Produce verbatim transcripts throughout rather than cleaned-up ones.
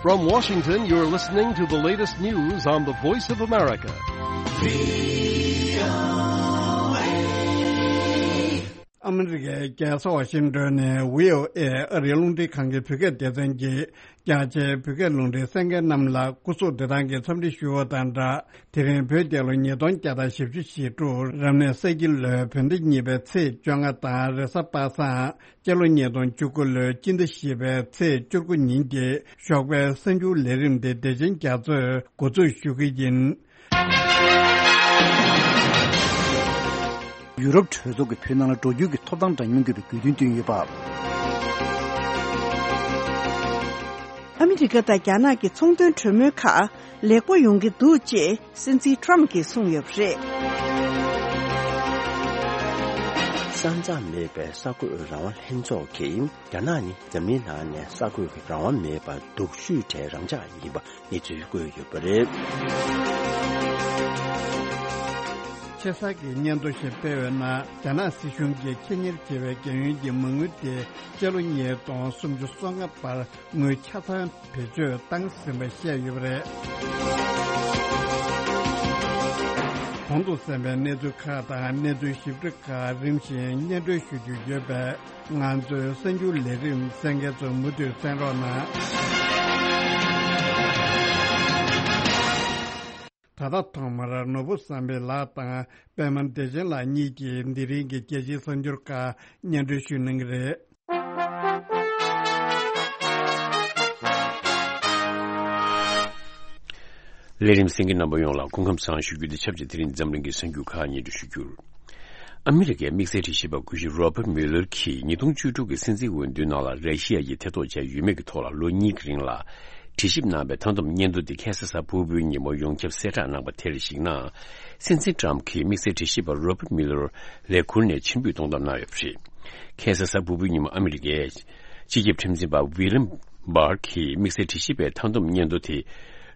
From Washington, you're listening to the latest news on the Voice of America. ཨ་མི་རི་ཀའི་རྒྱལ་ས་ཝ་ཤིང་ཏོན་ནས་བྷི་ཨོ་ཨེ་ཨ་རིའི་རླུང་འཕྲིན་ཁང་གི་བོད་སྐད་སྡེ་ཚན་གྱི་རྒྱ་ཆེའི་བོད་སྐད་རླུང་འཕྲིན་གསན་མཁན་རྣམས་ལ་སྐུ་གཟུགས་བདེ་ཐང་གི་འཚམས་འདྲི་ཞུ་བ་དང་སྦྲགས། དེ་རིང་བོད་རྒྱལ་ལོ་ཉིས་སྟོང་བརྒྱ་དང་བཞི་བཅུ་ཞེ་དྲུག་རབ་གནས་ས་ཁྱི་ལོའི་བོད་ཟླ་གཉིས་པའི་ཚེས་བཅོ་ལྔ་དང་རེས་གཟའ་པ་སངས། སྤྱི་ལོ་ཉིས་སྟོང་བཅུ་དགུ་ལོའི་སྤྱི་ཟླ་བཞི་པའི་ཚེས་བཅུ་དགུ་ཉིན་གྱི་ཞོགས་པའི་གསར་འགྱུར་ལས་རིམ་དེ་བདེ་ཆེན་རྒྱ་མཚོས་འགོ་འཛུགས་ཞུ་གི་ཡིན། ཡུ་རོབ་གྲོས་ཚོགས་ཀྱི་བོད་ནང་ལ་འགྲོ་རྒྱུ་གི་ཐོབ་ཐང་འདྲ་མཉམ་དགོས་པའི་དགོས་འདུན་བཏོན་ཡོད་པ། ཨ་མི་རི་ཀ་དང་རྒྱ་ནག་གི་ཚོང་དོན་གྲོས་མོལ་ཁག་ལེགས་པོ་ཡོང་གི་འདུག་ཅེས་སྲིད་འཛིན་ཊམ་གྱིས་གསུངས་ཡོད་པ་རེད། ས་མཚམས་མེད་པའི་གསར་འགོད་རང་དབང་ལྷན་ཚོགས་ཀྱིས་རྒྱ་ནག་ནི་འཛམ་གླིང་ནང་ནས་གསར་འགོད་ཀྱི་རང་དབང་མེད་པར་སྡུག་ཤོས་གྲས་རང་འཇགས་ཡིན་པ་གནས་ཚུལ་བཀོད་ཡོད་པ་རེད། ཆེ་ས་གི་སྙན་ཐོ་ཞིག་སྤེལ་བའི་ནང་རྒྱ་ནག་སྲིད་གཞུང་གིས་ཁེ་གཉེར་བྱས་པའི་རྒྱལ་ཡོངས་ཀྱི་མ་དངུལ་དེ་སྤྱི་ལོ་ཉིས་སྟོང་སུམ་ཅུ་སོ་ལྔ་བར་དངུལ་ཆ་ཚང་བེད་སྤྱོད་བཏང་ཟིན་པ་བཤད་ཡོད་པ་རེད། གོང་དུ་གསན་པའི་གནས་ཚུལ་ཁག་དང་གནས་ཚུལ་ཞིབ་ཕྲ་ཁག་རིམ་བཞིན་སྙན་སྒྲོན་ཞུ་རྒྱུ་ཡོད་པས། ང་ཚོའི་གསར་འགྱུར་ལས་རིམ་གསན་མཁན་ཚོ་མུ་མཐུད་གསན་རོགས་གནང་། ད་ལྟ་ཐོག་མར་ནོར་བུ་བསམ་འཕེལ་ལགས་དང་པད་མ་བདེ་ཆེན་ལགས་གཉིས་ཀྱིས་འདི་རིང་གི་རྒྱལ་སྤྱིའི་གསར་འགྱུར་ཁག་སྙན་སྒྲོན་ཞུ་གནང་གི་རེད། ལས་རིམ་གསན་མཁན་རྣམ་པ་ཡོངས་ལ་སྐུ་ཁམས་བཟང་ཞུ་རྒྱུ་དེ་ཆབས་ཅིག་དེ་རིང་འཛམ་གླིང་གི་གསར་འགྱུར་ཁག་སྙན་སྒྲོན་ཞུ་རྒྱུར། ཨ་མི་རི་ཀའི་དམིགས་བསལ་དྲི་ཞིབ་པ་སྐུ་ཞབས་Robert Mueller་གྱིས་ཉིས་སྟོང་བཅུ་དྲུག་གི་སྲིད་འཛིན་འོས་བསྡུའི་ནང་ལ་ར་ཤི་ཡ་ཡིས་ཐེ་གཏོགས་བྱས་ཡོད་མེད་ཀྱི་ཐོག་ལ་ལོ་གཉིས་ཀྱི་རིང་ལ་དྲི་ཞིབ་གནང་བའི་མཐའ་སྡོམ་སྙན་ཐོ་འདི་ཁ་སང་གཟའ་ཕུར་བུའི་ཉིན་མོ་ཡོངས་ཁྱབ་གསལ་བསྒྲགས་གནང་པ་དེར་གཞིགས་ན། སྲིད་འཛིན་Trump་གྱིས་དམིགས་བསལ་དྲི་ཞིབ་པ་Robert Mueller་ལས་ཁུར་ནས་ཕྱིར་འབུད་གཏོང་ཐབས་གནང་ཡོད་པ་རེད། ཁ་སང་གཟའ་ཕུར་བུའི་ཉིན་མོ་ཨ་མི་རི་ཀའི་སྤྱི་ཁྱབ་ཁྲིམས་འཛིན་པ་William Barr་གྱིས་དམིགས་བསལ་དྲི་ཞིབ་པའི་མཐའ་སྡོམ་སྙན་ཐོ་དེ་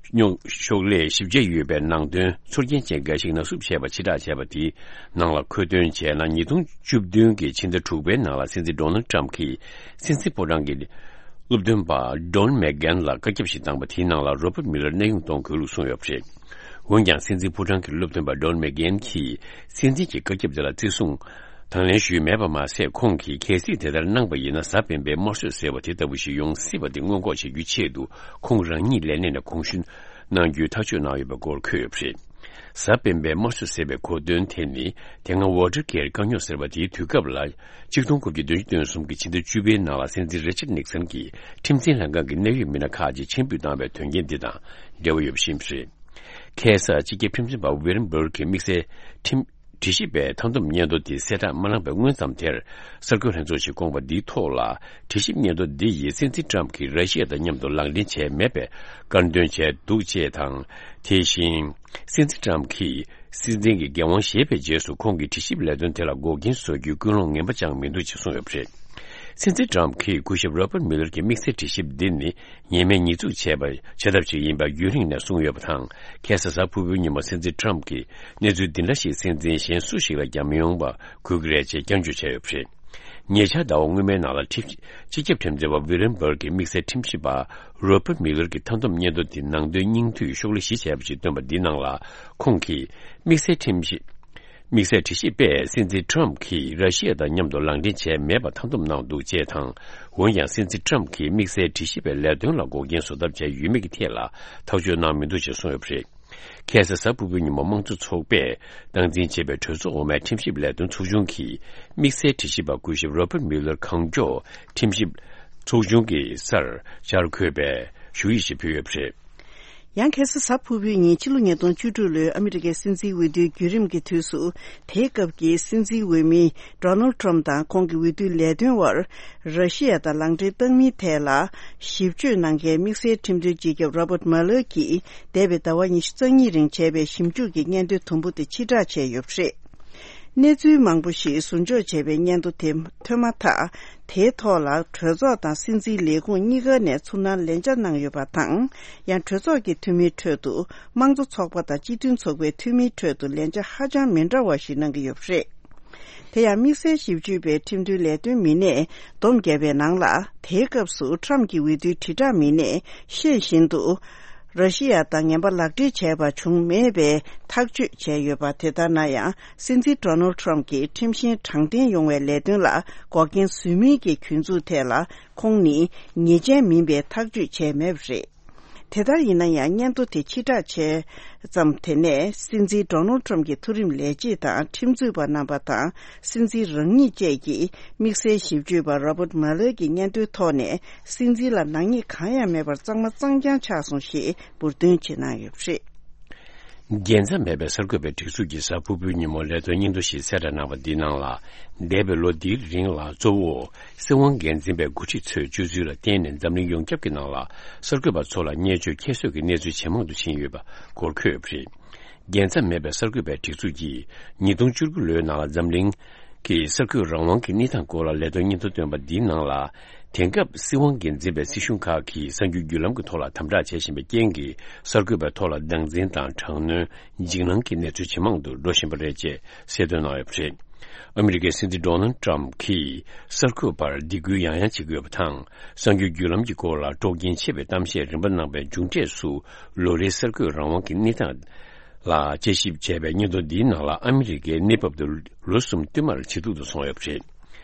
རྙོག་ཤོག་ལས་ཞིབ་དཔྱད་ཡོད་པའི་ནང་དོན་ཚོར་སྐྱེན་ཅན་འགའ་ཞིག་ནག་བསུབ་བྱས་པ་ཕྱིར་བསྒྲགས་བྱས་པ་དེའི་ནང་ལ་འཁོད་དོན་བྱས་ན། ཉིས་སྟོང་བཅུ་བདུན་གྱི་ཕྱི་ཟླ་དྲུག་པའི་ནང་ལ་སྲིད་འཛིན་Donald Trump་གྱིས་སྲིད་འཛིན་ཕོ་བྲང་གི་སློབ་སྟོན་པ་Don McGahn་ལ་བཀའ་ཁྱབ་ཞིག་བཏང་པ་དེའི་ནང་ལ་Robert Mueller་གནས་དབྱུང་གཏོང་དགོས་ལུགས་གསུངས་ཡོད་པ་རེད། འོན་ཀྱང་སྲིད་འཛིན་ཕོ་བྲང་གི་སློབ་སྟོན་པ་Don McGahn་གྱིས་སྲིད་འཛིན་གྱི་བཀའ་ཁྱབ་དེ་ལ་བརྩི་སྲུང་དང་ལེན་ཞུས་མེད་པ་མ་ཟད། ཁོང་གིས་གལ་སྲིད་དེ་ལྟར་གནང་པ་ཡིན་ན། གཟའ་སྤེན་པའི་དམར་གསོད་ཟེར་བ་དེ་ལྟ་བུ་ཞིག་ཡོང་སྲིད་པ་དེ་སྔོན་འགོག་བྱེད་རྒྱུའི་ཆེད་དུ་ཁོང་རང་ཉིད་ལས་གནས་ནས་དགོངས་ཞུ་གནང་རྒྱུའི་ཐག་གཅོད་གནང་ཡོད་པའི་སྐོར་འཁོད་ཡོད་པ་རེད། གཟའ་སྤེན་པའི་དམར་གསོད་ཟེར་བའི་གོ་དོན་དེ་ནི། དེ་སྔ་Watergate་དཀའ་རྙོག་ཟེར་བ་དེའི་དུས་སྐབས་ལ། ཆིག་སྟོང་དགུ་བརྒྱ་བདུན་ཅུ་དོན་གསུམ་གྱི་ཕྱི་ཟླ་བཅུ་པའི་ནང་ལ་སྲིད་འཛིན་Richard Nixon་གྱིས་ཁྲིམས་འཛིན་ལྷན་ཁང་གི་གནད་ཡོད་མི་སྣ་ཁག་ཅིག་ཕྱིར་འབུད་བཏང་བའི་དོན་རྐྱེན་འདི་དང་འབྲེལ་བ་ཡོད་པ་ཤེས་པ་རེད། ཁ་སང་སྤྱི་ཁྱབ་ཁྲིམས་འཛིན་པ་William Barr་གྱིས་དམིགས་བསལ་ཁྲིམས་དྲི་ཞིབ་པའི་མཐའ་སྡོམ་སྙན་ཐོ་དེ་གསལ་བསྒྲགས་མ་གནང་བའི་སྔོན་ཙམ་དེར། གསར་འགོད་ལྷན་ཚོགས་ཤིག་བསྐོངས་པ་འདིའི་ཐོག་ལ། དྲི་ཞིབ་སྙན་ཐོ་འདི་ཡིས་སྲིད་འཛིན་Trump་གྱིས་ར་ཤི་ཡ་དང་མཉམ་དུ་ལག་འབྲེལ་བྱས་མེད་པའི་དཀར་འདོན་བྱས་འདུག་ཅེས་དང་། དེ་བཞིན་སྲིད་འཛིན་Trump་གྱིས་སྲིད་འཛིན་གྱི་འགན་དབང་བཞེས་པའི་རྗེས་སུ་ཁོང་གིས་དྲི་ཞིབ་ལས་དོན་དེ་ལ་འགོག་རྐྱེན་བཟོ་རྒྱུའི་ཀུན་སློང་ངན་པ་ཅང་མི་འདུག་ཅེས་གསུངས་ཡོད་པ་རེད། སྲིད་འཛིན་Trump་གྱིས་སྐུ་ཞབས་Robert Mueller་གྱི་དམིགས་བསལ་དྲི་ཞིབ་འདི་ནི་ཉེས་མེད་ཉེས་འཛུགས་བྱས་པ་བྱ་ཐབས་ཤིག་ཡིན་པ་རྒྱུན་རིང་ནས་གསུངས་ཡོད་པ་དང་། ཁ་སང་གཟའ་ཕུར་བུའི་ཉིན་མོ་སྲིད་འཛིན་Trump་གྱིས་གནས་ཚུལ་འདི་འདྲ་ཞིག་སྲིད་འཛིན་གཞན་སུ་ཞིག་ལ་ཀྱང་མི་ཡོང་བ་དགོས་ཀྱི་རེད་ཅེས་སྐྱོན་བརྗོད་བྱས་ཡོད་པ་རེད། ཉེ་ཆར་ཟླ་བ་སྔོན་མའི་ནང་ལ་ཁྲིམས་སྤྱི་ཁྱབ་ཁྲིམས་འཛིན་པ་William Barr་གྱིས་དམིགས་བསལ་ཁྲིམས་ཞིབ་པ་Robert Mueller་གྱི་མཐའ་སྡོམ་སྙན་ཐོ་དེ་ནང་དོན་སྙིང་བསྡུས་ཤོག་ལྷེ་བཞི་བྱས་པ་ཞིག་བཏོན་པ་འདིའི་ནང་ལ། ཁོང་གིས་དམིགས་བསལ་ཁྲིམས་ཞིབ། དམིགས་བསལ་དྲི་ཞིབ་པས་སྲིད་འཛིན་Trump་གྱིས་ར་ཤི་ཡ་དང་མཉམ་དུ་ལག་འབྲེལ་བྱས་མེད་པ་མཐའ་སྡོམ་གནང་འདུག་ཅེས་དང་། འོན་ཀྱང་སྲིད་འཛིན་Trump་གྱིས་དམིགས་བསལ་དྲི་ཞིབ་པའི་ལས་དོན་ལ་འགོག་རྐྱེན་བཟོ་ཐབས་བྱས་ཡོད་མེད་ཀྱི་ཐད་ལ་ཐག་གཅོད་གནང་མི་འདུག་ཅེས་གསུངས་ཡོད་པ་རེད། ཁ་སང་གཟའ་ཕུར་བུའི་ཉིན་མོ་དམངས་གཙོ་ཚོགས་པས་སྟངས་འཛིན་བྱས་པའི་གྲོས་ཚོགས་འོག་མའི་ཁྲིམས་ཞིབ་ལས་དོན་ཚོགས་ཆུང་གིས་དམིགས་བསལ་དྲི་ཞིབ་པ་སྐུ་ཞབས་Robert Mueller་གང་མགྱོགས་ཁྲིམས་ཞིབ་ཚོགས་ཆུང་གི་སར་བཅར་དགོས་པའི་ཞུ་ཡིག་ཞིག་ཕུལ་ཡོད་པ་རེད། ཡང་ཁ་སང་གཟའ་ཕུར་བུའི་ཉིན་ཕྱི་ལོ་ཉིས་སྟོང་བཅུ་དྲུག་ལོའི་ཨ་མི་རི་ཀའི་སྲིད་འཛིན་འོས་བསྡུའི་བརྒྱུད་རིམ་གྱི་དུས་སུ། དེའི་སྐབས་ཀྱི་སྲིད་འཛིན་འོས་མི་Donald Trump་དང་ཁོང་གི་འོས་བསྡུའི་ལས་དོན་བར་ར་ཤི་ཡ་དང་ལག་འབྲེལ་བཏང་མིན་ཐད་ལ་ཞིབ་དཔྱོད་གནང་མཁན་དམིགས་བསལ་ཁྲིམས་དོན་སྤྱི་ཁྱབ་Robert Mueller་གྱིས་འདས་པའི་ཟླ་བ་ཉི་ཤུ་རྩ་གཉིས་རིང་བྱས་པའི་ཞིབ་འཇུག་གི་སྙན་ཐོའི་དུམ་བུ་དེ་ཕྱིར་བསྒྲགས་བྱས་ཡོད་པ་རེད། གནས་ཚུལ་མང་པོ་ཞིག་ཟུར་འཇོག་བྱས་པའི་སྙན་ཐོ་དེ་ཐོན་མ་ཐག་དེའི་ཐོག་ལ་གྲོས་ཚོགས་དང་སྲིད་འཛིན་ལས་ཁུངས་གཉིས་ཀ་ནས་ཚུར་སྣང་ལན་ཆ་གནང་ཡོད་པ་དང་། ཡང་གྲོས་ཚོགས་ཀྱི་འཐུས་མིའི་ཁྲོད་དུ་དམངས་གཙོ་ཚོགས་པ་དང་སྤྱི་མཐུན་ཚོགས་པའི་འཐུས་མིའི་ཁྲོད་དུ་ལན་ཆ་ཧ་ཅང་མི་འདྲ་བ་ཞིག་གནང་གི་ཡོད་པ་རེད། དེ་ཡང་དམིགས་བསལ་ཞིབ་དཔྱོད་པའི་ཁྲིམས་མཐུན་ལས་དོན་མི་སྣས་སྡོམ་བརྒྱབ་པའི་ནང་ལ། དེའི་སྐབས་སུ་ཊམ་གྱི་འོས་བསྡུའི་དྲིལ་བསྒྲགས་མི་སྣས་ཤེས་བཞིན་དུ་ར་ཤི་ཡ་དང་ངན་པ་ལག་འབྲེལ་བྱས་པ་བྱུང་མེད་པའི་ཐག་གཅོད་བྱས་ཡོད་པ། དེ་ལྟར་ན་ཡང་སྲིད་འཛིན་ཌོ་ནལ་ཌི་ཊམ་གྱི་ཁྲིམས་བཞིན་དྲང་བདེན་ཡོང་བའི་ལས་དོན་ལ་འགོག་རྐྱེན་བཟོས་མིན་གྱི་གྱོད་འཛུགས་ཐད་ལ་ཁོང་ནི་ཉེས་ཅན་མིན་པའི་ཐག་གཅོད་བྱས་མེད་པ་རེད། དེ་ལྟར་ཡིན་ན་ཡང་སྙན་ཐོ་དེ་ཕྱིར་བསྒྲགས་བྱས་ཙམ། དེ་ནས་སྲིད་འཛིན་ཌོ་ནལ་ཌི་ཊམ་གྱི་མཐོ་རིམ་ལས་བྱེད་དང་ཁྲིམས་རྩོད་པ་རྣམ་པ་དང་སྲིད་འཛིན་རང་ཉིད་བཅས་ཀྱིས་དམིགས་བསལ་ཞིབ་དཔྱོད་པ་Robert Mueller གྱི་སྙན་ཐོའི་ཐོག་ནས་སྲིད་འཛིན་ལ་ནག་ཉེས་གང་ཡང་མེད་པར་གཙང་མ་གཙང་རྐྱང་ཆགས་སོང་ཞེས་འབུར་འདོན་བྱེད་གནང་ཡོད་པ་རེད། རྒྱལ་མཚམས་མེད་པའི་གསར་འགོད་པའི་སྒྲིག་འཛུགས་ཀྱིས་གཟའ་ཕུར་བུའི་ཉིན་མོ་ལས་དོན་སྙན་ཐོ་ཞིག་གསལ་བསྒྲགས་གནང་བ་འདིའི་ནང་ལ། འདས་པའི་ལོ་འདིའི་རིང་ལ་གཙོ་བོ་སྲིད་དབང་སྒེར་འཛིན་པའི་འགོ་ཁྲིད་ཚོས་སྤྱོད་ཚུལ་ལ་བརྟེན་ནས་འཛམ་གླིང་ཡོངས་ཁྱབ་ཀྱི་ནང་ལ་གསར་འགོད་པ་ཚོ་ལ་བརྙས་བཅོས་ཁྱད་གསོད་ཀྱི་གནས་ཚུལ་ཇེ་མང་དུ་ཕྱིན་ཡོད་པ་སྐོར་འཁོད་པ་རེད། རྒྱལ་མཚམས་མེད་པའི་གསར་འགོད་པའི་སྒྲིག་འཛུགས་ཀྱིས་ཉིས་སྟོང་བཅུ་དགུ་ལོའི་ནང་ལ་འཛམ་གླིང་གི་གསར་འགོད་རང་དབང་གི་གནས་སྟངས་སྐོར་ལ་ལས་དོན་སྙན་ཐོ་བཏོན་པ་འདིའི་ནང་ལ། དེང་སྐབས་སྲིད་དབང་སྒེར་འཛིན་པའི་སྲིད་གཞུང་ཁག་གིས་གསར་འགྱུར་བརྒྱུད་ལམ་གྱི་ཐོག་ལ་དམ་དྲག་བྱེད་བཞིན་པའི་རྐྱེན་གྱིས། གསར་འགོད་པའི་ཐོག་ལ་སྡང་འཛིན་དང་དྲག་གནོན། འཇིགས་སྣང་གི་གནས་ཚུལ་ཇེ་མང་དུ་འགྲོ་བཞིན་པ་རེད་ཅེས་གསལ་སྟོན་གནང་ཡོད་པ་རེད། ཨ་མི་རི་ཀའི་སྲིད་འཛིན་ཌོ་ནལ་ཌི་ཊམ་གྱིས་གསར་འགོད་པར་སྡིགས་སྐུལ་ཡང་ཡང་བྱེད་ཀྱི་ཡོད་པ་དང་། གསར་འགྱུར་བརྒྱུད་ལམ་གྱི་སྐོར་ལ་དཀྲོག་རྐྱེན་ཆེ་བའི་གཏམ་བཤད་རིམ་པ་གནང་པའི་མཇུག་འབྲས་སུ། ལོ་རེའི་གསར་འགོད་རང་དབང་གི་གནས་སྟངས་ལ་དཔྱད་ཞིབ་བྱས་པའི་སྙན་ཐོ་འདིའི་ནང་ལ། ཨ་མི་རི་ཀའི་གནས་བབ་དེ་ལོ་གསུམ་བསྟུད་མར་ཇེ་སྡུག་ཏུ་སོང་ཡོད་པ་རེད།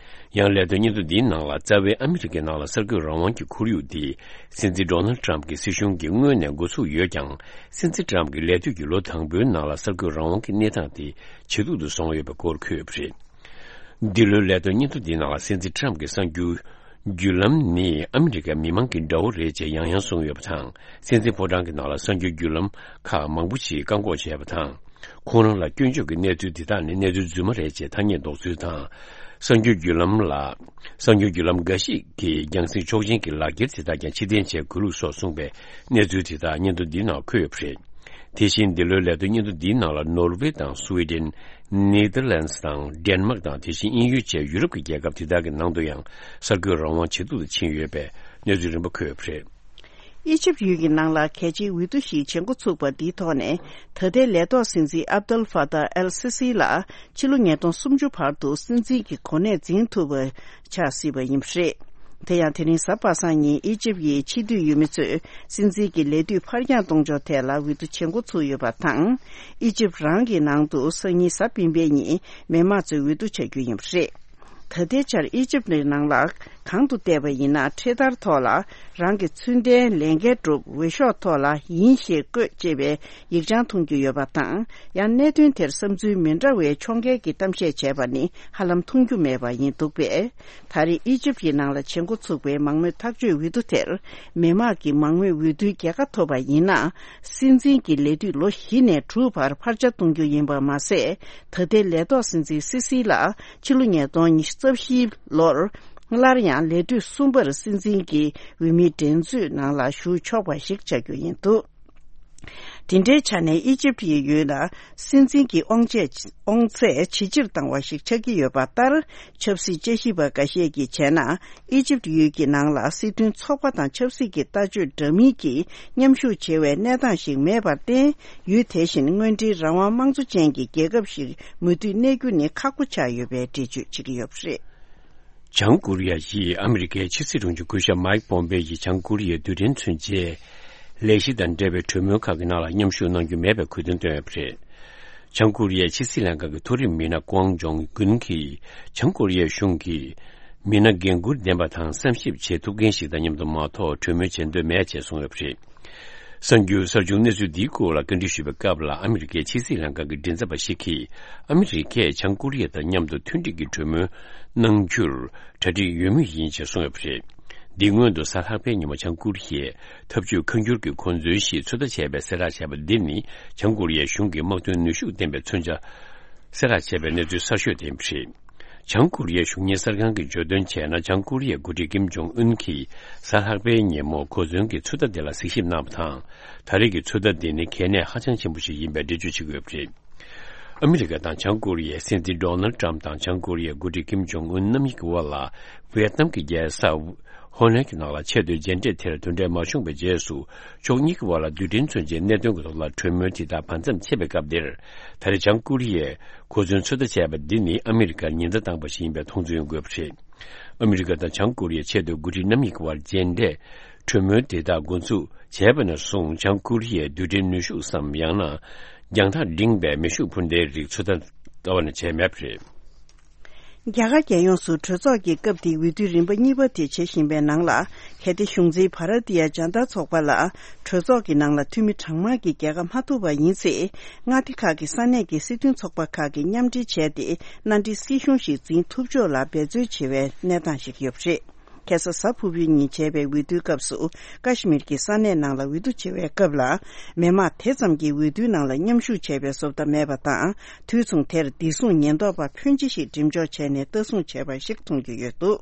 ཡང་ལས་དོན་སྙན་ཐོ་འདིའི་ནང་ལ། རྩ་བའི་ཨ་མི་རི་ཀའི་ནང་ལ་གསར་འགོད་རང་དབང་གི་ཁོར་ཡུག་འདི་སྲིད་འཛིན་ཌོ་ནལ་ཌི་ཊམ་གྱི་སྲིད་གཞུང་གིས་སྔོན་ནས་འགོ་ཚུགས་ཡོད་ཀྱང་། སྲིད་འཛིན་ཊམ་གྱི་ལས་དུས་ཀྱི་ལོ་དང་པོའི་ནང་ལ་གསར་འགོད་རང་དབང་གི་གནས་སྟངས་དེ་ཇེ་སྡུག་ཏུ་སོང་ཡོད་པའི་སྐོར་འཁོད་ཡོད་པ་རེད། འདི་ལོའི་ལས་དོན་སྙན་ཐོ་འདིའི་ནང་ལ། སྲིད་འཛིན་ཊམ་གྱི་གསར་འགྱུར་བརྒྱུད་ལམ་ནི་ཨ་མི་རི་ཀའི་མི་མང་གི་དགྲ་བོ་རེད་ཅེས་ཡང་ཡང་གསུངས་ཡོད་པ་དང་། སྲིད་འཛིན་ཕོ་བྲང་གི་ནང་ལ་གསར་འགྱུར་བརྒྱུད་ལམ་ཁག་མང་པོ་ཞིག་བཀག་འགོག་བྱས་པ་དང་། ཁོང་རང་ལ་སྐྱོན་བརྗོད་ཀྱི་གནས་ཚུལ་འདི་དག་ནི་གནས་ཚུལ་རྫུན་མ་རེད་ཅེས་ཐ་སྙད་འདོགས་ཚུལ་དང་། གསར་འགྱུར་བརྒྱུད་ལམ་ལ། གསར་འགྱུར་བརྒྱུད་ལམ་འགའ་ཞིག་གིས་རྒྱང་སྲིང་ཆོག་མཆན་གྱི་ལག་འཁྱེར་དེ་དག་ཀྱང་ཕྱིར་འཐེན་བྱས་དགོས་ལུགས་སོགས་གསུངས་པའི་གནས་ཚུལ་དེ་དག་སྙན་ཐོ་འདིའི་ནང་འཁོད་ཡོད་པ་རེད། དེ་བཞིན་འདི་ལོའི་ལས་དོན་སྙན་ཐོ་འདིའི་ནང་ལ། ནོར་ཝེ་དང་སུའེ་ཌེན། ནེ་དར་ལན་སི་དང་ཌེན་མཱག་དང་། དེ་བཞིན་དབྱིན་ཡུལ་བཅས་ཡུ་རོབ་ཀྱི་རྒྱལ་ཁབ་དེ་དག་གི་ནང་དུ་ཡང་གསར་འགོད་རང་དབང་ཇེ་སྡུག་ཏུ་ཕྱིན་ཡོད་པའི་གནས་ཚུལ་རིམ་པ་འཁོད་ཡོད་པ་རེད། ཨི་ཇིབ་ཡུལ་གྱི་ནང་ལ་གལ་ཆེའི་འོས་བསྡུ་ཞིག་བྱེད་འགོ་ཚུགས་པ་འདིའི་ཐོག་ནས། ད་ལྟའི་ལས་ཐོག་སྲིད་འཛིན་ཨབ་དལ་ཧྥ་ཏཱ་ཨལ་སི་སི་ལ་ཕྱི་ལོ་ཉིས་སྟོང་སུམ་ཅུ་བར་དུ་སྲིད་འཛིན་གྱི་གོ་གནས་འཛིན་ཐུབ་པ་ཆགས་སྲིད་པ་ཡིན་པ་རེད། དེ་ཡང་དེ་རིང་གཟའ་པ་སངས་ཉིན་ཨི་ཇིབ་ཡི་ཕྱི་སྡོད་ཡུལ་མི་ཚོས་སྲིད་འཛིན་གྱི་ལས་དུས་ཕར་འགྱངས་གཏོང་ཕྱོགས་ཐད་ལ་འོས་བསྡུ་བྱེད་འགོ་ཚུགས་ཡོད་པ་དང་། ཨི་ཇིབ་རང་གི་ནང་དུ་སང་ཉིན་གཟའ་སྤེན་པའི་ཉིན་མི་མང་ཚོས་འོས་བསྡུ་བྱ་རྒྱུ་ཡིན་པ་རེད། ད་ལྟའི་ཆར་ཨི་ཇིབ་ནང་ལ་གང་དུ་བལྟས་པ་ཡིན་ན། འཕྲེད་དར་ཐོག་ལ་རང་གི་ཚུལ་ལྡན་ལས་འགན་སྒྲུབ། འོས་ཤོག་ཐོག་ལ་ཡིན་ཞེས་བཀོད་ཅེས་པའི་ཡིག་ཆང་མཐོང་རྒྱུ་ཡོད་པ་དང་། ཡང་གནད་དོན་དེར་བསམ་ཚུལ་མི་འདྲ་བའི་ཕྱོགས་འགལ་གྱི་གཏམ་བཤད་བྱས་པ་ནི་ཧ་ལམ་མཐོང་རྒྱུ་མེད་པ་ཡིན་འདུག་པས། ད་རེས་ཨི་ཇིབ་ཀྱི་ནང་ལ་བྱེད་འགོ་ཚུགས་པའི་མང་མོས་ཐག་གཅོད་འོས་བསྡུ་དེར། མི་མང་གིས་མང་མོས་འོས་བསྡུའི་རྒྱལ་ཁ་ཐོབ་པ་ཡིན་ན། སྲིད་འཛིན་གྱི་ལས་དུས་ལོ་བཞི་ནས་དྲུག་བར་ཕར་ཆེར་གཏོང་རྒྱུ་ཡིན་པ་མ་ཟད། ད་ལྟའི་ལས་ཐོག་སྲིད་འཛིན་སི་སི་ལ་ཕྱི་ལོ་ཉིས་སྟོང་ཉི་ཤུ་རྩ་བཞིའི་ལོར་སླར་ཡང་ལས་དུས་གསུམ་པར་སྲིད་འཛིན་གྱི་འོས་མིའི་འགྲན་རྩོད་ནང་ལ་ཞུགས་ཆོག་པ་ཞིག་ཆགས་རྒྱུ་ཡིན་འདུག་དེ་འདྲའི་ཆ་ནས་ཨི་ཇིབ་ཀྱི་ཡུལ་ལ་སྲིད་འཛིན་གྱི་དབང་ཆས་དབང་ཚད་ཇེ་ཆེར་བཏང་བ་ཞིག་ཆགས་ཀྱི་ཡོད་པ་ལྟར། ཆབ་སྲིད་དཔྱད་ཞིབ་པ་འགའ་ཤས་ཀྱིས་བྱས་ན། ཨི་ཇིབ་ཡུལ་གྱི་ནང་ལ་སྲིད་དོན་ཚོགས་པ་དང་ཆབ་སྲིད་ཀྱི་ལྟ་སྤྱོད་འདྲ་མིན་གྱིས་མཉམ་ཞུགས་བྱེད་པའི་གནས་སྟངས་ཤིག་མེད་པར་བརྟེན། ཡུལ་དེ་བཞིན་དངོས་འབྲེལ་རང་དབང་དམངས་གཙོ་ཅན་གྱི་རྒྱལ་ཁབ་ཞིག་མུ་མཐུད་གནས་རྒྱུ་ནི་ཁག་པོ་ཆགས་ཡོད་པའི་འགྲེལ་བརྗོད་བྱེད་ཀྱི་ཡོད་པ་རེད། བྱང་ཀོ་རི་ཡ་ཡིས་ཨ་མི་རི་ཀའི་ཕྱི་སྲིད་དྲུང་ཆེ་སྐུ་ཞབས་མཱིག་པོམ་པེ་ཡིས་བྱང་ཀོ་རི་ཡའི་རྡུལ་ཕྲན་མཚོན་ཆའི་ལས་གཞི་དང་འབྲེལ་བའི་གྲོས་མོལ་ཁག་གི་ནང་ལ་མཉམ་ཞུགས་གནང་རྒྱུ་མེད་པའི་གུས་འདུན་བཏོན་ཡོད་པ་རེད། བྱང་ཀོ་རི་ཡའི་ཕྱི་སྲིད་ལྷན་ཁང་གི་མཐོ་རིམ་མི་སྣ་ཀོང་ཇོང་གུན་གྱིས། བྱང་ཀོ་རི་ཡའི་གཞུང་གིས་མི་སྣ་འགན་འཁུར་ལྡན་པ་དང་བསམ་ཞིབ་བྱེད་ཐུབ་མཁན་ཞིག་དང་མཉམ་དུ་མ་གཏོགས་གྲོས་མོལ་བྱེད་འདོད་མེད་ཅེས་གསུངས་ཡོད་པ་རེད། གསར་འགྱུར་གསར་བྱུང་གནས་ཚུལ་འདིའི་སྐོར་ལ་བཀའ་འདྲི་ཞུས་པའི་སྐབས་ལ། ཨ་མི་རི་ཀའི་ཕྱི་སྲིད་ལྷན་ཁང་གི་མགྲིན་ཚབ་པ་ཞིག་གིས། ཨ་མི་རི་ཀས་བྱང་ཀོ་རི་ཡ་དང་མཉམ་དུ་མཐུན་སྒྲིལ་གྱི་གྲོས་མོལ་གནང་རྒྱུར་གྲ་སྒྲིག་ཡོད་མུས་ཡིན་ཅེས་གསུངས་ཡོད་པ་རེད། འདི་སྔོན་དུ་གཟའ་ལྷག་པའི་ཉིན་མོ་བྱང་ཀོ་རི་ཡས་འཐབ་ཇུས་ཁ་འགྱུར་གྱི་གོ་མཚོན་ཞིག་ཚོད་ལྟ་བྱས་པའི་གསལ་བསྒྲགས་བྱས་པ་འདི་ནི། བྱང་ཀོ་རི་ཡའི་གཞུང་གིས་དམག་དོན་ནུས་ཤུགས་ལྡན་པའི་མཚོན་ཆ་གསལ་བསྒྲགས་བྱས་པའི་གནས་ཚུལ་གསར་ཤོས་དེ་ཡིན་པ་རེད། བྱང་ཀོ་རི་ཡའི་གཞུང་གཉེར་གསར་ཁང་གིས་བརྗོད་དོན་བྱས་ན། བྱང་ཀོ་རི་ཡའི་འགོ་ཁྲིད་ཀིམ་ཇོང་ཨུན་གྱིས་གཟའ་ལྷག་པའི་ཉིན་མོ་གོ་མཚོན་གྱི་ཚོད་ལྟ་དེ་ལ་གཟིགས་ཞིབ་གནང་བ་དང་། ད་རེས་ཀྱི་ཚོད་ལྟ་འདི་ནི་གལ་གནད་ཧ་ཅང་ཆེན་པོ་ཞིག་ཡིན་པའི་འགྲེལ་བརྗོད་བྱེད་ཀྱི་ཡོད་པ་རེད། ཨ་མི་རི་ཀ་དང་བྱང་ཀོ་རི་ཡའི་སྲིད་འཛིན་ཌོ་ནལ་ཊམ་དང་བྱང་ཀོ་རི་ཡའི་འགོ་ཁྲིད་ཀིམ་ཇོང་ཨུན་རྣམ་གཉིས་ཀྱི་དབར་ལ། ཝེ་ཏི་ནམ་གྱི་རྒྱལ་ས་ཧོ་ནན་གྱི་ནང་ལ་ཆེས་མཐོའི་མཇལ་འཕྲད་དེར་དོན་འབྲེལ་མ་བྱུང་བའི་རྗེས་སུ། ཕྱོགས་གཉིས་ཀྱི་དབར་ལ་རྡུལ་ཕྲན་མཚོན་ཆའི་གནད་དོན་གྱི་ཐོག་ལ་གྲོས་མོལ་དེ་དག་བར་མཚམས་ཆད་པའི་སྐབས་འདིར། ད་རེས་བྱང་ཀོ་རི་ཡས་གོ་མཚོན་ཚོད་ལྟ་བྱས་པ་འདི་ནི་ཨ་མི་རི་ཀར་ཉེན་བརྡ་བཏང་པ་ཞིག་ཡིན་པའི་མཐོང་ཚུལ་ཡོང་གི་ཡོད་པ་རེད། ཨ་མི་རི་ཀ་དང་བྱང་ཀོ་རི་ཡའི་ཆེས་མཐོའི་འགོ་ཁྲིད་རྣམ་གཉིས་ཀྱི་དབར་མཇལ་འཕྲད་གྲོས་མོལ་དེ་དག་འགོ་འཛུགས་བྱས་པ་ནས་བཟུང་། བྱང་ཀོ་རི་ཡའི་རྡུལ་ཕྲན་ནུས་ཤུགས་སམ། ཡང་ན་རྒྱང་ཐག་འབྲིང་བའི་མེ་ཤུགས་འཕུར་མདའི་རིགས་ཚོད་ལྟ་ལྟ་བ་ནས་བྱས་མེད་པ་རེད། རྒྱ་གར་རྒྱལ་ཡོངས་སུ་གྲོས་ཚོགས་ཀྱི་སྐབས་དེའི་འོས་བསྡུའི་རིམ་པ་གཉིས་པ་དེ་བྱེད་བཞིན་པའི་ནང་ལ། གལ་ཏེ་གཞུང་འཛིན་བྷ་ར་ཏི་ཡ་ཇན་ཏ་ཚོགས་པ་ལ་གྲོས་ཚོགས་ཀྱི་ནང་ལ་འཐུས་མི་གྲངས་མང་གིས་རྒྱལ་ཁ་མ་ཐོབ་པ་ཡིན་ཚེ། མངའ་སྡེ་ཁག་གི་ས་གནས་ཀྱི་སྲིད་དོན་ཚོགས་པ་ཁག་གིས་མཉམ་འབྲེལ་བྱས་ཏེ། མནའ་འབྲེལ་སྲིད་གཞུང་ཞིག་འཛིན་ཐུབ་ཕྱོགས་ལ་འབད་རྩོལ་བྱེད་པའི་གནས་སྟངས་ཤིག་ཡོད་པ་རེད། ཁ་སང་གཟའ་ཕུར་བུའི་ཉིན་བྱས་པའི་འོས་བསྡུའི་སྐབས་སུ། ཀ་ཤི་མིར་གྱི་ས་གནས་ནང་ལ་འོས་བསྡུ་བྱེད་པའི་སྐབས་ལ། མི་མང་དེ་ཙམ་གྱིས་འོས་བསྡུའི་ནང་ལ་མཉམ་ཞུགས་བྱས་པའི་བཟོ་ལྟ་མེད་པ་དང་། དུས་མཚུངས་དེར་བདེ་སྲུང་ཉེན་རྟོག་པ་ཕོན་ཆེ་ཞིག་འགྲེམས་འཇོག་བྱས་ནས་ལྟ་སྲུང་བྱས་པ་ཞིག་མཐོང་རྒྱུ་ཡོད་འདུག་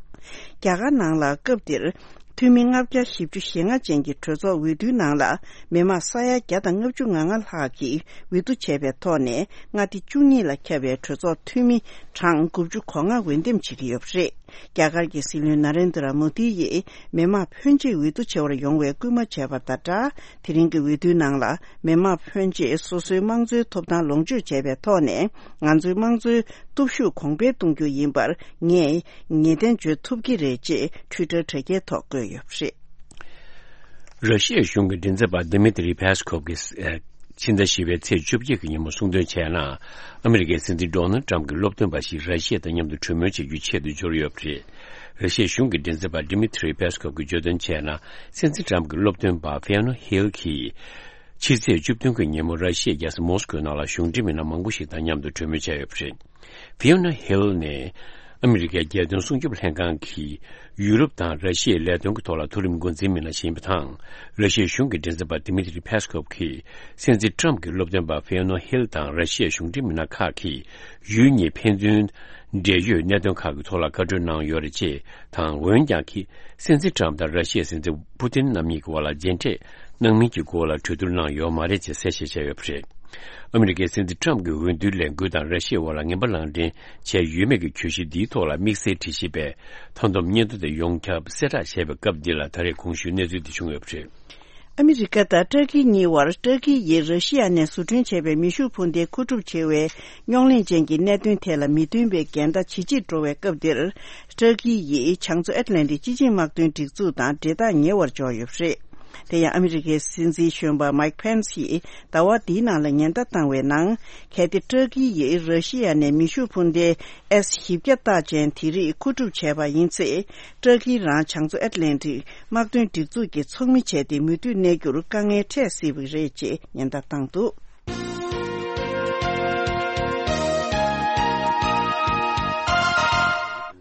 རྒྱ་གར་ནང་ལ་སྐབས་དེར། འཐུས་མི་ལྔ་བརྒྱ་བཞི་བཅུ་ཞེ་ལྔ་ཅན་གྱི་གྲོས་ཚོགས་འོས་བསྡུའི་ནང་ལ། མི་མང་ས་ཡ་བརྒྱ་དང་ལྔ་བཅུ་ང་ལྔ་ལྷག་གིས་འོས་བསྡུ་བྱས་པའི་ཐོག་ནས། མངའ་སྡེ་བཅུ་གཉིས་ལ་ཁྱབ་པའི་གྲོས་ཚོགས་འཐུས་མི་གྲངས་དགུ་བཅུ་གོ་ལྔ་འོས་འདེམས་བྱེད་ཀྱི་ཡོད་པ་རེད། རྒྱ་གར་གྱི་སྲིད་བློན་ན་རེན་དྲ་མོ་དི་ཡིས་མི་མང་ཕོན་ཆེ་འོས་བསྡུ་བྱེད་པར་ཡོང་བའི་སྐུལ་མ་བྱས་པ་དང་སྦྲགས། དེ་རིང་གི་འོས་བསྡུའི་ནང་ལ་མི་མང་ཕོན་ཆེ་སོ་སོའི་དམངས་གཙོའི་ཐོབ་ཐང་ལོངས་སྤྱོད་བྱས་པའི་ཐོག་ནས། ང་ཚོའི་དམངས་གཙོའི་སྟོབས་ཤུགས་གོང་འཕེལ་གཏོང་རྒྱུ་ཡིན་པར་ངས་ངེས་གཏན་བརྗོད་ཐུབ་ཀྱི་རེད་ཅེས་ཊུའི་ཊར་དྲ་རྒྱའི་ཐོག་བཀོད་ཡོད་པ་རེད། ར་ཤི་ཡའི་གཞུང་གི་མགྲིན་ཚབ་པ་དི་མི་ཏྲི་ཕེ་སི་ཁོབ་ཀྱིས། ཕྱི་ཟླ་བཞི་པའི་ཚེས་བཅོ་བརྒྱད་ཀྱི་ཉིན་མོ་གསུངས་དོན་བྱས་ན། ཨ་མི་རི་ཀའི་སྲིད་འཛིན་ཌོ་ནལ་ཊམ་གྱི་སློབ་སྟོན་པ་ཞིག་ར་ཤི་ཡ་དང་མཉམ་དུ་གྲོས་མོལ་བྱེད་རྒྱུའི་ཆེད་དུ་འབྱོར་ཡོད་པ་རེད། ར་ཤི་ཡའི་གཞུང་གི་མགྲིན་ཚབ་པ་དི་མི་ཏྲི་ཕེ་སི་ཁོབ་ཀྱིས་བརྗོད་དོན་བྱས་ན། སྲིད་འཛིན་ཊམ་གྱི་སློབ་སྟོན་པ་ཧྥེ་ནོ་ཧིལ་གྱིས། ཕྱི་ཚེས་བཅུ་བདུན་གྱི་ཉིན་མོ་ར་ཤི་ཡའི་རྒྱལ་ས་མོ་སི་ཀོའི་ནང་ལ་གཞུང་འབྲེལ་མི་སྣ་མང་པོ་ཞིག་དང་མཉམ་དུ་གྲོས་མོལ་བྱས་ཡོད་པ་རེད། ཕིའོ་ན་ཧིལ་ནི་ཨ་མི་རི་ཀའི་རྒྱལ་དོན་སྲུང་སྐྱོབ་ལྷན་ཁང་གི་ཡུ་རོབ་དང་ར་ཤི་ཡའི་ལས་དོན་གྱི་ཐོག་ལ་མཐོ་རིམ་འགོ་འཛིན་མི་སྣ་ཞིག་ཡིན་པ་དང་། ར་ཤི་ཡའི་གཞུང་གི་མགྲིན་ཚབ་པ་དི་མི་ཏྲི་ཕེ་སི་ཁོབ་ཀྱིས་སྲིད་འཛིན་ཊམ་གྱི་སློབ་སྟོན་པ་ཕིའོ་ན་ཧིལ་དང་ར་ཤི་ཡའི་གཞུང་འབྲེལ་མི་སྣ་ཁག་གིས་ཡུལ་གཉིས་ཕན་ཚུན་འབྲེལ་ཡོད་གནད་དོན་ཁག་གི་ཐོག་ལ་བཀའ་འཁྲོལ་གནང་ཡོད་རེད་ཅེས་དང་། འོན་ཀྱང་། སྲིད་འཛིན་ཊམ་དང་ར་ཤི་ཡའི་སྲིད་འཛིན་པུ་ཏིན་རྣམ་གཉིས་ཀྱི་དབར་ལ་མཇལ་འཕྲད་གནང་མིན་གྱི་སྐོར་ལ་གྲོས་བསྡུར་གནང་ཡོད་མ་རེད་ཅེས་གསལ་བཤད་བྱས་ཡོད་པ་རེད། ཨ་མི་རི་ཀའི་སྲིད་འཛིན་ཊམ་གྱི་འོས་བསྡུའི་ལས་འགུལ་དང་ར་ཤི་ཡའི་དབར་ལ་ངན་པ་ལག་འབྲེལ་བྱས་ཡོད་མེད་ཀྱི་གྱོད་གཞི་འདིའི་ཐོག་ལ་དམིགས་བསལ་དྲི་ཞིབ་པས་མཐའ་བསྡོམས་སྙན་ཐོ་དེ་ཡོངས་ཁྱབ་གསལ་བསྒྲགས་བྱས་པའི་སྐབས་འདི་ལ་ད་རེས་གོང་ཞུས་གནས་ཚུལ་འདི་བྱུང་ཡོད་པ་རེད། ཨ་མི་རི་ཀ་དང་ཏྲ་ཀི་གཉིས་བར་ཏྲ་ཀི་ཡིས་ར་ཤི་ཡ་ནས་བཟོ་སྐྲུན་བྱས་པའི་མེ་ཤུགས་འཕུར་མདའི་མཁོ་སྒྲུབ་བྱེད་པའི་རྙོག་གླེང་ཅན་གྱི་གནད་དོན་ཐད་ལ་མི་མཐུན་པའི་འགལ་ཟླ་ཇེ་ཆེར་འགྲོ་བའི་སྐབས་འདིར། ཏྲ་ཀི་ཡིས་བྱང་མཚོ་ཨེཊ་ལན་ཊིག་སྤྱི་ཆིངས་དམག་དོན་སྒྲིག་འཛུགས་དང་འབྲེལ་ཐག་ཉེ་བར་འཇོག་ཡོད་པ་རེད། དེ་ཡང་ཨ་མི་རི་ཀའི་སྲིད་འཛིན་གཞོན་པ་མའིག་ཕེན་སི་ཡིས་ཟླ་བ་འདིའི་ནང་ལ་ཉེན་བརྡ་བཏང་བའི་ནང་། གལ་ཏེ་ཏྲ་ཀི་ཡིས་ར་ཤི་ཡ་ནས་མེ་ཤུགས་འཕུར་མདའི་ཨེས་བཞི་བརྒྱ་རྟགས་ཅན་དེ་རིགས་མཁོ་སྒྲུབ་བྱས་པ་ཡིན་ཚེ། ཏྲ་ཀི་རང་བྱང་མཚོ་ཨེཊ་ལན་ཊིག་དམག་དོན་སྒྲིག་འཛུགས་ཀྱི་ཚོགས་མི་བྱས་ཏེ་མུ་མཐུད་གནས་རྒྱུར་དཀའ་ངལ་འཕྲད་སྲིད་པ་རེད་ཅེས་ཉེན་བརྡ་བཏང་འདུག་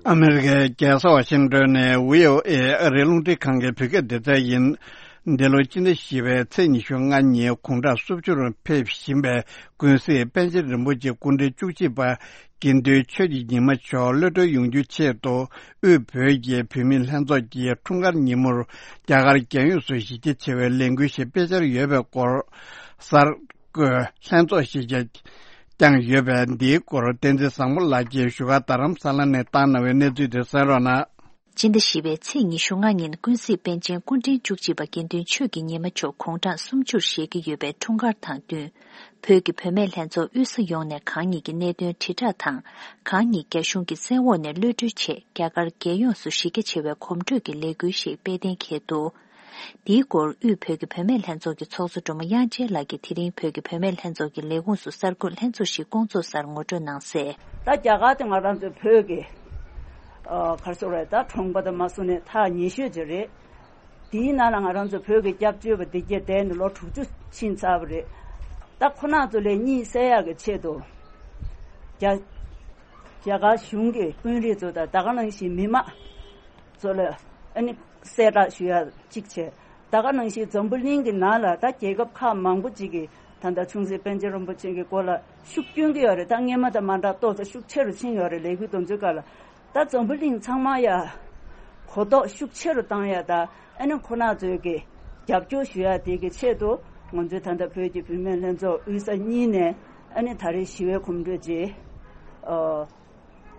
ཨ་མི་རི་ཀའི་རྒྱལ་ས་ཝ་ཤིང་ཏོན་ནས་བྷི་ཨོ་ཨེ་ཨ་རིའི་རླུང་འཕྲིན་ཁང་གི་བོད་སྐད་སྡེ་ཚན་ཡིན། འདི་ལོ་སྤྱི་ཟླ་བཞི་པའི་ཚེས་ཉི་ཤུ་ལྔ་ཉིན་དགུང་གྲངས་སུམ་ཅུར་ཕེབས་བཞིན་པའི་ཀུན་གཟིགས་པཎ་ཆེན་རིན་པོ་ཆེ་སྐུ་ཕྲེང་བཅུ་གཅིག་པ་དགེ་འདུན་ཆོས་ཀྱི་ཉི་མ་མཆོག་གློད་གྲོལ་ཡོང་རྒྱུའི་ཆེད་དུ། དབུས་བོད་ཀྱི་བུད་མེད་ལྷན་ཚོགས་ཀྱིས་འཁྲུངས་སྐར་ཉིན་མོར་རྒྱ་གར་རྒྱལ་ཡོངས་སུ་གཞི་རྒྱ་ཆེ་བའི་ལས་འགུལ་ཞིག་སྤེལ་འཆར་ཡོད་པའི་སྐོར། གསར་འགོད་ལྷན་ཚོགས་ཤིག་བསྐྱངས་ཡོད་པས། འདིའི་སྐོར་བསྟན་འཛིན་བཟང་མོ་ལགས་ཀྱིས་བཞུགས་སྒར་རྡ་རམ་ས་ལ་ནས་བཏང་གནང་བའི་གནས་ཚུལ་དེ་གསན་རོགས་གནང་། སྤྱི་ཟླ་བཞི་པའི་ཚེས་ཉི་ཤུ་ལྔ་ཉིན་ཀུན་གཟིགས་པཎ་ཆེན་སྐུ་ཕྲེང་བཅུ་གཅིག་པ་དགེ་འདུན་ཆོས་ཀྱི་ཉི་མ་མཆོག་དགུང་གྲངས་སུམ་ཅུར་བཞེས་ཀྱི་ཡོད་པའི་འཁྲུངས་སྐར་དང་བསྟུན། བོད་ཀྱི་བུད་མེད་ལྷན་ཚོགས་དབུས་ས་ཡོངས་ནས་གང་ཉིད་ཀྱི་གནད་དོན་དྲིལ་བསྒྲགས་དང་། གང་ཉིད་རྒྱ་གཞུང་གི་བཙན་འོག་ནས་གློད་གྲོལ་ཆེད་རྒྱ་གར་རྒྱལ་ཡོངས་སུ་གཞི་རྒྱ་ཆེ་བའི་གོམ་བགྲོད་ཀྱི་ལས་འགུལ་ཞིག་སྤེལ་གཏན་འཁེལ་འདུག་འདིའི་སྐོར་དབུས་བོད་ཀྱི་བུད་མེད་ལྷན་ཚོགས་ཀྱི་ཚོགས་གཙོ་སྒྲོལ་མ་དབྱངས་ཅན་ལགས་ཀྱིས་དེ་རིང་བོད་ཀྱི་བུད་མེད་ལྷན་ཚོགས་ཀྱི་ལས་ཁུངས་སུ་གསར་འགོད་ལྷན་ཚོགས་ཤིག་བསྐོང་ཚོགས་སར་ངོ་སྤྲོད་གནང་གསལ། ད་རྒྱ་གར་དེ་ང་རང་ཚོའི་བོད་ཀྱི་ཨ་ག་རེ་ཟེར་དགོས་རེད། ད་གྲོང་པ་དང་མ་སོང་ནས་ཐག་ཉེ་ཤོས་ཅིག་རེད། དེའི་ནང་ལ་ང་རང་ཚོ་བོད་ཀྱི་སྐྱབས་བཅོལ་བ་འདི་གྱད་བསྡད་ནས་ལོ་དྲུག་ཅུ་ཕྱིན་ཚར་བ་རེད། ད་ཁོ་རང་ཚོ་ལ་གཉིད་སད་ཡག་གི་ཆེད་དུ་རྒྱ་རྒྱ་གར་གཞུང་གི་དཔོན་རིགས་ཚོ་དང་ད་ག་ནང་བཞིན་མི་མང་ཚོ་ལ་ཨ་ནི་གསལ་བསྒྲགས་ཞུ་ཡག་གཅིག་བྱས། ད་ག་ནང་བཞིན་འཛམ་བུ་གླིང་གི་ནང་ལ་ད་རྒྱལ་ཁབ་ཁག་མང་པོ་ཅིག་གིས་ད་ལྟ་ཆུང་སྲིད་པཎ་ཆེན་རིན་པོ་ཆེ་གི་སྐོར་ལ་ཤུགས་སྐྱོན་གྱི་ཡོད་རེད། ད་སྔོན་མ་དང་མ་འདྲ་ཏོག་ཙམ་ཤུགས་ཆེ་རུ་ཕྱིན་ཡོད་རེད། ལས་འགུལ་དེ་ཚོའི་སྐབས་ལ་ད་འཛམ་བུ་གླིང་ཚང་མ་ཡ་གོ་རྟོགས་ཤུགས་ཆེ་རུ་བཏང་ཡ་ད་ཨ་ནི་ཁོ་རང་ཚོའི་གི་རྒྱབ་སྐྱོར་ཞུ་ཡ་དེ་གི་ཆེད་དུ་ང་ཚོའི་ད་ལྟ་བོད་ཀྱི་བུད་མེད་ལྷན་ཚོགས་དབུས་ས་གཉིས་ནས་ ཨ་ནི་ད་རེས་ཞི་བའི་གོམ་བགྲོད་ཅིག་ཨ་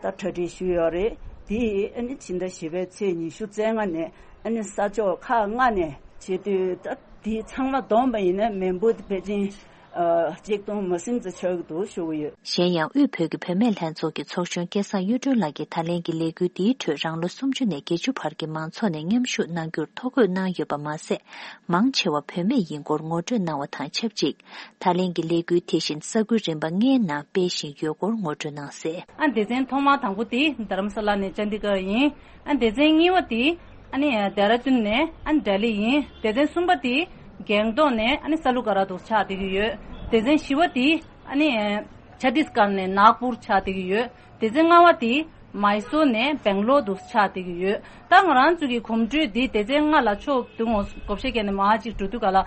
ད་གྲ་སྒྲིག་ཞུས་ཡོད་རེད། དེ་ཨ་ནི་ཕྱི་ཟླ་བཞི་པའི་ཚེས་ཉི་ཤུ་རྩ་ལྔ་ནས་ཨ་ནི་ས་ཕྱོགས་ཁག་ལྔ་ནས་བྱེད་དུས། ད་དེ་ཚང་མ་བསྡོམས་པ་ཡིན་ན་མི་འབོར་དེ་ཕལ་ཆེར་ཨ་གཅིག་སྟོང་མ་ཟིན་ཙམ་ཆགས་ཀྱི་འདུག་ཞུ་གི་ཡོད། གཞན་ཡང་དབུས་བོད་ཀྱི་བུད་མེད་ལྷན་ཚོགས་ཀྱི་ཚོགས་གཞོན་སྐལ་བཟང་གཡུ་སྒྲོན་ལགས་ཀྱིས་ད་ལན་གྱི་ལས་འགུལ་འདིའི་ཁྲོད་རང་ལོ་སུམ་ཅུ་ནས་བརྒྱད་ཅུ་བར་གྱི་མང་ཚོགས་ནས་མཉམ་ཞུགས་གནང་རྒྱུར་ཐོ་འགོད་གནང་ཡོད་པ་མ་ཟད། མང་ཆེ་བ་བུད་མེད་ཡིན་སྐོར་ངོ་སྤྲོད་གནང་བ་དང་ཆབས་ཅིག་ད་ལན་གྱི་ལས་འགུལ་དེ་བཞིན་ས་ཁུལ་རིམ་པ་ལྔའི་ནང་སྤེལ་བཞིན་ཡོད་སྐོར་ངོ་སྤྲོད་གནང་གསལ། ཨ་སྡེ་ཚན་ཐོག་མ་དང་པོ་དེ་དྷ་རམ་ས་ལ་ནས་ཅན་དི་གར་ཡིན། ཨ་སྡེ་ཚན་གཉིས་པ་དེ་ཨ་ནི་ལྡེ་ར་ལྡུན་ནས་ཨ་ནི་ལྡི་ལི་ཡིན། སྡེ་ཚན་གསུམ་པ་དེ་སྒང་ཏོག་ནས་ཨ་ནི་ས་ལུ་ཀ་ར་དུ་ཆགས་བསྡད་ཀྱི་ཡོད། སྡེ་ཚན་བཞི་པ་དེ་ཨ་ནི་ཆ་ཏིས་གར་ནས་ནཱག་པུར་ཆགས་བསྡད་ཀྱི་ཡོད། སྡེ་ཚན་ལྔ་པ་དེ་མའི་སོར་ནས་སྦེང་ལོར་དུ་ཆགས་བསྡད་ཀྱི་ཡོད། ད་ང་རང་ཚོ་གི་གོམ་བགྲོད་འདི་སྡེ་ཚན་ལྔ་ལ་ཕྱོགས་བསྡུས་ངོ་བགོ་བཤའ་བརྒྱབ་ནས་མར་ཅིག་འགྲོ་དུས་ག་ལ།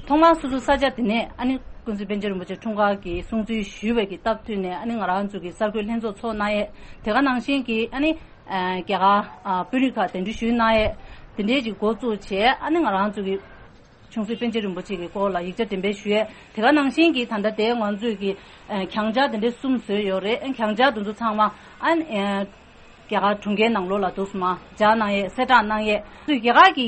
ཐོག་མར་སོ་སོ་ས་ཆ་དེ་ནས་ཨ་ནི་ཀུན་གཟིགས་པཎ་ཆེན་རིན་པོ་ཆེ་འཁྲུངས་སྐར་གྱི་སྲུང་བརྩི་ཞུས་པའི་གི་སྟབས་བསྟུན་ནས་ཨ་ནི་ང་རང་ཚོ་གི་གསར་འགོད་ལྷན་ཚོགས་ཚོགས་གནང་ཡས། དེ་ག་ནང་བཞིན་གྱི་ཨ་ནི་ཨ་རྒྱ་གར་ཨ་དཔོན་རིགས་ཁག་གདན་འདྲེན་ཞུས་གནང་ཡས། དེ་འདྲའི་ཅིག་འགོ་བཙུགས་བྱས་ཨ་ནི་ང་རང་ཚོ་གི་ཆུང་སྲིད་པཎ་ཆེན་རིན་པོ་ཆེ་གི་སྐོར་ལ་ཡིག་ཆ་འགྲེམས་སྤེལ་ཞུས་ཡས། དེ་ག་ནང་བཞིན་གྱི་ད་ལྟ་དེ་ང་ཚོས་ཀྱི་ཨ་གྱང་ཆ་དེ་འདྲའི་གསུམ་བཟོས་ཡོད་རེད། ཨ་གྱང་ཆ་དེ་ཚོ་ཚང་མ་ཨ་ནི་ཨ་རྒྱ་གར་གྲོང་ཁྱེར་ནང་ལོགས་ལ་འདུག་སེ་མར་སྦྱར་གནང་ཡས། གསལ་བསྒྲགས་གནང་ཡས། རྒྱ་གར་གྱི་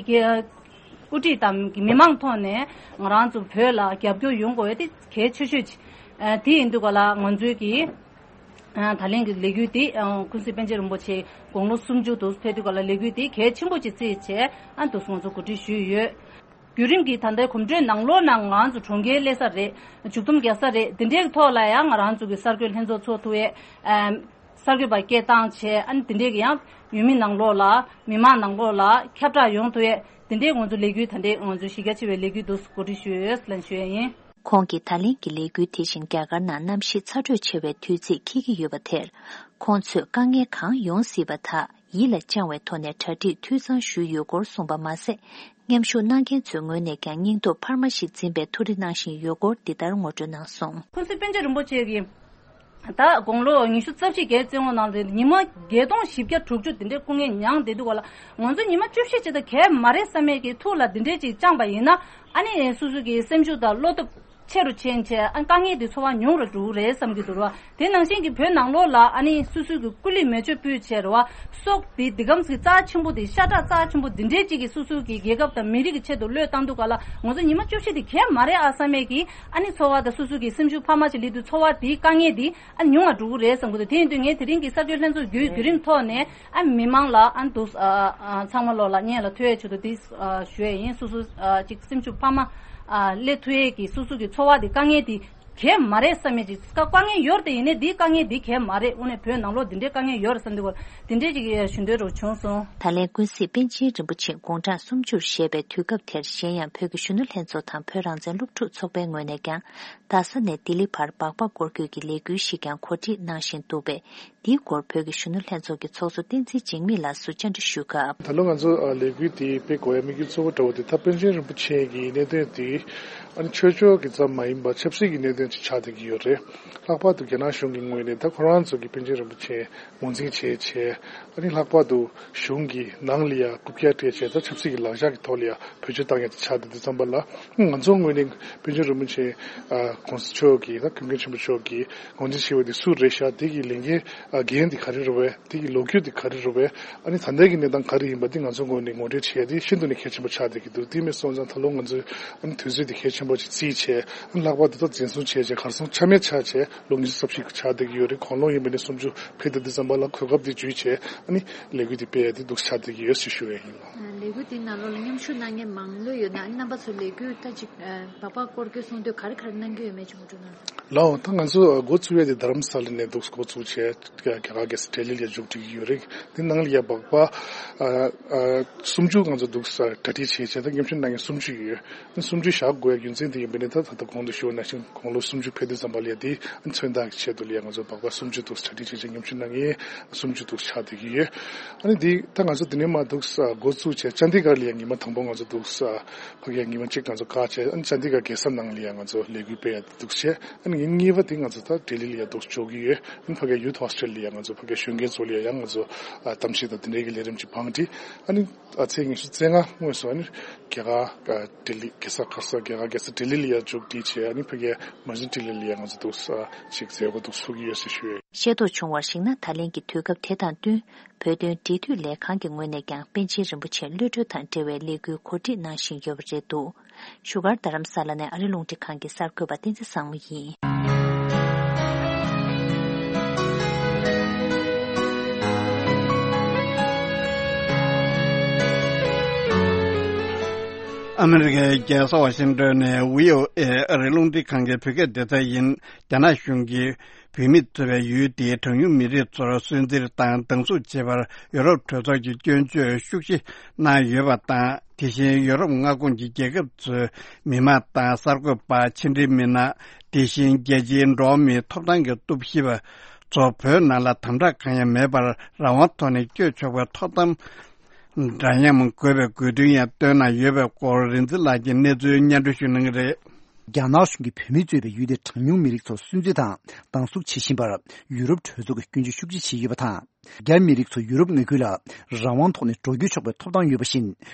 དབུ་ཁྲིད་དང་མི་མང་ཐོག་ནས་ང་རང་ཚོ་བོད་ལ་རྒྱབ་སྐྱོར་ཡོང་དགོས་ཡས་དེ་གལ་ཆེ་ཤོས་ཅིག་ཨ་དེ་ཡིན་དུས་ག་ལ་ང་ཚོའི་གི་ཨ་ད་ལན་གྱི་ལས་འགུལ་དེ་ཨ་ཀུན་གཟིགས་པཎ་ཆེན་རིན་པོ་ཆེ་དགུང་ལོ་སུམ་ཅུ་དུ་ཕེབས་དུས་ག་ལ་ལས་འགུལ་དེ་གལ་ཆེན་པོ་ཅིག་བརྩིས་བྱས་ཨ་འདུག་སེ་ང་ཚོ་གོ་སྒྲིག་ཞུས་ཡོད། བརྒྱུད་རིམ་གྱི་ད་ལྟའི་གོམ་བགྲོད་ནང་ལོགས་ནང་ང་རང་ཚོ་གྲོང་ཁྱེར་སླེབས་ས་རེད། མཇུག་བསྡོམས་རྒྱག་ས་རེད། དེ་འདྲའི་ཐོག་ལ་ཡང་ང་རང་ཚོ་གི་གསར་འགོད་ལྷན་ཚོགས་ཚོགས་ཐུབ་ཡས། ཨ་གསར་འགོད་པ་སྐད་བཏང་བྱས་ཨ་ནི་དེ་འདྲའི་གི་ཡང་ཡུལ་མི་ནང་ལོགས་ལ་མི་མང་ནང་ལོགས་ལ་ཁྱབ་བསྒྲགས་ཡོང་ཐུབ་ཡས། དེ་འདྲའི་ང་ཚོ་ལས་འགུལ་ད་ལྟའི་ང་ཚོ་གཞི་རྒྱ་ཆེ་བའི་ལས་འགུལ་འདུག་སེ་གོ་སྒྲིག་ཞུས་ཡོད་ལབ་ཞུ་ཡས་ཡིན། ཁོང་གིས་ད་ལན་གྱི་ལས་འགུལ་དེ་བཞིན་རྒྱ་གར་ནང་གནམ་གཤིས་ཚ་དྲོད་ཆེ་བའི་དུས་ཚིགས་འཁེལ་གྱི་ཡོད་པ་དེར། ཁོང་ཚོས་དཀའ་ངལ་གང་ཡོང་སྲིད་པ་དག་ཡིད་ལ་བཅངས་བའི་ཐོག་ནས་གྲ་སྒྲིག་འཐུས་ཚང་ཞུས་ཡོད་སྐོར་གསུངས་པ་མ་ཟད། མཉམ་ཞུགས་གནང་མཁན་ཚོའི་ངོས་ནས་ཀྱང་སྙིང་སྟོབས་འཕར་མ་ཞིག་འཛིན་པའི་ཐུགས་རེ་གནང་བཞིན་ཡོད་སྐོར་འདི་ལྟར་ངོ་སྤྲོད་གནང་སོང་། ཁོང་ཚོས་པཎ་ཆེན་རིན་པོ་ཆེ་གིས་ད་དགུང་ལོ་ཉི་ཤུ་རྩ་བཞི་བརྒྱད་བརྩི་ཡོང་ནང་ལ་ཉི་མ་བརྒྱད་སྟོང་བཞི་བརྒྱ་དྲུག་ཅུ་དེ་འདྲའི་སྐུ་ངལ་མྱངས་བསྡད་འདུག་ག་ལ། ང་ཚོ་ཉི་མ་བཅུ་བཞི་ཅིག་ད་གས་མ་རེད་བསམ་མེད་ཀྱི་ཐུགས་ལ་འདི་འདྲའི་ཅིག་བཅངས་པ་ཡིན་ན་ཨ་ནི་སོ་སོ་གི་སེམས་ཤུགས་དང་བློ་སྟོབས་ཆེ་རུ་ཕྱིན་བྱས་ཨ་དཀའ་ངལ་དེ་ཚོར་བ་ཉུང་རུ་འགྲོ་གི་རེད་བསམ་གྱི་འདུག་ར། དེ་ནང་བཞིན་གྱི་བོད་ནང་ལོགས་ལ་ཨ་ནི་སོ་སོའི་གི་སྐུ་ལུས་མེ་མཆོད་ཕུལ་བྱས་ར་བ་སྲོག་དེ་འདི་གམ་གྱི་རྩ་ཆེན་པོ་དེ་ཤ་ཁྲག་རྩ་ཆེན་པོ་འདི་འདྲའི་ཅིག་གི་སོ་སོའི་གི་རྒྱལ་ཁབ་དང་མི་རིགས་ཀྱི་ཆེད་དུ་བློས་བཏང་འདུག་ག་ལ། ང་ཚོ་ཉི་མ་བཅུ་བཞི་དེ་གས་མ་རེད་ཨ་བསམ་མེད་ཀྱི་ཨ་ནི་ཚོར་བ་དང་སོ་སོའི་གི་སེམས་ཤུགས་འཕར་མ་ཅིག་སླེབས་དུས་ཚོར་བ་དེའི་དཀའ་ངལ་དེ་ཨ་ཉུང་བ་འགྲོ་གི་རེད་བསམ་གི་འདུག་དེ་ཡིན་དུས་ངས་དེ་རིང་གི་གསར་འགོད་ལྷན་ཚོགས་བརྒྱུད་བརྒྱུད་རིམ་ཐོག་ནས་ཨ་མི་མང་ལ་ཨ་འདུག་ཨ་ཨ་ཚང་མ་ལོག་ལ་སྙན་ལ་ཐོས་ཡས་ཆེད་དུ་དེ་ཨ་ཞུ་ཡས་ཡིན། སོ་སོ་ཨ་ཅིག་སེམས་ཤུགས་འཕར་མ་ཨ་སླེབས་ཐུབ་ཡས་ཀྱི་སོ་སོ་གི་ཚོར་བ་དེ་དཀའ་ངལ་དེ་གས་མ་རེད་བསམ་མེད་ཅིག་དཀའ་དཀའ་ངལ་ཡོད་རེད་དེ་ཡིན་ནའི་དེའི་དཀའ་ངལ་དེ་གས་མ་རེད། དངོས་གནས་བོད་ནང་ལོགས་དེ་འདྲའི་དཀའ་ངལ་ཡོད་རེད་བསམ་དུས་ག་ལ་དེ་འདྲའི་ཅིག་ཞུ་འདོད་རུ་བྱུང་སོང་། ད་ལན་ཀུན་གཟིགས་པཎ་ཆེན་རིན་པོ་ཆེ་དགུང་གྲངས་སུམ་ཅུར་བཞེས་པའི་དུས་སྐབས་དེར་གཞན་ཡང་བོད་ཀྱི་གཞོན་ནུ་ལྷན་ཚོགས་དང་བོད་རང་བཙན་སློབ་ཕྲུག་ཚོགས་པའི་ངོས་ནས་ཀྱང་རྡ་ས་ནས་ལྡི་ལི་བར་སྦག་སྦག་སྐོར་སྐྱོད་ཀྱི་ལས་འགུལ་ཞིག་ཀྱང་གོ་སྒྲིག་གནང་བཞིན་འདུག་པས། འདིའི་སྐོར་བོད་ཀྱི་གཞོན་ནུ་ལྷན་ཚོགས་ཀྱི་ཚོགས་གཙོ་བསྟན་འཛིན་འཇིགས་མེད་ལགས་སུ་བཅར་འདྲི་ཞུས་སྐབས། ད་ལོ་ང་ཚོ་ལས་འགུལ་འདི་སྤེལ་དགོས་ཡ་དམིགས་ཡུལ་གཙོ་བོ་འདྲ་བོ་དེ་ད་པཎ་ཆེན་རིན་པོ་ཆེ་གི་གནད་དོན་དེ་ཨ་ནི་ཆོས་ཕྱོགས་ཀྱི་ཙམ་མ་ཡིན་པར་ཆབ་སྲིད་ཀྱི་གནད་དོན་ཅིག་ཆགས་བསྡད་ཀྱི་ཡོད་རེད། ལྷག་པར་དུ་རྒྱ་ནག་གཞུང་གི་ངོས་ནས་ད་ཁོ་རང་ཚོ་གི་པཎ་ཆེན་རིན་པོ་ཆེ་ངོས་འཛིན་བྱས་བྱས་ཨ་ནི་ལྷག་པར་དུ་གཞུང་གི་ནང་ལ་ཡ་རྐུབ་བཀྱག་སྤྲད་བྱས་ད་ཆབ་སྲིད་ཀྱི་ལག་ཆ་གི་ཐོག་ལ་ཡ་བེད་སྤྱོད་བཏང་ཡ་དེ་ཆགས་བསྡད་དུས་ཙམ་པ་ལ་ང་ཚོ་ངོས་ནས་པཎ་ཆེན་རིན་པོ་ཆེ་ཨ་གོང་ས་མཆོག་གིས་ད་ཀུན་མཁྱེན་ཆེན་པོ་མཆོག་གིས་ངོས་འཛིན་བྱས་པ་དེ་སུ་རེད་ཤག་དེ་གི་ལས་འགན་ཨ་འགན་དེ་ག་རེ་རེད་པས། དེ་གི་ལོ་རྒྱུས་དེ་ག་རེ་རེད་པས། ཨ་ནི་ད་ལྟའི་གི་གནས་སྟངས་ག་རེ་ཡིན་པ་དེ་ང་ཚོ་ངོས་ནས་ངོ་སྤྲོད་བྱེད་ཡ་དེ་ཤིན་ཏུ་ནས་གལ་ཆེན་པོ་ཆགས་བསྡད་ཀྱི་འདུག་དེ་མིན་སོང་ཙང་ད་ལོ་ང་ཚོས་ཨ་ནི་དུས་ཚོད་དེ་གལ་ཆེན་པོ་ཅིག་བརྩིས་བྱས་ཨ་ནི་ལྷག་པར་དུ་ད་འཛིན་བཟུང་བྱས་བྱས་གར་སོང་ཆ་མེད་ཆགས་བྱས་ལོ་ཉི་ཤུ་རྩ་བཞི་ཆགས་བསྡད་ཀྱི་ཡོད་རེད། གོང་ལོ་ཡིན་པ་ནས་སུམ་ཅུ་ཕེབས་བསྡད་དུས་ཙམ་པ་ལ་གོ་སྐབས་དེ་བརྒྱུད་བྱས་ཨ་ནི་ལས་འགུལ་དེ་སྤེལ་ཡ་དེ་འདུག་ཆགས་བསྡད་ཀྱི་ཡོད་ཞེས་ཞུ་ཡ་ཡིན། ལས་འགུལ་དེའི་ནང་ལོགས་ལ་མཉམ་ཞུགས་གནང་མཁན་མང་ལོས་ཡོད་ན་ཨ་ནི་རྣམ་པ་ཚོ་ལས་འགུལ་ད་ཅིག་སྦག་སྦག་སྐོར་སྐྱོད་གསུང་དུས་ག་རེ་ག་རེ་གནང་གི་ཡོད་མེད་ཅིག་ངོ་སྤྲོད་གནང་རོགས། ལའོ། ད་ང་ཚོ་འགོ་བཙུགས་ཡས་དེ་རྡ་རམ་ས་ལ་ནས་འདུག་འགོ་བཙུགས་བྱས་རྒྱ་གར་རྒྱལ་ས་ལྡི་ལི་ལ་མཇུག་སྒྲིལ་གྱི་ཡོད་རེད། དེ་ནང་ལ་ཡ་སྦག་སྦག་ཨ་ཨ་སུམ་ཅུ་ང་ཚོ་འདུག་ས་གྲ་སྒྲིག་བྱས་བྱས་ད་མཉམ་ཞུགས་གནང་མཁན་སུམ་ཅུ་ཡོད། སུམ་ཅུ་བཞག་དགོས་ཡ་རྒྱུ་མཚན་དེ་ཡིན་པ་ནི་ད་ད་ལྟ་གོང་དུ་ཞུས་པ་ནང་བཞིན་དགུང་ལོ་སུམ་ཅུ་ཕེབས་དུས་ཙམ་པ་ལ་ཡ་དེ་མཚོན་རྟགས་ཀྱི་ཆེད་དུ་ལ་ཡ་ང་ཚོ་སྦག་སྦག་སུམ་ཅུ་འདུག་གྲ་སྒྲིག་བྱས་བྱས་མཉམ་ཞུགས་གནང་མཁན་སུམ་ཅུ་འདུག་ཆགས་བསྡད་ཀྱི་ཡོད། ཨ་ནི་དེ་ད་ང་ཚོ་དེ་ནས་མར་འདུག་འགོ་བཙུགས་བྱས་ཅན་དི་གར་ལ་ཡ་ཉི་མ་དང་པོ་ང་ཚོ་འདུག་ཕ་གིར་ཉི་མ་གཅིག་ང་ཚོ་བཀག་བྱས་ཨ་ནི་ཅན་དི་གར་རྒྱལ་ས་ནང་ལ་ཡ་ང་ཚོ་ལས་འགུལ་སྤེལ་ཡ་འདུག་བྱས། ཨ་ནི་ཉིན་གཉིས་པ་དེ་ང་ཚོ་ད་ལྡི་ལི་ལ་ཡ་འདུག་འཇོག་གི་ཡོད། ཨ་ནི་ཕ་གིའི་ཡུཐ་ཧོ་སི་ཊལ་ལ་ཡ་ང་ཚོ་ཕ་གིའི་གཞོན་སྐྱེས་ཚོ་ལ་ཡ་ཡང་ང་ཚོ་ཨ་གཏམ་བཤད་དང་དེ་འདྲའི་གི་ལས་རིམ་ཅིག་བང་སྒྲིག་ཨ་ནི་ཨ་ཚེས་ཉི་ཤུ་རྩ་ལྔ་སྔོན་སུ་ཨ་ནི་རྒྱ་གར་ཨ་ལྡི་ལི་རྒྱལ་ས་ག་རེ་ཟེར་རྒྱ་གར་རྒྱལ་ས་ལྡི་ལི་ལ་ཡ་མཇུག་སྒྲིལ་བྱས་ཨ་ནི་ཕ་གིའི་མ་ ང་ཚོ་འཕྲིན་ལས་ལ་ཡང་ང་ཚོ་འདུག་ས་ཅིག་མཛད་སྒོ་འདུག་ཚུགས་ཀྱི་ཡོད་ཟེར་ཞུ་ཡས། ཤེས་རྟོགས་བྱུང་བར་གཞིགས་ན། ད་ལན་གྱི་དུས་སྐབས་དེ་དང་བསྟུན། བོད་དོན་འབྲེལ་མཐུད་ལས་ཁང་གི་ངོས་ནས་ཀྱང་པཎ་ཆེན་རིན་པོ་ཆེ་གློད་གྲོལ་དང་འབྲེལ་བའི་ལས་འགུལ་གོ་སྒྲིག་གནང་བཞིན་ཡོད་པ་རེད་འདུག་བཞུགས་སྒར་རྡ་རམ་ས་ལ་ནས་ཨ་རི་རླུང་འཕྲིན་ཁང་གི་གསར་འགོད་པ་བསྟན་འཛིན་བཟང་མོ་ཡིན། ཨ་མི་རི་ཀའི་རྒྱལ་ས་ཝ་ཤིང་ཏོན་ནས་བྷི་ཨོ་ཨེ་ཨ་རིའི་རླུང་འཕྲིན་ཁང་གི་བོད་སྐད་སྡེ་ཚན་ཡིན། རྒྱ་ནག་གཞུང་གིས་བོད་མི་གཙོས་པའི་ཡུལ་དེའི་གྲངས་ཉུང་མི་རིགས་ཚོར་སུན་གཙེར་དང་སྡང་ཟུག་བྱེད་པར་ཡུ་རོབ་གྲོས་ཚོགས་ཀྱིས་སྐྱོན་བརྗོད་ཤུགས་ཆེ་གནང་ཡོད་པ་དང་། དེ་བཞིན་ཡུ་རོབ་མངའ་ཁོངས་ཀྱི་རྒྱལ་ཁབ་ཚོའི་མི་མང་དང་གསར་འགོད་པ། ཕྱི་འབྲེལ་མི་སྣ། དེ་བཞིན་རྒྱལ་སྤྱིའི་འགྲོ་བ་མིའི་ཐོབ་ཐང་གི་གཏུག་བཤེར་པ་ཚོ་བོད་ནང་ལ་དམ་དྲག་གང་ཡང་མེད་པར་རང་དབང་ཐོག་ནས་བསྐྱོད་ཆོག་པའི་ཐོབ་ཐང་འདྲ་མཉམ་དགོས་པའི་དགོས་འདུན་ཡང་བཏོན་གནང་ཡོད་པའི་སྐོར་རིག་འཛིན་ལགས་ཀྱིས་གནས་ཚུལ་སྙན་སྒྲོན་ཞུ་གནང་གི་རེད། རྒྱ་ནག་གཞུང་གིས་བོད་མི་གཙོས་པའི་ཡུལ་དེའི་གྲངས་ཉུང་མི་རིགས་ཚོར་སུན་གཙེར་དང་སྡང་ཟུག་བྱེད་བཞིན་པར་ཡུ་རོབ་གྲོས་ཚོགས་ཀྱིས་སྐྱོན་བརྗོད་ཤུགས་ཆེ་བྱས་ཡོད་པ་དང་། རྒྱ་མི་རིགས་ཚོ་ཡུ་རོབ་མངའ་ཁུལ་ལ་རང་དབང་ཐོག་ནས་འགྲོ་སྐྱོད་ཆོག་པའི་ཐོབ་ཐང་ཡོད་པ་བཞིན།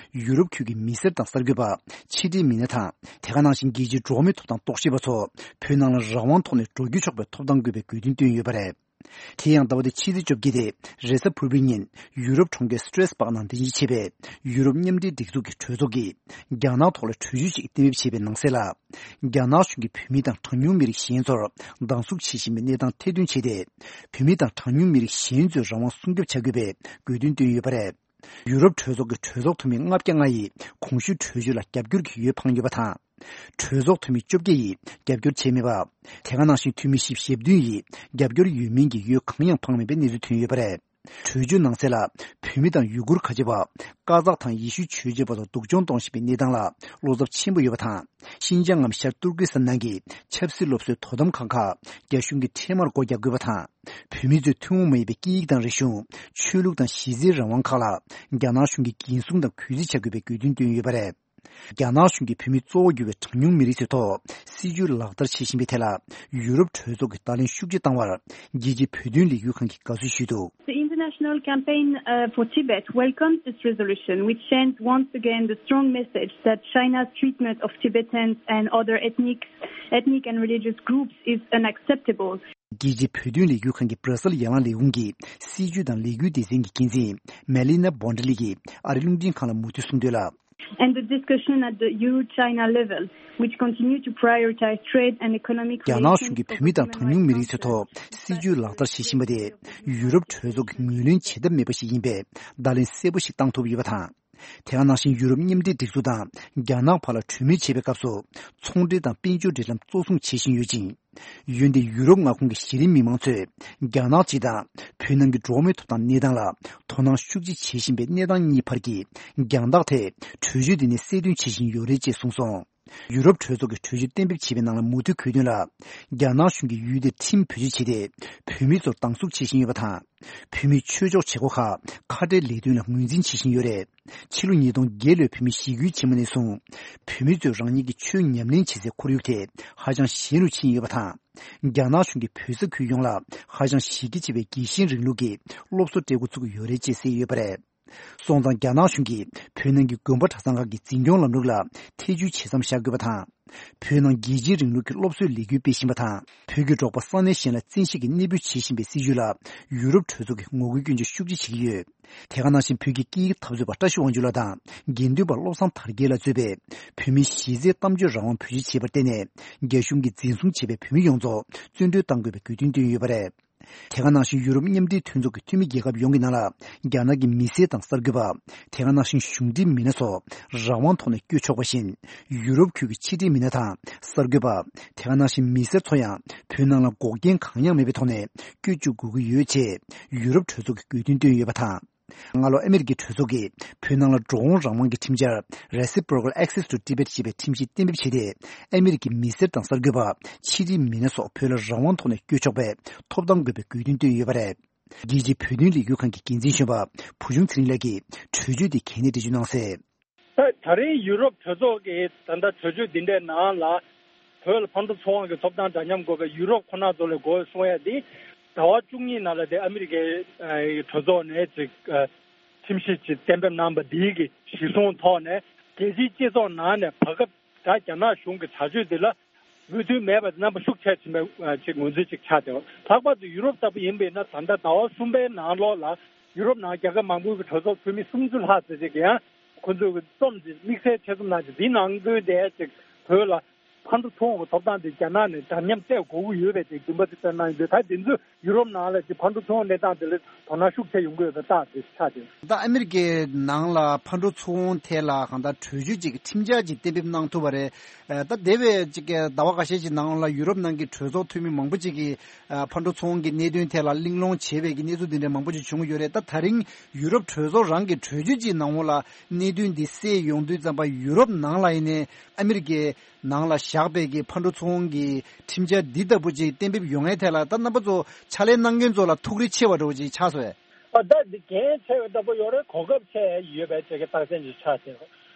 ཡུ་རོབ་ཁུལ་གྱི་མི་སེར་དང་གསར་འགོད་པ། ཕྱི་འབྲེལ་མི་སྣ་དང་། དེ་ག་ནང་བཞིན་རྒྱལ་སྤྱིའི་འགྲོ་བ་མིའི་ཐོབ་ཐང་རྟོག་ཞིབ་པ་ཚོ་བོད་ནང་ལ་རང་དབང་ཐོག་ནས་འགྲོ་སྐྱོད་ཆོག་པའི་ཐོབ་ཐང་དགོས་པའི་དགོས་འདུན་བཏོན་ཡོད་པ་རེད། དེ་ཡང་ཟླ་བ་འདིའི་ཕྱི་ཚེས་བཅོ་བརྒྱད་སྟེ། རེས་གཟའ་ཕུར་བུའི་ཉིན་ཡུ་རོབ་གྲོང་ཁྱེར་སི་ཏྲེས་སྦག་ནང་རྟེན་གཞི་བྱས་པའི་ཡུ་རོབ་མཉམ་འབྲེལ་སྒྲིག་འཛུགས་ཀྱི་གྲོས་ཚོགས་ཀྱིས་རྒྱ་ནག་ཐོག་ལ་གྲོས་ཆོད་ཅིག་གཏན་འབེབས་བྱས་པའི་ནང་གསལ་ལ། རྒྱ་ནག་གཞུང་གིས་བོད་མི་དང་གྲངས་ཉུང་མི་རིགས་གཞན་ཚོར་སྡང་ཟུག་བྱེད་བཞིན་པའི་གནས་སྟངས་ཐེར་འདོན་བྱས་ཏེ། བོད་མི་དང་གྲངས་ཉུང་མི་རིགས་གཞན་ཚོའི་རང་དབང་སྲུང་སྐྱོབ་བྱ་དགོས་པའི་དགོས་འདུན་བཏོན་ཡོད་པ་རེད། ཡུ་རོབ་གྲོས་ཚོགས་ཀྱི་གྲོས་ཚོགས་འཐུས་མི་ལྔ་བརྒྱ་ལྔ་ཡིས་གོང་ཞུས་གྲོས་ཆོད་ལ་རྒྱབ་སྐྱོར་གྱི་འོས་འཕངས་ཡོད་པ་དང་། གྲོས་ཚོགས་འཐུས་མི་བཅོ་བརྒྱད་ཡིས་རྒྱབ་སྐྱོར་བྱས་མེད་པ། དེ་ག་ནང་བཞིན་འཐུས་མི་བཞི་བཅུ་ཞེ་བདུན་ཡིས་རྒྱབ་སྐྱོར་ཡོད་མིན་གྱི་འོས་གང་ཡང་འཕངས་མེད་པའི་གནས་ཚུལ་ཐོན་ཡོད་པ་རེད། གྲོས་ཆོད་ནང་གསལ་ལ། བོད་མི་དང་ཡུ་གུར་ཁ་ཆེ་བ། ཀ་ཛག་དང་ཡེ་ཤུའི་ཆོས་བྱེད་པ་ཚོ་སྡུག་སྦྱོང་གཏོང་བཞིན་པའི་གནས་སྟངས་ལ་བློ་འཚབ་ཆེན་པོ་ཡོད་པ་དང་། ཤིན་ཅང་ངམ་ཤར་ཏུར་ཀི་སི་ཐན་ནང་གི་ཆབ་སྲིད་སློབ་གསོའི་དོ་དམ་ཁང་ཁག་རྒྱ་གཞུང་གིས་འཕྲལ་མར་སྒོ་རྒྱག་དགོས་པ་དང་། བོད་མི་ཚོའི་ཐུན་མོང་མ་ཡིན་པའི་སྐད་ཡིག་དང་རིག་གཞུང་། ཆོས་ལུགས་དང་གཞི་རྩའི་རང་དབང་ཁག་ལ་རྒྱ་ནག་གཞུང་གིས་འགན་སྲུང་དང་གུས་བརྩི་བྱ་དགོས་པའི་དགོས་འདུན་བཏོན་ཡོད་པ་རེད། རྒྱ་ནག་གཞུང་གིས་བོད་མི་གཙོ་བོ་གྱུར་བའི་གྲངས་ཉུང་མི་རིགས་ཚོའི་ཐོག་སྲིད་ཇུས་ལག་བསྟར་བྱེད་བཞིན་པའི་ཐད་ལ། ཡུ་རོབ་གྲོས་ཚོགས་ཀྱིས་བརྡ་ལན་ཤུགས་ཆེ་བཏང་བར། རྒྱལ་སྤྱིའི་བོད་དོན་ལས་འགུལ་ཁང་གིས་དགའ་བསུ་ཞུས་འདུག། The International Campaign uh, for Tibet welcomes this resolution, which sends once again the strong message that China's treatment of Tibetans and other ethnic, ethnic and religious groups is unacceptable. རྒྱལ་སྤྱིའི་བོད་དོན་ལས་འགུལ་ཁང་གི་སྦྲ་སེལ་ཡར་ལངས་ལས་ཁུངས་ཀྱི་སྲིད་ཇུས་དང་ལས་འགུལ་སྡེ་ཚན་གྱི་འགན་འཛིན་མེ་ལི་ན་བྷོན་ཌི་ལི་ཡིས་ཨ་རིའི་རླུང་འཕྲིན་ཁང་ལ་མུ་མཐུད་གསུངས་དོན་ལ། And the discussion at the Euro-China level, which continue to prioritize trade and economic རྒྱ་ནག་གཞུང་གིས་བོད་མི་དང་གྲངས་ཉུང་མི་རིགས་ཚོའི་ཐོག་སྲིད་ཇུས་ལག་བསྟར་བྱེད་བཞིན་པ་དེ་ཡུ་རོབ་གྲོས་ཚོགས་ཀྱིས་ངོས་ལེན་བྱེད་ཐབས་མེད་པ་ཞིག་ཡིན་པའི་བརྡ་ལན་གསལ་པོ་ཞིག་བཏང་ཐུབ་ཡོད་པ་དང་། དེ་ག་ནང་བཞིན་ཡུ་རོབ་མཉམ་འབྲེལ་སྒྲིག་འཛུགས་དང་རྒྱ་ནག་བར་ལ་གྲོས་མོལ་བྱེད་པའི་སྐབས་སུ་ཚོང་འབྲེལ་དང་དཔལ་འབྱོར་འབྲེལ་ལམ་གཙོ་བཟུང་བྱེད་བཞིན་ཡོད་ཅིང་། འོན་ཏེ་ཡུ་རོབ་མངའ་ཁོངས་ཀྱི་གཞི་རིམ་མི་མང་ཚོས་རྒྱ་ནག་སྤྱི་དང་བོད་ནང་གི་འགྲོ་བ་མིའི་ཐོབ་ཐང་གནས་སྟངས་ལ་དོ་སྣང་ཤུགས་ཆེ་བྱེད་བཞིན་པའི་གནས་སྟངས་གཉིས་བར་གྱི་རྒྱང་ཐག་དེ་གྲོས་ཆོད་འདི་ནས་གསལ་སྟོན་བྱེད་བཞིན་ཡོད་རེད་ཅེས་གསུངས་སོང་། ཡུ་རོབ་གྲོས་ཚོགས་ཀྱི་གྲོས་ཆོད་གཏན་འབེབས་བྱས་པའི་ནང་ལ་མུ་མཐུད་འཁོད་དོན་ལ། རྒྱ་ནག་གཞུང་གིས་ཡུལ་དེར་ཁྲིམས་བེད་སྤྱོད་བྱས་ཏེ། བོད་མི་ཚོར་སྡང་ཟུག་བྱེད་བཞིན་ཡོད་པ་དང་། བོད་མིའི་ཆོས་ཕྱོགས་བྱེད་སྒོ་ཁག་ཁ་བྲལ་ལས་དོན་ལ་ངོས་འཛིན་བྱེད་བཞིན་ཡོད་རེད། ཕྱི་ལོ་ཉིས་སྟོང་བརྒྱད་ལོའི་བོད་མིའི་ཞི་རྒོལ་ཆེན་མོ་ནས་བཟུང་། བོད་མི་ཚོས་རང་ཉིད་ཀྱི་ཆོས་ཉམས་ལེན་བྱེད་སའི་ཁོར་ཡུག་དེ་ཧ་ཅང་ཞན་རུ་ཕྱིན་ཡོད་པ་དང་། རྒྱ་ནག་གཞུང་གིས་བོད་ས་ཁུལ་ཡོངས་ལ་ཧ་ཅང་གཞི་རྒྱ་ཆེ་བའི་རྒྱལ་ཞེན་རིང་ལུགས་ཀྱི་སློབ་གསོ་སྤྲད་འགོ་བཙུགས་ཡོད་རེད་ཅེས་གསལ་ཡོད་པ་རེད། སོང་ཙང་རྒྱ་ནག་གཞུང་གིས་བོད་ནང་གི་དགོན་པ་གྲྭ་ཚང་ཁག་གི་འཛིན་སྐྱོང་ལམ་ལུགས་ལ་ཐེ་ཇུས་བྱེད་མཚམས་བཞག་དགོས་པ་དང་། བོད་ནང་རྒྱལ་སྤྱིའི་རིང་ལུགས་ཀྱི་སློབ་གསོའི་ལས་འགུལ་སྤེལ་བཞིན་པ་དང་། བོད་ཀྱི་འབྲོག་པ་ས་གནས་གཞན་ལ་བཙན་ཤེད་ཀྱིས་གནས་སྤོས་བྱེད་བཞིན་པའི་སྲིད་བྱུས་ལ་ཡུ་རོབ་གྲོས་ཚོགས་ཀྱིས་ངོ་རྒོལ་སྐྱོན་བརྗོད་ཤུགས་ཆེ་བྱེད་ཀྱི་ཡོད། དེ་ག་ནང་བཞིན་བོད་ཀྱི་སྐད་ཡིག་འཐབ་རྩོད་པ་བཀྲ་ཤིས་དབང་ཕྱུག་ལགས་དང་། དགེ་འདུན་པ་བློ་བཟང་དར་རྒྱས་ལགས་གཙོས་པའི་བོད་མིའི་གཞི་རྩའི་གཏམ་བརྗོད་རང་དབང་བེད་སྤྱོད་བྱས་པར་བརྟེན་ནས། རྒྱ་གཞུང་གིས་འཛིན་བཟུང་བྱས་པའི་བོད་མི་ཡོངས་རྫོགས་བཙོན་གྲོལ་གཏང་དགོས་པའི་དགོས་འདུན་བཏོན་ཡོད་པ་རེད། དེ་ག་ནང་བཞིན་ཡུ་རོབ་མཉམ་འབྲེལ་མཐུན་ཚོགས་ཀྱི་འཐུས་མི་རྒྱལ་ཁབ་ཡོངས་ཀྱི་ནང་ལ་རྒྱ་ནག་གི་མི་སེར་དང་གསར་འགོད་པ། དེ་ག་ནང་བཞིན་གཞུང་འབྲེལ་མི་སྣ་སོགས་རང་དབང་ཐོག་ནས་བསྐྱོད་ཆོག་པ་བཞིན། ཡུ་རོབ་ཁུལ་གྱི་ཕྱི་འབྲེལ་མི་སྣ་དང་གསར་འགོད་པ། དེ་ག་ནང་བཞིན་མི་སེར་ཚོ་ཡང་བོད་ནང་ལ་འགོག་རྐྱེན་གང་ཡང་མེད་པའི་ཐོག་ནས་བསྐྱོད་བཅུག་དགོས་ཀྱི་ཡོད་ཅེས་ཡུ་རོབ་གྲོས་ཚོགས་ཀྱིས་དགོས་འདུན་བཏོན་ཡོད་པ་དང་། སྔ་ལོ་ཨ་མེ་རི་ཁའི་གྲོས་ཚོགས་ཀྱིས་བོད་ནང་ལ་འགྲོ་འོང་རང་དབང་གི་ཁྲིམས་འཆར་Reciprocal Access to Tibet ཞེས་པའི་ཁྲིམས་གཞི་གཏན་འབེབས་བྱས་ཏེ། ཨ་མེ་རི་ཁའི་མི་སེར་དང་གསར་འགོད་པ། ཕྱི་འབྲེལ་མི་སྣ་སོགས་བོད་ལ་རང་དབང་ཐོག་ནས་བསྐྱོད་ཆོག་པའི་ཐོབ་ཐང་དགོས་པའི་དགོས་འདུན་བཏོན་ཡོད་པ་རེད། རྒྱལ་སྤྱིའི་བོད་དོན་ལས་འགུལ་ཁང་གི་འགན་འཛིན་གཞོན་པ་བུ་ཆུང་ཚེ་རིང་ལགས་ཀྱིས་གྲོས་ཆོད་དེ་གལ་གནད་འགྲེལ་བརྗོད་གནང་གསལ། ད་ད་རིང་ཡུ་རོབ་གྲོས་ཚོགས་ཀྱི་ད་ལྟ་གྲོས་ཆོད་འདི་འདྲའི་ནང་ལ་བོད་ལ་ཕན་ཐོགས་ཚོང་དབང་གི་ཐོབ་ཐང་འདྲ་མཉམ་དགོས་པའི་ཡུ་རོབ་ཁོ་ན་ཚོ་ལ་དགོས་གསུང་ཡ་འདི་ཟླ་བ་བཅུ་གཉིས་ནང་ལ་དེ་ཨ་མི་རི་ཀའི་གྲོས་ཚོགས་ནས་ཅིག་ཁྲིམས་གཞི་ཅིག་གཏན་འབེབས་གནང་པ་འདིའི་གི་གཞི་བཟུང་ཐོག་ནས་རྒྱལ་སྤྱིའི་སྤྱི་ཚོགས་ནང་ནས་བར་སྐབས་ད་རྒྱ་ནག་གཞུང་གི་བྱ་སྤྱོད་འདི་ལ། མོས་མཐུན་མེད་པ་རྣམ་པ་ཤུགས་ཆེ་ཕྱིན་པའི་ཅིག་ངོས་འཛིན་ཅིག་ཆགས་ཏེ། ལྷག་པར་དུ་ཡུ་རོབ་ལྟ་བུ་ཡིན་པ་ཡིན་ན། ད་ལྟ་ཟླ་བ་གསུམ་པའི་ནང་ལོགས་ལ་ཡུ་རོབ་ནང་རྒྱལ་ཁབ་མང་པོའི་གྲོས་ཚོགས་འཐུས་མི་སུམ་ཅུ་ལྷག་ཙམ་ཅིག་གིས་ཡང་ཁོ་ཚོས་རྩོམ་ཅིག་དམིགས་བསལ་ཆེད་རྩོམ་གནང་ཅིག་འདིའི་ནང་དོན་དེ་ཅིག་བོད་ལ་ཕར་འགྲོ་ཚུར་འོང་གི་ཐོབ་ཐང་དེ་རྒྱ་ནག་ནས་འདྲ་མཉམ་སྤྲད་དགོས་ཀྱི་ཡོད་པའི་དེ་འདུན་པ་དེ་བཏོན་གནང་ཡོད། ད་དེ་ཚོས་ཡུ་རོབ་ནང་ལ་ཅིག་ཕར་འགྲོ་ཚུར་འོང་གནས་སྟངས་དེ་ལ་དོ་སྣང་ཤུགས་ཆེ་ཡོང་གི་ཡོད་པའི་རྟགས་དེ་ཆགས་ཏེ། ད་ཨ་མི་རི་ཀའི་ནང་ལ་ཕར་འགྲོ་ཚུར་འོང་ཐད་ལ་གང་ལྟར་གྲོས་ཆོད་ཅིག་ཁྲིམས་འཆར་ཅིག་གཏན་འབེབས་གནང་ཐུབ་པ་རེད། ད་འདས་པའི་ཅིག་གི་ཟླ་བ་འགའ་ཤས་ཅིག་ནང་ལ་ཡུ་རོབ་ནང་གི་གྲོས་ཚོགས་འཐུས་མི་མང་པོ་ཅིག་གིས་ཕར་འགྲོ་ཚུར་འོང་གི་གནད་དོན་ཐད་ལ་གླེང་སློང་བྱས་པའི་གི་གནས་ཚུལ་འདི་འདྲ་མང་པོ་ཅིག་བྱུང་གི་ཡོད་རེད། ད་ད་རིང་ཡུ་རོབ་གྲོས་ཚོགས་རང་གི་གྲོས་ཆོད་ཅིག་ནང་ལ་གནད་དོན་འདི་སེལ་ཡོང་དུས་ཙམ་པ། ཡུ་རོབ་ནང་ལ་ཡིན་ནའི་ཨ་མི་རི་ཀའི་ནང་ལ་བཞག་པའི་གི་ཕར་འགྲོ་ཚུར་འོང་གི་ཁྲིམས་འཆར་འདི་ལྟ་བུ་ཅིག་གཏན་འབེབས་ཡོང་ཡའི་ཐད་ལ། ད་རྣམ་པ་ཚོ་ཕྱག་ལས་གནང་མཁན་ཚོ་ལ་ཐུགས་རེ་ཆེ་བ་འདྲ་བོ་ཅིག་ཆགས་སོང་ངས། ཨ། ད་འདི་འགན་ཆེ་བའི་ལྟ་བུ་ཡོད་རེད། གོ་སྐབས་ཆེ་ཡོད་པའི་ཅིག་གི་རྟགས་མཚན་ཅིག་ཆགས་ཏེ།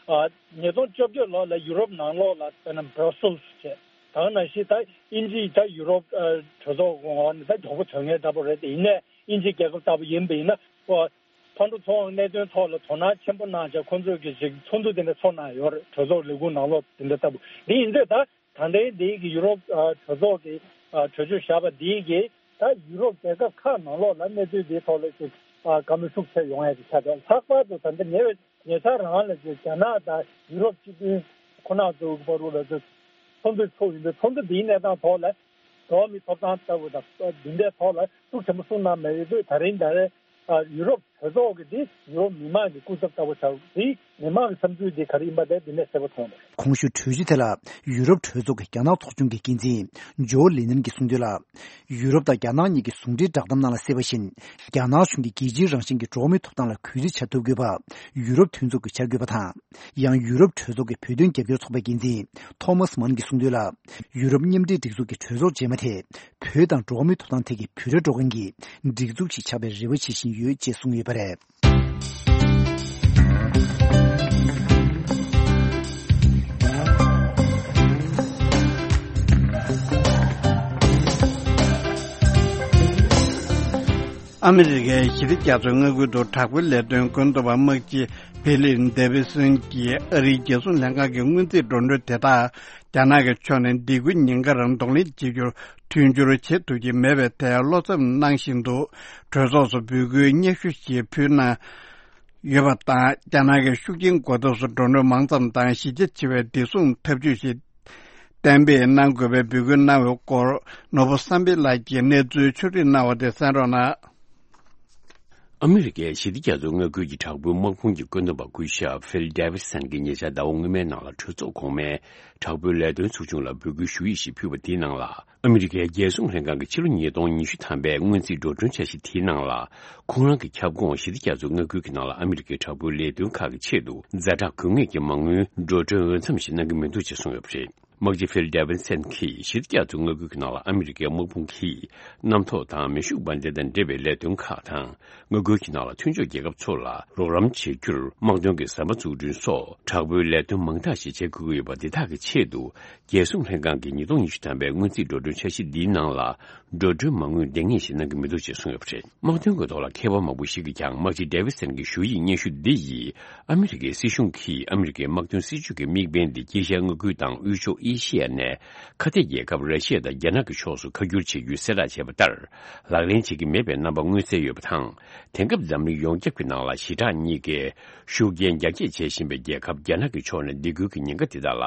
ཨ། ཉིས་སྟོང་བཅོ་བརྒྱད་ལོ་ལ་ཡུ་རོབ་ནང་ལོགས་ལ་དཔེར་ན་Brussels་བྱས། ད་ག་ནང་བཞིན་ད་དབྱིན་ཇི་ད་ཡུ་རོབ་ཨ་གྲོས་ཚོགས་ངོས་ནས་ད་མགྱོགས་པོ་ཐོན་མཁན་ལྟ་བུ་རེད། དེ་ཡིན་ནའི་དབྱིན་ཇི་རྒྱལ་ཁབ་ལྟ་བུ་ཡིན་པ་ཡིན་ན། ཨ། ཕར་འགྲོ་ཚུར་འོང་གནད་དོན་ཐོག་ལ་དོ་སྣང་ཆེན་པོ་གནང་བྱས་ཁོང་ཚོས་ཀྱི་ཅིག་ཚོགས་འདུ་དེ་འདྲ་ཚོགས་གནང་ཡོད་རེད། གྲོས་ཚོགས་ལས་ཁུངས་ནང་ལོགས་དེ་འདྲ་ལྟ་བུ་འདི་ཡིན་དུས། ད་ད་ལྟའི་འདི་གི་ཡུ་རོབ་ཨ་གྲོས་ཚོགས་ཀྱི་ཨ་གྲོས་ཆོད་བཞག་པ་འདི་གིས་ད་ཡུ་རོབ་རྒྱལ་ཁབ་ཁག་ནང་ལོགས་ལ་གནས་ཚུལ་འདིའི་ཐོག་ལ་ཅིག་ཨ་བཀའ་མོལ་ཤུགས་ཆེ་ཡོང་ཡ་ཅིག་ཆགས་འདུག་ལྷག་པར་དུ་ད་ལྟ་ཉེ་བའི་ཉེ་ཆར་རང་ལ་ཅིག་རྒྱ་ནག་དང་ཡུ་རོབ་སྤྱི་མཐུན་ཁོ་ན་ཚོའི་བར་དུ་ལ་ཅིག་ཚོགས་འདུ་ཚོགས་ཡོང་དུས། ཚོགས་འདུ་འདིའི་གནས་སྟངས་ཐོག་ལ་འགྲོ་བ་མིའི་ཐོབ་ཐང་ལྟ་བུ་དང་འདི་འདྲའི་ཐོག་ལ་ཤུགས་ཆེན་པོ་གསུངས་གནང་མེད་ཡོད་དུས། ད་རིང་ད་རེས་ཨ་ཡུ་རོབ་གྲོས་ཚོགས་ཀྱི་འདི་ཡུ་རོབ་མི་མང་གི་སྐུ་ཚབ་ལྟ་བུ་ཆགས། འདི་མི་མང་གི་བསམ་ཚུལ་འདི་ག་རེ་ཡིན་པ་དེ་འདི་ནས་གསལ་པོ་མཐོང་རེད། གོང་ཞུས་གྲོས་གཞི་དེ་ལ་ཡུ་རོབ་གྲོས་ཚོགས་ཀྱི་རྒྱ་ནག་ཚོགས་ཆུང་གི་འགན་འཛིན་ཇོ་ལི་ནན་གྱིས་གསུངས་དོན་ལ། ཡུ་རོབ་དང་རྒྱ་ནག་གཉིས་ཀྱི་ཟུང་འབྲེལ་བསྒྲགས་གཏམ་ནང་ལ་གསལ་བ་བཞིན། རྒྱ་ནག་གཞུང་གིས་རྒྱལ་སྤྱིའི་རང་བཞིན་གྱི་འགྲོ་བ་མིའི་ཐོབ་ཐང་ལ་གུས་བརྩི་བྱ་ཐུབ་དགོས་པ་ཡུ་རོབ་མཐུན་ཚོགས་ཀྱི་འཆར་འགོད་པ་དང་། ཡང་ཡུ་རོབ་གྲོས་ཚོགས་ཀྱི་བོད་དོན་རྒྱབ་སྐྱོར་ཚོགས་པའི་འགན་འཛིན་ཐོ་མཱས་མཱན་གྱིས་གསུངས་དོན་ལ། ཡུ་རོབ་མཉམ་འབྲེལ་སྒྲིག་འཛུགས་ཀྱི་གྲོས་ཚོགས་རྗེས་མ་དེ་བོད་དང་འགྲོ་བ་མིའི་ཐོབ་ཐང་ཐད་ཀྱི་བུ་ར་འགྲོ་མཁན་གྱི་སྒྲིག་འཛུགས་ཤིག་ཆགས་པའི་རེ་བ་བྱེད་བཞིན་ཡོད་ཅེས་གསུངས་ཡོད་པ་རེད། ཨ་མི་རི་ཀའི་ཞི་བདེ་རྒྱ་མཚོའི་མངའ་ཁུལ་དུ་དྲག་པོའི་ལས་དོན་བཀོད་འདོམས་པ་དམག་སྤྱི་ཕི་ལིབ་ཌེ་བི་སན་གྱིས་ཨ་རིའི་རྒྱལ་སྲུང་ལྷན་ཁང་གི་སྔོན་རྩིས་འགྲོ་གྲོན་དེ་དག་རྒྱ་ནག་གི་ཕྱོགས་ནས་སྡིགས་སྐུལ་ཉེན་ཁར་གདོང་ལེན་བྱེད་རྒྱུར་མཐུན་འགྱུར་བྱེད་ཐུབ་ཀྱི་མེད་པའི་ཐད་བློ་འཚབ་གནང་བཞིན་འདུག་གྲོས་ཚོགས་སུ་འབོད་སྐུལ་སྙན་ཞུ་ཞིག་ཕུལ་གནང་ཡོད་པ་དང་། རྒྱ་ནག་གི་ཤུགས་རྐྱེན་འགོག་ཐབས་སུ་འགྲོ་གྲོན་མང་ཙམ་དང་གཞི་རྒྱ་ཆེ་བའི་བདེ་སྲུང་ཐབས་ཇུས་ཤིག་གཏན་འབེབས་གནང་དགོས་པའི་འབོད་སྐུལ་གནང་བའི་སྐོར། ནོར་བུ་བསམ་འཕེལ་ལགས་ཀྱིས་གནས་ཚུལ་ཕྱོགས་སྒྲིག་གནང་བ་དེ་གསན་རོགས་གནང་། ཨ་མི་རི་ཀའི་ཞི་བདེ་རྒྱ་མཚོའི་མངའ་ཁུལ་གྱི་དྲག་པོའི་དམག་དཔུང་གི་བཀོད་འདོམས་པ་སྐུ་ཞབས་ཕིལ་ཌེ་བི་སན་གྱིས་ཉེ་ཆར་ཟླ་བ་སྔོན་མའི་ནང་ལ་གྲོས་ཚོགས་གོང་མའི་དྲག་པོའི་ལས་དོན་ཚོགས་ཆུང་ལ་འབོད་སྐུལ་ཞུ་ཡིག་ཞིག་ཕུལ་བ་དེའི་ནང་ལ། ཨ་མི་རི་ཀའི་རྒྱལ་སྲུང་ལྷན་ཁང་གི་ཕྱི་ལོ་ཉིས་སྟོང་ཉི་ཤུ་ཐམ་པའི་སྔོན་རྩིས་འགྲོ་གྲོན་འཆར་གཞི་དེའི་ནང་ལ། ཁོང་རང་གི་ཁྱབ་ཁོངས་ཞི་བདེ་རྒྱ་མཚོའི་མངའ་ཁུལ་གྱི་ནང་ལ་ཨ་མི་རི་ཀའི་དྲག་པོའི་ལས་དོན་ཁག་གི་ཆེད་དུ་ཛ་དྲག་དགོས་ངེས་ཀྱི་མ་དངུལ་འགྲོ་གྲོན་འོས་འཚམ་ཞིག་གནང་གི་མི་འདུག་ཅེས་གསུངས་ཡོད་པ་རེད། དམག་སྤྱི་ཕིལ་ཌེ་བི་སན་གྱིས་ཞི་བདེ་རྒྱ་མཚོའི་མངའ་ཁུལ་གྱི་ནང་ལ་ཨ་མི་རི་ཀའི་དམག་དཔུང་གིས་གནམ་ཐོག་དང་མེ་ཤུགས་འབར་མདེལ་དང་འབྲེལ་བའི་ལས་དོན་ཁག་དང་། མངའ་ཁུལ་གྱི་ནང་ལ་མཐུན་ཕྱོགས་རྒྱལ་ཁབ་ཚོ་ལ་རོགས་རམ་བྱེད་རྒྱུར་དམག་དོན་གྱི་ཟམ་པ་འཛུགས་སྐྲུན་སོགས་དྲག་པོའི་ལས་དོན་མང་དག་ཞིག་བྱེད་དགོས་ཀྱི་ཡོད་པ་འདི་དག་གི་ཆེད་དུ། རྒྱལ་སྲུང་ལྷན་ཁང་གི་ཉིས་སྟོང་ཉི་ཤུ་ཐམ་པའི་སྔོན་རྩིས་འགྲོ་གྲོན་འཆར་གཞི་འདིའི་ནང་ལ། འགྲོ་གྲོན་མ་དངུལ་འདང་ངེས་ཤིག་གནང་གི་མི་འདུག་ཅེས་གསུངས་ཡོད་པ་རེད། དམག་དོན་གྱི་ཐོག་ལ་མཁས་པ་མང་པོ་ཞིག་གིས་ཀྱང་དམག་སྤྱི་ཌེ་བི་སན་གྱི་ཞུ་ཡིག་སྙན་ཞུ་འདི་ཡིས། ཨ་མི་རི་ཀའི་སྲིད་གཞུང་གིས་ཨ་མི་རི་ཀའི་དམག་དོན་སྲིད་ཇུས་ཀྱི་དམིགས་འབེན་འདི་དཀྱིལ་ཤར་མངའ་ཁུལ་དང་དབུས་ཕྱོགས་ཨེ་ཤི་ཡ་ནས་ཁ་གཏད་རྒྱལ་ཁབ་ར་ཤི་ཡ་དང་རྒྱ་ནག་གི་ཕྱོགས་སུ་ཁ་བསྒྱུར་བྱེད་རྒྱུའི་གསལ་བསྒྲགས་བྱས་པ་ལྟར། ལག་ལེན་བྱེད་ཀྱི་མེད་པའི་རྣམ་པ་མངོན་གསལ་ཡོད་པ་དང་། དེང་སྐབས་འཛམ་གླིང་ཡོངས་ཁྱབ་ཀྱི་ནང་ལ་ཞི་དྲག་གཉིས་ཀའི་ཤུགས་རྐྱེན་རྒྱ་སྐྱེད་བྱེད་བཞིན་པའི་རྒྱལ་ཁབ་རྒྱ་ནག་གི་ཕྱོགས་ནས་སྡིགས་སྐུལ་གྱི་ཉེན་ཁ་དེ་དག་ལ་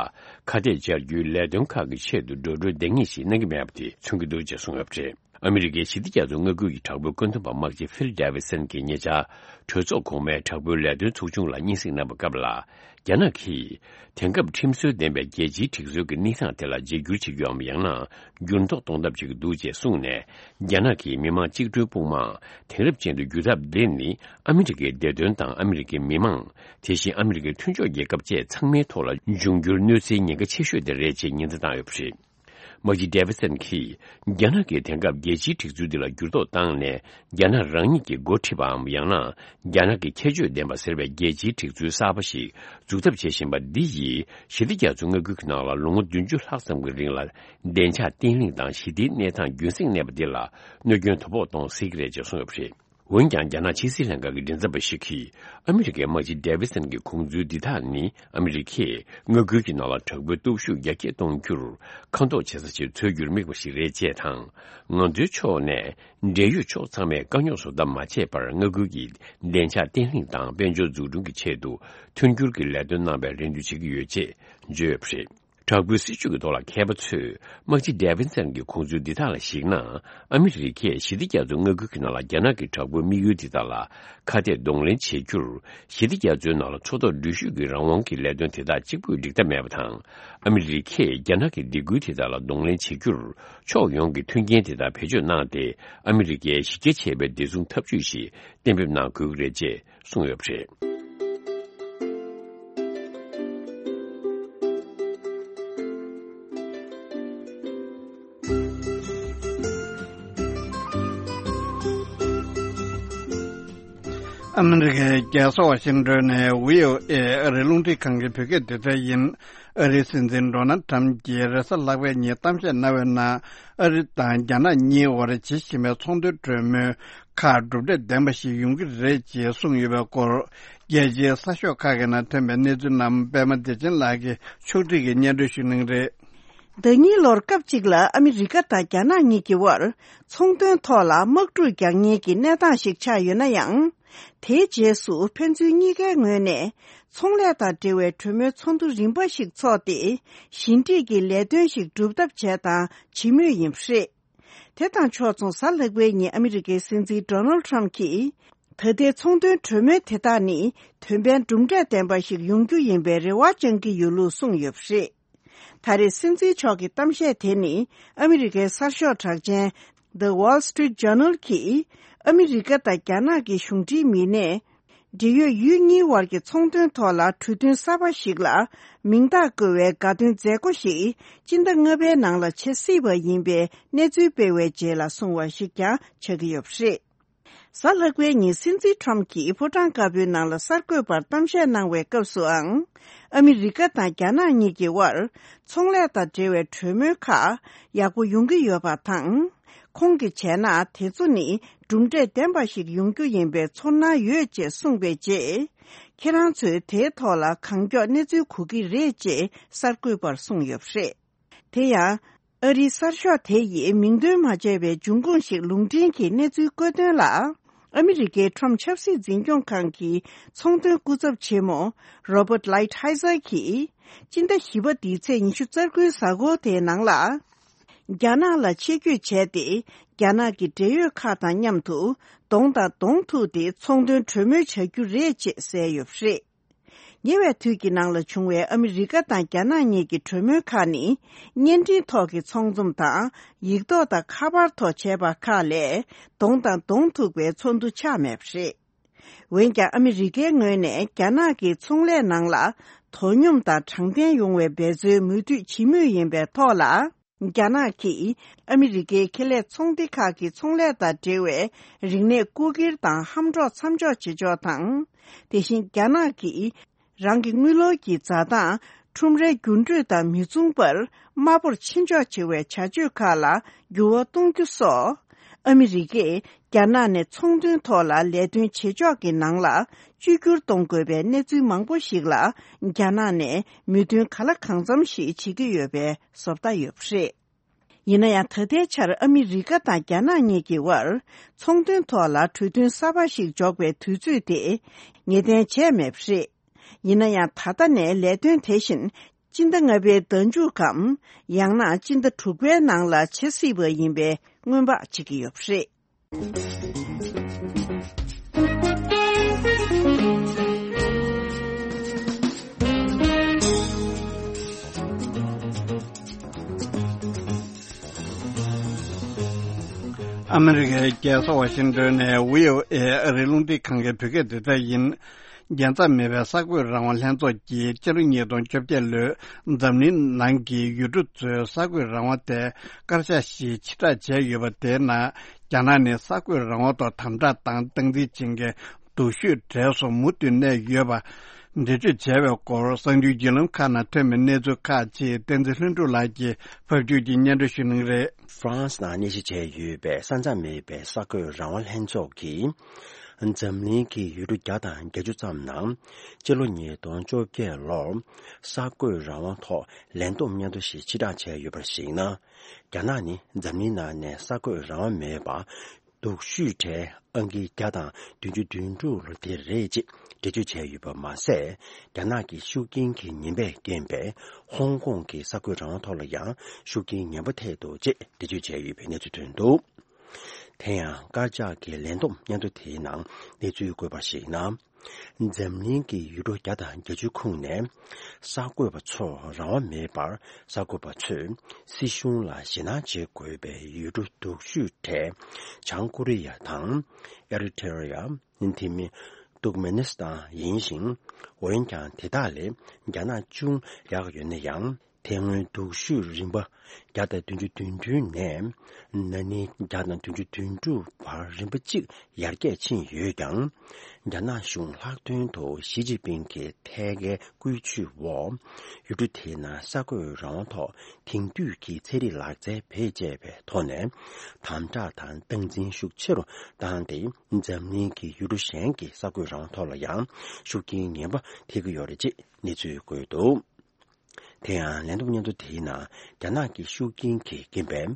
ཁ་གཏད་བཅར་རྒྱུའི་ལས་དོན་ཁག་གི་ཆེད་དུ་འགྲོ་གྲོན་འདང་ངེས་ཤིག་གནང་གི་མེད་པ་དེ་མཚོན་གྱི་འདུག་ཅེས་གསུངས་ཡོད་པ་རེད། ཨ་མི་རི་ཀའི་ཞི་བདེ་རྒྱ་མཚོའི་མངའ་ཁུལ་གྱི་དྲག་པོའི་བཀོད་འདོམས་པ་དམག་སྤྱི་ཕིལ་ཌེ་བི་སན་གྱིས་ཉེ་ཆར་གྲོས་ཚོགས་གོང་མའི་དྲག་པོའི་ལས་དོན་ཚོགས་ཆུང་ལ་སྙན་སེང་གནང་བའི་སྐབས་ལ། རྒྱ་ནག་གིས་དེང་སྐབས་ཁྲིམས་སྲོལ་ལྡན་པའི་རྒྱལ་སྤྱིའི་སྒྲིག་སྲོལ་གྱི་གནས་སྟངས་དེ་ལ་བརྗེ་བསྒྱུར་བྱེད་རྒྱུའམ་ཡང་ན་འགྱུར་ལྡོག་གཏོང་ཐབས་བྱེད་ཀྱི་འདུག་ཅེས་གསུངས་ནས། རྒྱ་ནག་གིས་མི་དམངས་གཅིག་གྲོས་དཔུང་དམག་དེང་རབས་ཅན་དུ་བསྒྱུར་ཐབས་དེ་ནི་ཨ་མི་རི་ཀའི་བདེ་དོན་དང་ཨ་མི་རི་ཀའི་མི་དམངས། དེ་བཞིན་ཨ་མི་རི་ཀའི་མཐུན་ཕྱོགས་རྒྱལ་ཁབ་བཅས་ཚང་མའི་ཐོག་ལ་འབྱུང་འགྱུར་གནོད་འཚེའི་ཉེན་ཁ་ཆེ་ཤོས་དེ་རེད་ཅེས་ཉེན་བརྡ་བཏང་ཡོད་པ་རེད། དམག་སྤྱི་ཌེ་བི་སན་གྱིས། རྒྱ་ནག་གིས་དེང་སྐབས་རྒྱལ་སྤྱིའི་སྒྲིག་འཛུགས་འདི་ལ་འགྱུར་ལྡོག་བཏང་ནས། རྒྱ་ནག་རང་ཉིད་ཀྱིས་འགོ་ཁྲིད་པའམ་ཡང་ན། རྒྱ་ནག་གི་ཁྱད་ཆོས་ལྡན་པ་ཟེར་བའི་རྒྱལ་སྤྱིའི་སྒྲིག་འཛུགས་གསར་པ་ཞིག་འཛུགས་ཐབས་བྱེད་བཞིན་པ་འདི་ཡིས། ཞི་བདེ་རྒྱ་མཚོའི་མངའ་ཁུལ་གྱི་ནང་ལ་ལོ་ངོ་བདུན་ཅུ་ལྷག་ཙམ་གྱི་རིང་ལ། བདེ་འཇགས་བརྟན་ལྷིང་དང་ཞི་བདེའི་གནས་སྟངས་རྒྱུན་བསྲིངས་གནས་པ་འདི་ལ། གནོད་སྐྱོན་དོ་ཕོག་གཏོང་སྲིད་ཀྱི་རེད་ཅེས་གསུངས་ཡོད་པ་རེད། འོན་ཀྱང་། རྒྱ་ནག་ཕྱི་སྲིད་ལྷན་ཁང་གི་མགྲིན་ཚབ་པ་ཞིག་གིས། ཨ་མི་རི་ཀའི་དམག་སྤྱི་ཌེ་ཝི་སན་གྱི་ཁུངས་འཛུལ་འདི་དག་ནི། ཨ་མི་རི་ཀས་མངའ་ཁུལ་གྱི་ནང་ལ་དྲག་པོའི་སྟོབས་ཤུགས་རྒྱ་སྐྱེད་གཏོང་རྒྱུར་ཁ་འཐོར་བྱེད་ས་ཞིག་འཚོལ་རྒྱུར་དམིགས་པ་ཞིག་རེད་ཅེས་དང་། ང་ཚོའི་ཕྱོགས་ནས། འབྲེལ་ཡོད་ཕྱོགས་ཚང་མས་དཀའ་རྙོག་བཟོ་ཐབས་མ་བྱས་པར། མངའ་ཁུལ་གྱི་བདེ་འཇགས་བརྟན་ལྷིང་དང་། དཔལ་འབྱོར་འཛུགས་སྐྲུན་གྱི་ཆེད་དུ། མཐུན་འགྱུར་གྱི་ལས་དོན་གནང་བའི་རེ་འདུན་བྱེད་ཀྱི་ཡོད་ཅེས་བརྗོད་ཡོད་པ་རེད། དྲག་པོའི་སྲིད་བྱུས་ཀྱི་ཐོག་ལ་མཁས་པ་ཚོས། དམག་སྤྱི་ཌེ་ཝིན་སན་གྱི་ཁུངས་འཛུལ་འདི་དག་ལ་གཞིགས་ན། ཨ་མི་རི་ཀས་ཞི་བདེ་རྒྱ་མཚོའི་མངའ་ཁུལ་གྱི་ནང་ལ་རྒྱ་ནག་གི་དྲག་པོའི་དམིགས་ཡུལ་དེ་དག་ལ་ཁ་གཏད་གདོང་ལེན་བྱེད་རྒྱུར། ཞི་བདེ་རྒྱ་མཚོའི་ནང་ལ་མཚོ་ཐོག་འགྲུལ་བཞུད་ཀྱི་རང་དབང་གི་ལས་དོན་དེ་དག་གཅིག་པུས་འགྲིག་ཐབས་མེད་པ་དང་། ཨ་མི་རི་ཀས་རྒྱ་ནག་གི་སྡིགས་སྐུལ་དེ་དག་ལ་གདོང་ལེན་བྱེད་རྒྱུར། ཕྱོགས་ཡོངས་ཀྱི་མཐུན་རྐྱེན་དེ་དག་བེད་སྤྱོད་གནང་སྟེ། ཨ་མི་རི་ཀའི་གཞི་རྒྱ་ཆེ་བའི་བདེ་སྲུང་འཐབ་ཇུས་ཤིག་གཏན་འབེབས་གནང་དགོས་ཀྱི་རེད་ཅེས་གསུངས་ཡོད་པ་རེད། ཨ་མི་རི་ཀའི་རྒྱལ་ས་ཝ་ཤིང་ཏོན་ནས་བྷི་ཨོ་ཨེ་ཨ་རིའི་རླུང་འཕྲིན་ཁང་གི་བོད་སྐད་སྡེ་ཚན་ཡིན། ཨ་རིའི་སྲིད་འཛིན་ཌོ་ནལ་ཁྲམ་གྱིས་རེས་གཟའ་ལྷག་པའི་ཉིན་གཏམ་བཤད་གནང་བའི་ནང་། ཨ་རི་དང་རྒྱ་ནག་གཉིས་དབར་བྱེད་བཞིན་པའི་ཚོང་དོན་གྲོས་མོལ་ཁག་གྲུབ་འབྲས་ལྡན་པ་ཞིག་ཡོང་གི་རེད་ཅེས་གསུངས་ཡོད་པའི་སྐོར། རྒྱལ་སྤྱིའི་གསར་ཤོག་ཁག་གི་ནང་ཐོན་པའི་གནས་ཚུལ་རྣམས་པད་མ་བདེ་ཆེན་ལགས་ཀྱིས་ཕྱོགས་སྒྲིག་གིས་སྙན་སྒྲོན་ཞུ་གནང་གི་རེད། ཟླ་གཉིས་ལོར་སྐབས་གཅིག་ལ་ཨ་མི་རི་ཀ་དང་རྒྱ་ནག་གཉིས་ཀྱི་དབར་ཚོང་དོན་ཐོག་ལ་དམག་འཁྲུག་རྒྱག་ཉེན་གྱི་གནས་སྟངས་ཤིག་ཆགས་ཡོད་ན་ཡང་། དེའི་རྗེས་སུ་ཕན་ཚུན་གཉིས་ཀའི་ངོས་ནས་ཚོང་ལས་དང་འབྲེལ་བའི་གྲོས་མོལ་ཚོགས་འདུ་རིམ་པ་ཞིག་འཚོགས་ཏེ། ཞི་འགྲིག་གི་ལས་དོན་ཞིག་སྒྲུབ་ཐབས་བྱས་དང་བྱེད་མུས་ཡིན་པ་རེད། དེ་དང་ཕྱོགས་མཚུངས། གཟའ་ལྷག་པའི་ཉིན་ཨ་མི་རི་ཀའི་སྲིད་འཛིན་ཌོ་ནལ་ཁྲམ་གྱིས། ད་ལྟའི་ཚོང་དོན་གྲོས་མོལ་དེ་དག་ནི་དོན་ཕན་གྲུབ་འབྲས་ལྡན་པ་ཞིག་ཡོང་རྒྱུ་ཡིན་པའི་རེ་བ་བཅང་གི་ཡོད་ལུགས་གསུངས་ཡོད་པ་རེད། ད་རེས་སྲིད་འཛིན་མཆོག་གི་གཏམ་བཤད་དེ་ནི་ཨ་མི་རི་ཀའི་གསར་ཤོག་གྲགས་ཅན་The Wall Street Journal གིས། ཨ་མི་རི་ཀ་དང་རྒྱ་ནག་གི་གཞུང་འབྲེལ་མི་སྣས། འབྲེལ་ཡོད་ཡུལ་གཉིས་དབར་གྱི་ཚོང་དོན་ཐོག་ལ་གྲོས་མཐུན་གསར་པ་ཞིག་ལ་མིང་རྟགས་བཀོད་པའི་དགའ་སྟོན་མཛད་སྒོ་ཞིག་སྤྱི་ཟླ་ལྔ་པའི་ནང་ལ་བྱེད་སྲིད་པ་ཡིན་པའི་གནས་ཚུལ་སྤེལ་བའི་རྗེས་ལ་གསུངས་པ་ཞིག་ཀྱང་ཆགས་ཀྱི་ཡོད་པ་རེད། གཟའ་ལྷག་པའི་ཉིན་སྲིད་འཛིན་ཁྲམ་གྱིས་ཕོ་བྲང་དཀར་པོའི་ནང་ལ་གསར་འགོད་པར་གཏམ་བཤད་གནང་བའི་སྐབས་སུའང་། ཨ་མི་རི་ཀ་དང་རྒྱ་ནག་གཉིས་ཀྱི་དབར་ཚོང་ལས་དང་འབྲེལ་བའི་གྲོས་མོལ་ཁག་ཡག་པོ་ཡོང་གི་ཡོད་པ་དང་། ཁོང་གིས་བྱས་ན་དེ་ཚོ་ནི་གྲུབ་འབྲས་ལྡན་པ་ཞིག་ཡོང་རྒྱུ་ཡིན་པའི་ཚོར་སྣང་ཡོད་ཅེས་གསུངས་པའི་རྗེས། ཁྱེད་རང་ཚོས་དེའི་ཐོག་ལ་གང་མགྱོགས་གནས་ཚུལ་གོ་གི་རེད་ཅེས་གསར་འགོད་པར་གསུངས་ཡོད་པ་རེད། དེ་ཡང་། ཨ་རིའི་གསར་ཤོག་དེ་ཡིས་མིང་འདོན་མ་བྱས་པའི་འབྱུང་ཁུངས་ཤིག་ལུང་འདྲེན་གྱིས་གནས་ཚུལ་བཀོད་དོན་ལ། ཨ་མི་རི་ཀའི་ཁྲོམ་ཆབ་སྲིད་འཛིན་སྐྱོང་ཁང་གི་ཚོང་དོན་སྐུ་ཚབ་ཆེན་མོ་རོ་བར་ལའིཊ་ཧའི་ཛར་གྱིས། སྤྱི་ཟླ་བཞི་པ་འདིའི་ཚེས་ཉི་ཤུ་རྩ་དགུའི་གཟའ་འཁོར་དེའི་ནང་ལ། རྒྱ་ནག་ལ་ཆེད་བསྐྱོད་བྱས་ཏེ། རྒྱ་ནག་གི་འབྲེལ་ཡོད་ཁག་དང་མཉམ་དུ་གདོང་དང་གདོང་ཐུག་སྟེ་ཚོང་དོན་གྲོས་མོལ་བྱ་རྒྱུ་རེད་ཅེས་གསལ་ཡོད་པ་རེད། ཉེ་བའི་དུས་ཀྱི་ནང་ལ་བྱུང་བའི་ཨ་མི་རི་ཀ་དང་རྒྱ་ནག་གཉིས་ཀྱི་གྲོས་མོལ་ཁག་ནི། བརྙན་འཕྲིན་ཐོག་གི་ཚོང་འཛོམས་དང་། ཡིག་ཐོག་དང་ཁ་པར་ཐོག་བྱས་པ་ཁག་ལས། གདོང་དང་གདོང་ཐུག་པའི་ཚོགས་འདུ་ཆགས་མེད་པ་རེད། འོན་ཀྱང་། ཨ་མི་རི་ཀའི་ངོས་ནས་རྒྱ་ནག་གི་ཚོང་ལས་ནང་ལ་དོ་སྙོམས་དང་དྲང་བདེན་ཡོང་བའི་འབད་རྩོལ་མུ་མཐུད་བྱེད་མུས་ཡིན་པའི་ཐོག་ལ། རྒྱ་ནག་གིས་ཨ་མི་རི་ཀའི་ཁེ་ལས་ཚོང་སྡེ་ཁག་གི་ཚོང་ལས་དང་འབྲེལ་བའི་རིག་གནས་རྐུ་འཁྱེར་དང་ཧམ་འཕྲོག་མཚམས་འཇོག་བྱེད་ཕྱོགས་དང་། དེ་བཞིན་རྒྱ་ནག་གིས་རང་གི་དངུལ་ལོར་གྱི་འཛའ་ཐང་ཁྲོམ་རའི་འགྱུར་འགྲོས་དང་མི་མཚུངས་པར་དམའ་པོར་ཕྱིན་འཇོག་བྱེད་པའི་བྱ་སྤྱོད་ཁག་ལ་འགྱུར་བ་གཏོང་རྒྱུ་སོགས། ཨ་མི་རི་ཀས་རྒྱ་ནག་ནས་ཚོང་དོན་ཐོག་ལ་ལས་དོན་བྱེད་ཕྱོགས་ཀྱི་ནང་ལ་བཅོས་བསྒྱུར་གཏོང་དགོས་པའི་གནས་ཚུལ་མང་པོ་ཞིག་ལ་རྒྱ་ནག་ནས་མོས་མཐུན་ག་ལ་གང་འཚམ་ཞིག་བྱེད་ཀྱི་ཡོད་པའི་བཟོ་ལྟ་ཡོད་པ་རེད། ཡིན་ན་ཡང་། ད་ལྟའི་ཆར་ཨ་མི་རི་ཀ་དང་རྒྱ་ནག་གཉིས་ཀྱི་དབར་ཚོང་དོན་ཐོག་ལ་གྲོས་མཐུན་གསར་པ་ཞིག་འཇོག་པའི་དུས་ཚོད་དེ་ངེས་གཏན་བྱས་མེད་པ་རེད། ཡིན་ན་ཡང་། ད་ལྟ་ནས་ལས་དོན་དེ་བཞིན་སྤྱི་ཟླ་ལྔ་པའི་ཟླ་མཇུག་གམ། ཡང་ན་སྤྱི་ཟླ་དྲུག་པའི་ནང་ལ་བྱེད་སྲིད་པ་ཡིན་པའི་སྔོན་དཔག་བྱེད་ཀྱི་ཡོད་པ་རེད། ཨ་མི་རི་ཀའི་རྒྱལ་ས་ཝ་ཤིང་ཏོན་ནས་བྷི་ཨོ་ཨེ་ཨ་རིའི་རླུང་འཕྲིན་ཁང་གི་བོད་སྐད་སྡེ་ཚན་ཡིན། རྒྱལ་མཚམས་མེད་པའི་གསར་འགོད་རང་དབང་ལྷན་ཚོགས་ཀྱིས་ཕྱི་ལོ་ཉིས་སྟོང་བཅོ་བརྒྱད་ལོའི་འཛམ་གླིང་ནང་གི་ཡུལ་གྲུ་ཚོའི་གསར་འགོད་རང་དབང་དེ་བཀའ་ཤག་ཞིག་ཕྱིར་བསྒྲགས་བྱས་ཡོད་པ། དེའི་ནང་རྒྱ་ནག་ནི་གསར་འགོད་རང་དབང་ཐོག་དམ་དྲག་དང་སྟངས་འཛིན་བྱེད་མཁན་སྡུག་ཤོས་གྲས་སུ་མུ་མཐུད་གནས་ཡོད་པ། འགྲེལ་བརྗོད་བྱས་པའི་སྐོར་གསར་འགྱུར་བརྒྱུད་ལམ་ཁག་ནང་ཐོན་པའི་གནས་ཚུལ་ཁག་ཅིག་བསྟན་འཛིན་ལྷུན་གྲུབ་ལགས་ཀྱིས་ཕབ་སྒྱུར་གྱིས་སྙན་སྒྲོན་ཞུ་གནང་གི་རེད། ཧྥ་རན་སི་ནང་གནས་གཞི་བྱས་ཡོད་པའི་ས་མཚམས་མེད་པའི་གསར་འགོད་རང་དབང་ལྷན་ཚོགས་ཀྱིས། འཛམ་གླིང་གི་ཡུལ་གྲུ་བརྒྱ་དང་བརྒྱད་ཅུ་ཙམ་ནང་སྤྱི་ལོ་ཉིས་སྟོང་བཅོ་བརྒྱད་ལོར་གསར་འགོད་རང་དབང་ཐོག་ལས་བསྡོམས་སྙན་ཐོ་ཞིག་ཕྱིར་བསྒྲགས་བྱས་ཡོད་པར་གཞིགས་ན། རྒྱ་ནག་ནི་འཛམ་གླིང་ནང་ནས་གསར་འགོད་རང་དབང་མེད་པ། སྡུག་ཤོས་གྲས་ཨང་ཀི་བརྒྱ་དང་བདུན་ཅུ་དོན་དྲུག་ལོ་དེ་རེད་ཅེས་འགྲེལ་བརྗོད་བྱས་ཡོད་པ་མ་ཟད། རྒྱ་ནག་གི་ཤུགས་རྐྱེན་གྱི་ཉེན་པས་རྐྱེན་པས་ཧོང་ཀོང་གི་གསར་འགོད་རང་དབང་ཐོག་ལ་ཡང་ཤུགས་རྐྱེན་ངན་པ་ཐེབས་འདུག་ཅེས་འགྲེལ་བརྗོད་བྱས་ཡོད་པའི་གནས་ཚུལ་ཐོན་འདུག་དེ་ཡང་དཀར་ཆག་གི་ལས་བསྡོམས་སྙན་ཐོ་དེའི་ནང་གནས་ཚུལ་བཀོད་པར་གཞིགས་ན། འཛམ་གླིང་གི་ཡུལ་གྲུ་བརྒྱ་དང་བརྒྱད་ཅུ་ཁོངས་ནས་གསར་འགོད་པ་ཚོར་རང་དབང་མེད་པར་གསར་འགོད་པ་ཚོས་སྲིད་གཞུང་ལ་ཞེད་སྣང་བྱེད་དགོས་པའི་ཡུལ་གྲུ་སྡུག་ཤོས་གྲས་བྱང་ཀོ་རི་ཡ་དང་། ཨེ་རི་ཐེ་རི་ཡ། དེ་མིན་ཏུར་ཀ་མེ་ནི་སི་ཐན་ཡིན་ཞིང་། འོན་ཀྱང་དེ་དག་ལས་རྒྱ་ནག་ཅུང་ཡག་ཡོད་ན་ཡང་། དེ་སྔོན་སྡུག་ཤོས་རིམ་པ་བརྒྱ་དང་བདུན་ཅུ་དོན་བདུན་ནས་ན་ནིང་བརྒྱ་དང་བདུན་ཅུ་དོན་དྲུག་བར་རིམ་པ་གཅིག་ཡར་རྒྱས་ཕྱིན་ཡོད་ཀྱང་། རྒྱ་ནག་གཞུང་ལྷག་དོན་དུ་ཞི་ཅིན་ཕིང་གི་ཐད་ཀའི་བཀོད་ཇུས་འོག་ཡུལ་གྲུ་དེའི་ནང་གསར་འགོད་རང་དབང་ཐོག་དེང་དུས་ཀྱི་ཚན་རིག་ལག་རྩལ་བེད་སྤྱད་པའི་ཐོག་ནས་དམ་དྲག་དང་སྟངས་འཛིན་ཤུགས་ཆེ་རུ་བཏང་སྟེ། འཛམ་གླིང་གི་ཡུལ་གྲུ་གཞན་གྱི་གསར་འགོད་རང་དབང་ཐོག་ལ་ཡང་ཤུགས་རྐྱེན་ངན་པ་ཐེབས་ཀྱི་ཡོད་རེད་ཅེས་གནས་ཚུལ་བཀོད་འདུག་དེ་ཡང་ལན་ཐོབ་སྙན་ཐོ་དེའི་ནང་རྒྱ་ནག་གི་ཤུགས་རྐྱེན་གྱིས་རྐྱེན་པས་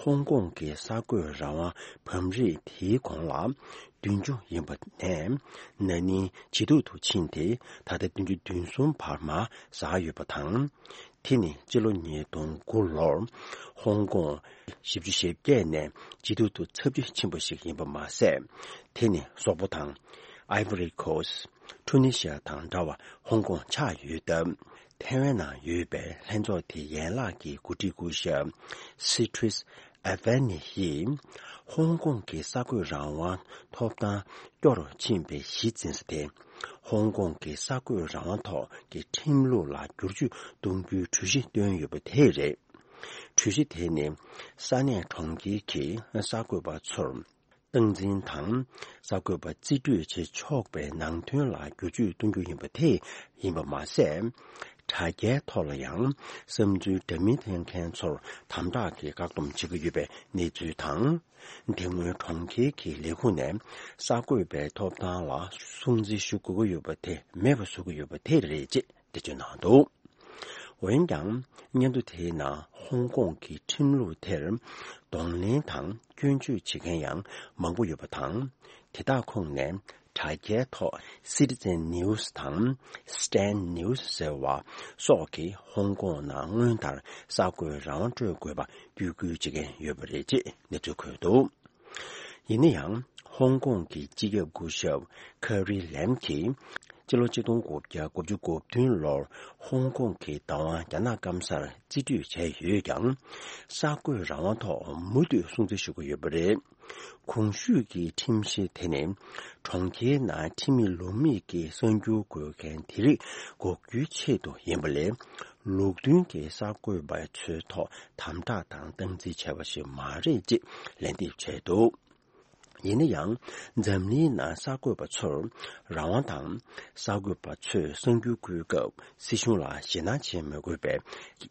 ཧོང་ཀོང་གི་གསར་འགོད་རང་དབང་བམ་རིགས་དེའི་གོང་ལ་བདུན་ཅུ་ཡིན་པ་ནས་ན་ནིང་ཇེ་སྡུག་ཏུ་ཕྱིན་ཏེ། ད་ལྟ་བདུན་ཅུ་དོན་གསུམ་བར་མར་ཟག་ཡོད་པ་དང་། དེ་ནི་སྤྱི་ལོ་ཉིས་སྟོང་དགུ་ལོར་ཧོང་ཀོང་བཞི་བཅུ་ཞེ་བརྒྱད་ནས་ཇེ་སྡུག་ཏུ་ཚབས་ཆེ་ཕྱིན་པ་ཞིག་ཡིན་པ་མ་ཟད། དེ་ནི་སོག་པོ་དང་། ཨའི་བྷོ་རི་ཁོ་སི། ཊུ་ནི་ཤི་ཡ་དང་འདྲ་བར་ཧོང་ཀོང་ཆགས་ཡོད་སྟབས། ཐའེ་ཝན་ནང་ཡོད་པའི་ལྷན་ཚོགས་དེའི་ཡན་ལག་གི་འགོ་ཁྲིད་སྐུ་ཞབས་སི་ཁྲིས་ཨ་ཝེ་ནི་ཡིས། ཧོང་ཀོང་གི་གསར་འགོད་རང་དབང་ཐོབ་ཐང་སྐྱོ་རུ་ཕྱིན་པའི་གཞི་འཛིན་ས་དེ། ཧོང་ཀོང་གི་གསར་འགོད་རང་དབང་ཐོག་གི་ཁྲིམས་ལུགས་ལ་བསྒྱུར་བཅོས་གཏོང་རྒྱུའི་གྲོས་གཞི་བཏོན་ཡོད་པ་དེ་རེད། གྲོས་གཞི་དེ་ནི་ས་གནས་གྲོང་ཁྱེར་གྱི་གསར་འགོད་པ་ཚོར་སྟངས་འཛིན་དང་། གསར་འགོད་པ་རྩིས་སྤྲོད་བྱེད་ཆོག་པའི་ནང་དོན་ལ་བསྒྱུར་བཅོས་གཏོང་རྒྱུ་ཡིན་པ་དེ་ཡིན་པ་མ་ཟད། དྲ་རྒྱའི་ཐོག་ལ་ཡང་བསམ་ཚུལ་འདྲ་མིན་འཐེན་མཁན་ཚོར་དམ་དྲག་གིས་བཀག་སྡོམ་བྱེད་ཀྱི་ཡོད་པའི་གནས་ཚུལ་དང་། དེ་སྔོན་གྲོང་ཁྱེར་གྱི་ལས་ཁུངས་ནས་གསར་འགོད་པའི་ཐོབ་ཐང་ལ་སྲུང་བརྩི་ཞུ་དགོས་ཀྱི་ཡོད་པ་དེ་མེད་པ་བཟོ་གི་ཡོད་པ་དེ་རེད་ཅེས་འགྲེལ་བརྗོད་གནང་འདུག་འོན་ཀྱང་། སྙན་ཐོ་དེའི་ནང་ཧོང་ཀོང་གི་ཁྲིམས་ལུགས་དེར་གདོང་ལེན་དང་སྐྱོན་བརྗོད་བྱེད་མཁན་ཡང་མང་པོ་ཡོད་པ་དང་། དེ་དག་ཁོངས་ནས་དྲ་རྒྱའི་ཐོག་Citizen News དང་Stand News ཟེར་བ་སོགས་ཀྱིས་ཧོང་ཀོང་ནང་སྔོན་ལྟར་གསར་འགོད་རང་དབང་སྤྲོད་དགོས་པ་བརྒྱུད་སྐུལ་བྱེད་མཁན་ཡོད་པ་རེད་ཅེས་གནས་ཚུལ་འཁོད་འདུག་ཡིན་ན་ཡང་། ཧོང་ཀོང་གི་སྤྱི་ཁྱབ་སྐུ་ཞབས་ཁ་རི་ལེམ་གྱིས། སྤྱི་ལོ་ཆིག་སྟོང་དགུ་བརྒྱ་དགུ་བཅུ་གོ་བདུན་ལོར་ཧོང་ཀོང་གི་བདག་དབང་རྒྱ་ནག་སྐམ་སར་རྩིས་སྤྲོད་བྱས་ཡོད་ཀྱང་། གསར་འགོད་རང་དབང་ཐོག་མུ་མཐུད་སྲུང་བརྩི་ཞུ་གི་ཡོད་པ་རེད། གོང་ཞུས་ཀྱི་ཁྲིམས་གཞི་དེ་ནི། གྲོང་ཁྱེར་ནང་ཁྲིམས་མེད་ལུགས་མེད་ཀྱི་གསར་འགྱུར་འགོད་མཁན་དེ་རིགས་འགོག་རྒྱུའི་ཆེད་དུ་ཡིན་པ་ལས། ལུགས་མཐུན་གྱི་གསར་འགོད་པ་ཚོའི་ཐོག་དམ་དྲག་དང་སྟངས་འཛིན་བྱས་པ་ཞིག་མ་རེད་ཅེས་ལན་འདེབས་བྱས་འདུག་ཡིན་ན་ཡང་། འཛམ་གླིང་ནང་གསར་འགོད་པ་ཚོར་རང་དབང་དང་། གསར་འགོད་པ་ཚོས་གསར་འགྱུར་འགོད་སྐབས་སྲིད་གཞུང་ལ་ཞེད་སྣང་བྱེད་མི་དགོས་པའི་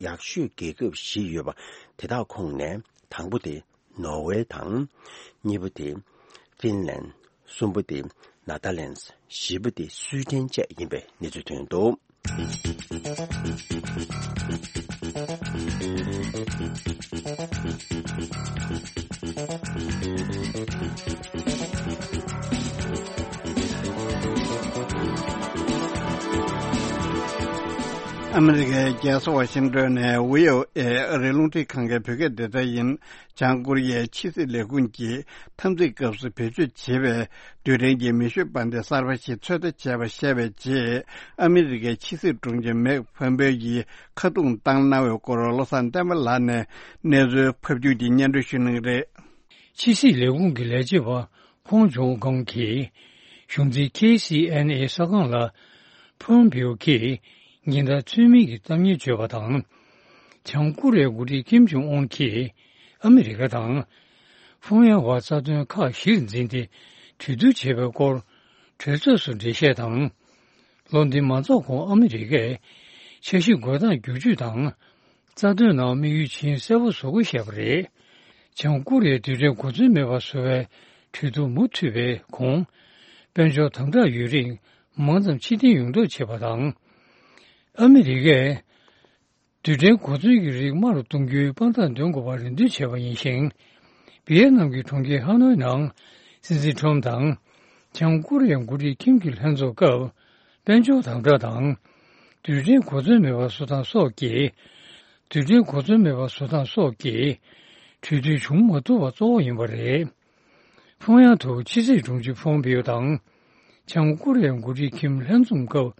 ཡག་ཤོས་རྒྱལ་ཁབ་བཞི་ཡོད་པ་དེ་དག་ཁོངས་ནས་དང་པོ་དེ་ནོར་ཝེ་དང་། གཉིས་པ་དེ་ཧྥིན་ལན། གསུམ་པ་དེ་ནེ་ཐར་ལན། བཞི་པ་དེ་སུའི་ཌེན་བཅས་ཡིན་པའི་གནས་ཚུལ་ཐོན་འདུག་ཨ་མི་རི་ཀའི་རྒྱལ་ས་ཝ་ཤིང་ཏོན་ནས་བྷི་ཨོ་ཨེ་ཨ་རིའི་རླུང་འཕྲིན་ཁང་གི་བོད་སྐད་སྡེ་ཚན་ཡིན། བྱང་ཀོ་རི་ཡའི་ཕྱི་སྲིད་ལས་ཁུངས་ཀྱིས་འཐབ་འཛིང་སྐབས་སུ་བེད་སྤྱོད་བྱེད་པའི་རྡུལ་ཕྲན་གྱི་མེ་ཤུགས་པར་མདེལ་གསར་པ་ཞིག་ཚོད་ལྟ་བྱས་པ་བཤད་པའི་རྗེས། ཨ་མི་རི་ཀའི་ཕྱི་སྲིད་དྲུང་ཆེ་མེག་ཕོམ་པེ་ཡིས་ཁ་རྡུང་བཏང་གནང་བའི་སྐོར་བློ་བཟང་བསྟན་པ་ལགས་ནས་གནས་ཚུལ་ཕབ་སྒྱུར་གྱིས་སྙན་སྒྲོན་ཞུ་གནང་གི་རེད། ཕྱི་སྲིད་ལས་ཁུངས་ཀྱི་ལས་བྱེད་པ་ཕོང་ཇོ་གང་གིས་གཞུང་འཛིན་ཁེ་སི་ཨེན་ཨེ་གསར་ཁང་ལ། ཕོམ་པེའོ་གིས་ཉིན་ལྟར་ཚུལ་མིན་གྱི་གཏམ་ངན་བརྗོད་པ་དང་། བྱང་ཀོ་རི་ཡའི་འགོ་ཁྲིད་ཀིམ་ཇོང་ཨུན་གྱིས་ཨ་མི་རི་ཀ་དང་། ཧྥུང་ཡན་ཝ་རྩ་དོན་ཁག་གཞིར་འཛིན་ཏེ་གྲོས་བསྡུར་བྱས་པའི་སྐོར་གྲོས་ཚོགས་སུ་འགྲེལ་བཤད་དང་། ལོ་འདི་མ་རྫོགས་གོང་ཨ་མི་རི་ཀས་འཆར་གཞི་འགོད་སྟངས་བསྒྱུར་བཅོས་དང་། རྩ་དོན་ནང་དམིགས་ཡུལ་ཇི་ཡིན་གསལ་པོ་བཟོ་དགོས་བཤད་པ་རེད། བྱང་ཀོ་རི་ཡས་རྡུལ་ཕྲན་གོ་མཚོན་མེད་པར་བཟོ་བའི་གྲོས་བསྡུར་མུ་མཐུད་པའི་གོང་། དཔལ་འབྱོར་དམ་དྲག་ཡོད་རིགས་མང་ཙམ་ཕྱིར་འཐེན་ཡོང་ཐབས་བྱེད་པ་དང་། ཨ་མི་རི་ཀས་རྡུལ་ཕྲན་གོ་མཚོན་གྱི་རིགས་དམའ་རུ་གཏོང་རྒྱུའི་དཔང་རྟགས་འདོན་དགོས་པར་རེ་འདུན་བྱས་པ་ཡིན་ཞིང་། ཝི་ཡེ་ནམ་གྱི་གྲོང་ཁྱེར་ཧ་ནོའི་ནང་སྲིད་འཛིན་ཁྲོམ་དང་། བྱང་ཀོ་རི་ཡའི་འགོ་ཁྲིད་ཁིམ་གྱི་ལྷན་ཚོགས་སྐབས། དཔལ་འབྱོར་དམ་དྲག་དང་། རྡུལ་ཕྲན་གོ་མཚོན་མེད་པར་བཟོ་སྟངས་སོགས་ཀྱིས། རྡུལ་ཕྲན་གོ་མཚོན་མེད་པར་བཟོ་སྟངས་སོགས་ཀྱིས། གྲོས་མཐུན་བྱུང་མ་ཐུབ་པ་གཙོ་བོ་ཡིན་པ་རེད། ཕུང་ཡང་དུ་ཕྱི་སྲིད་དྲུང་ཆེ་ཕོམ་པིའོ་དང་། བྱང་ཀོ་རི་ཡའི་འགོ་ཁྲིད་ཁིམ་ལྷན་འཛོམས་སྐབས་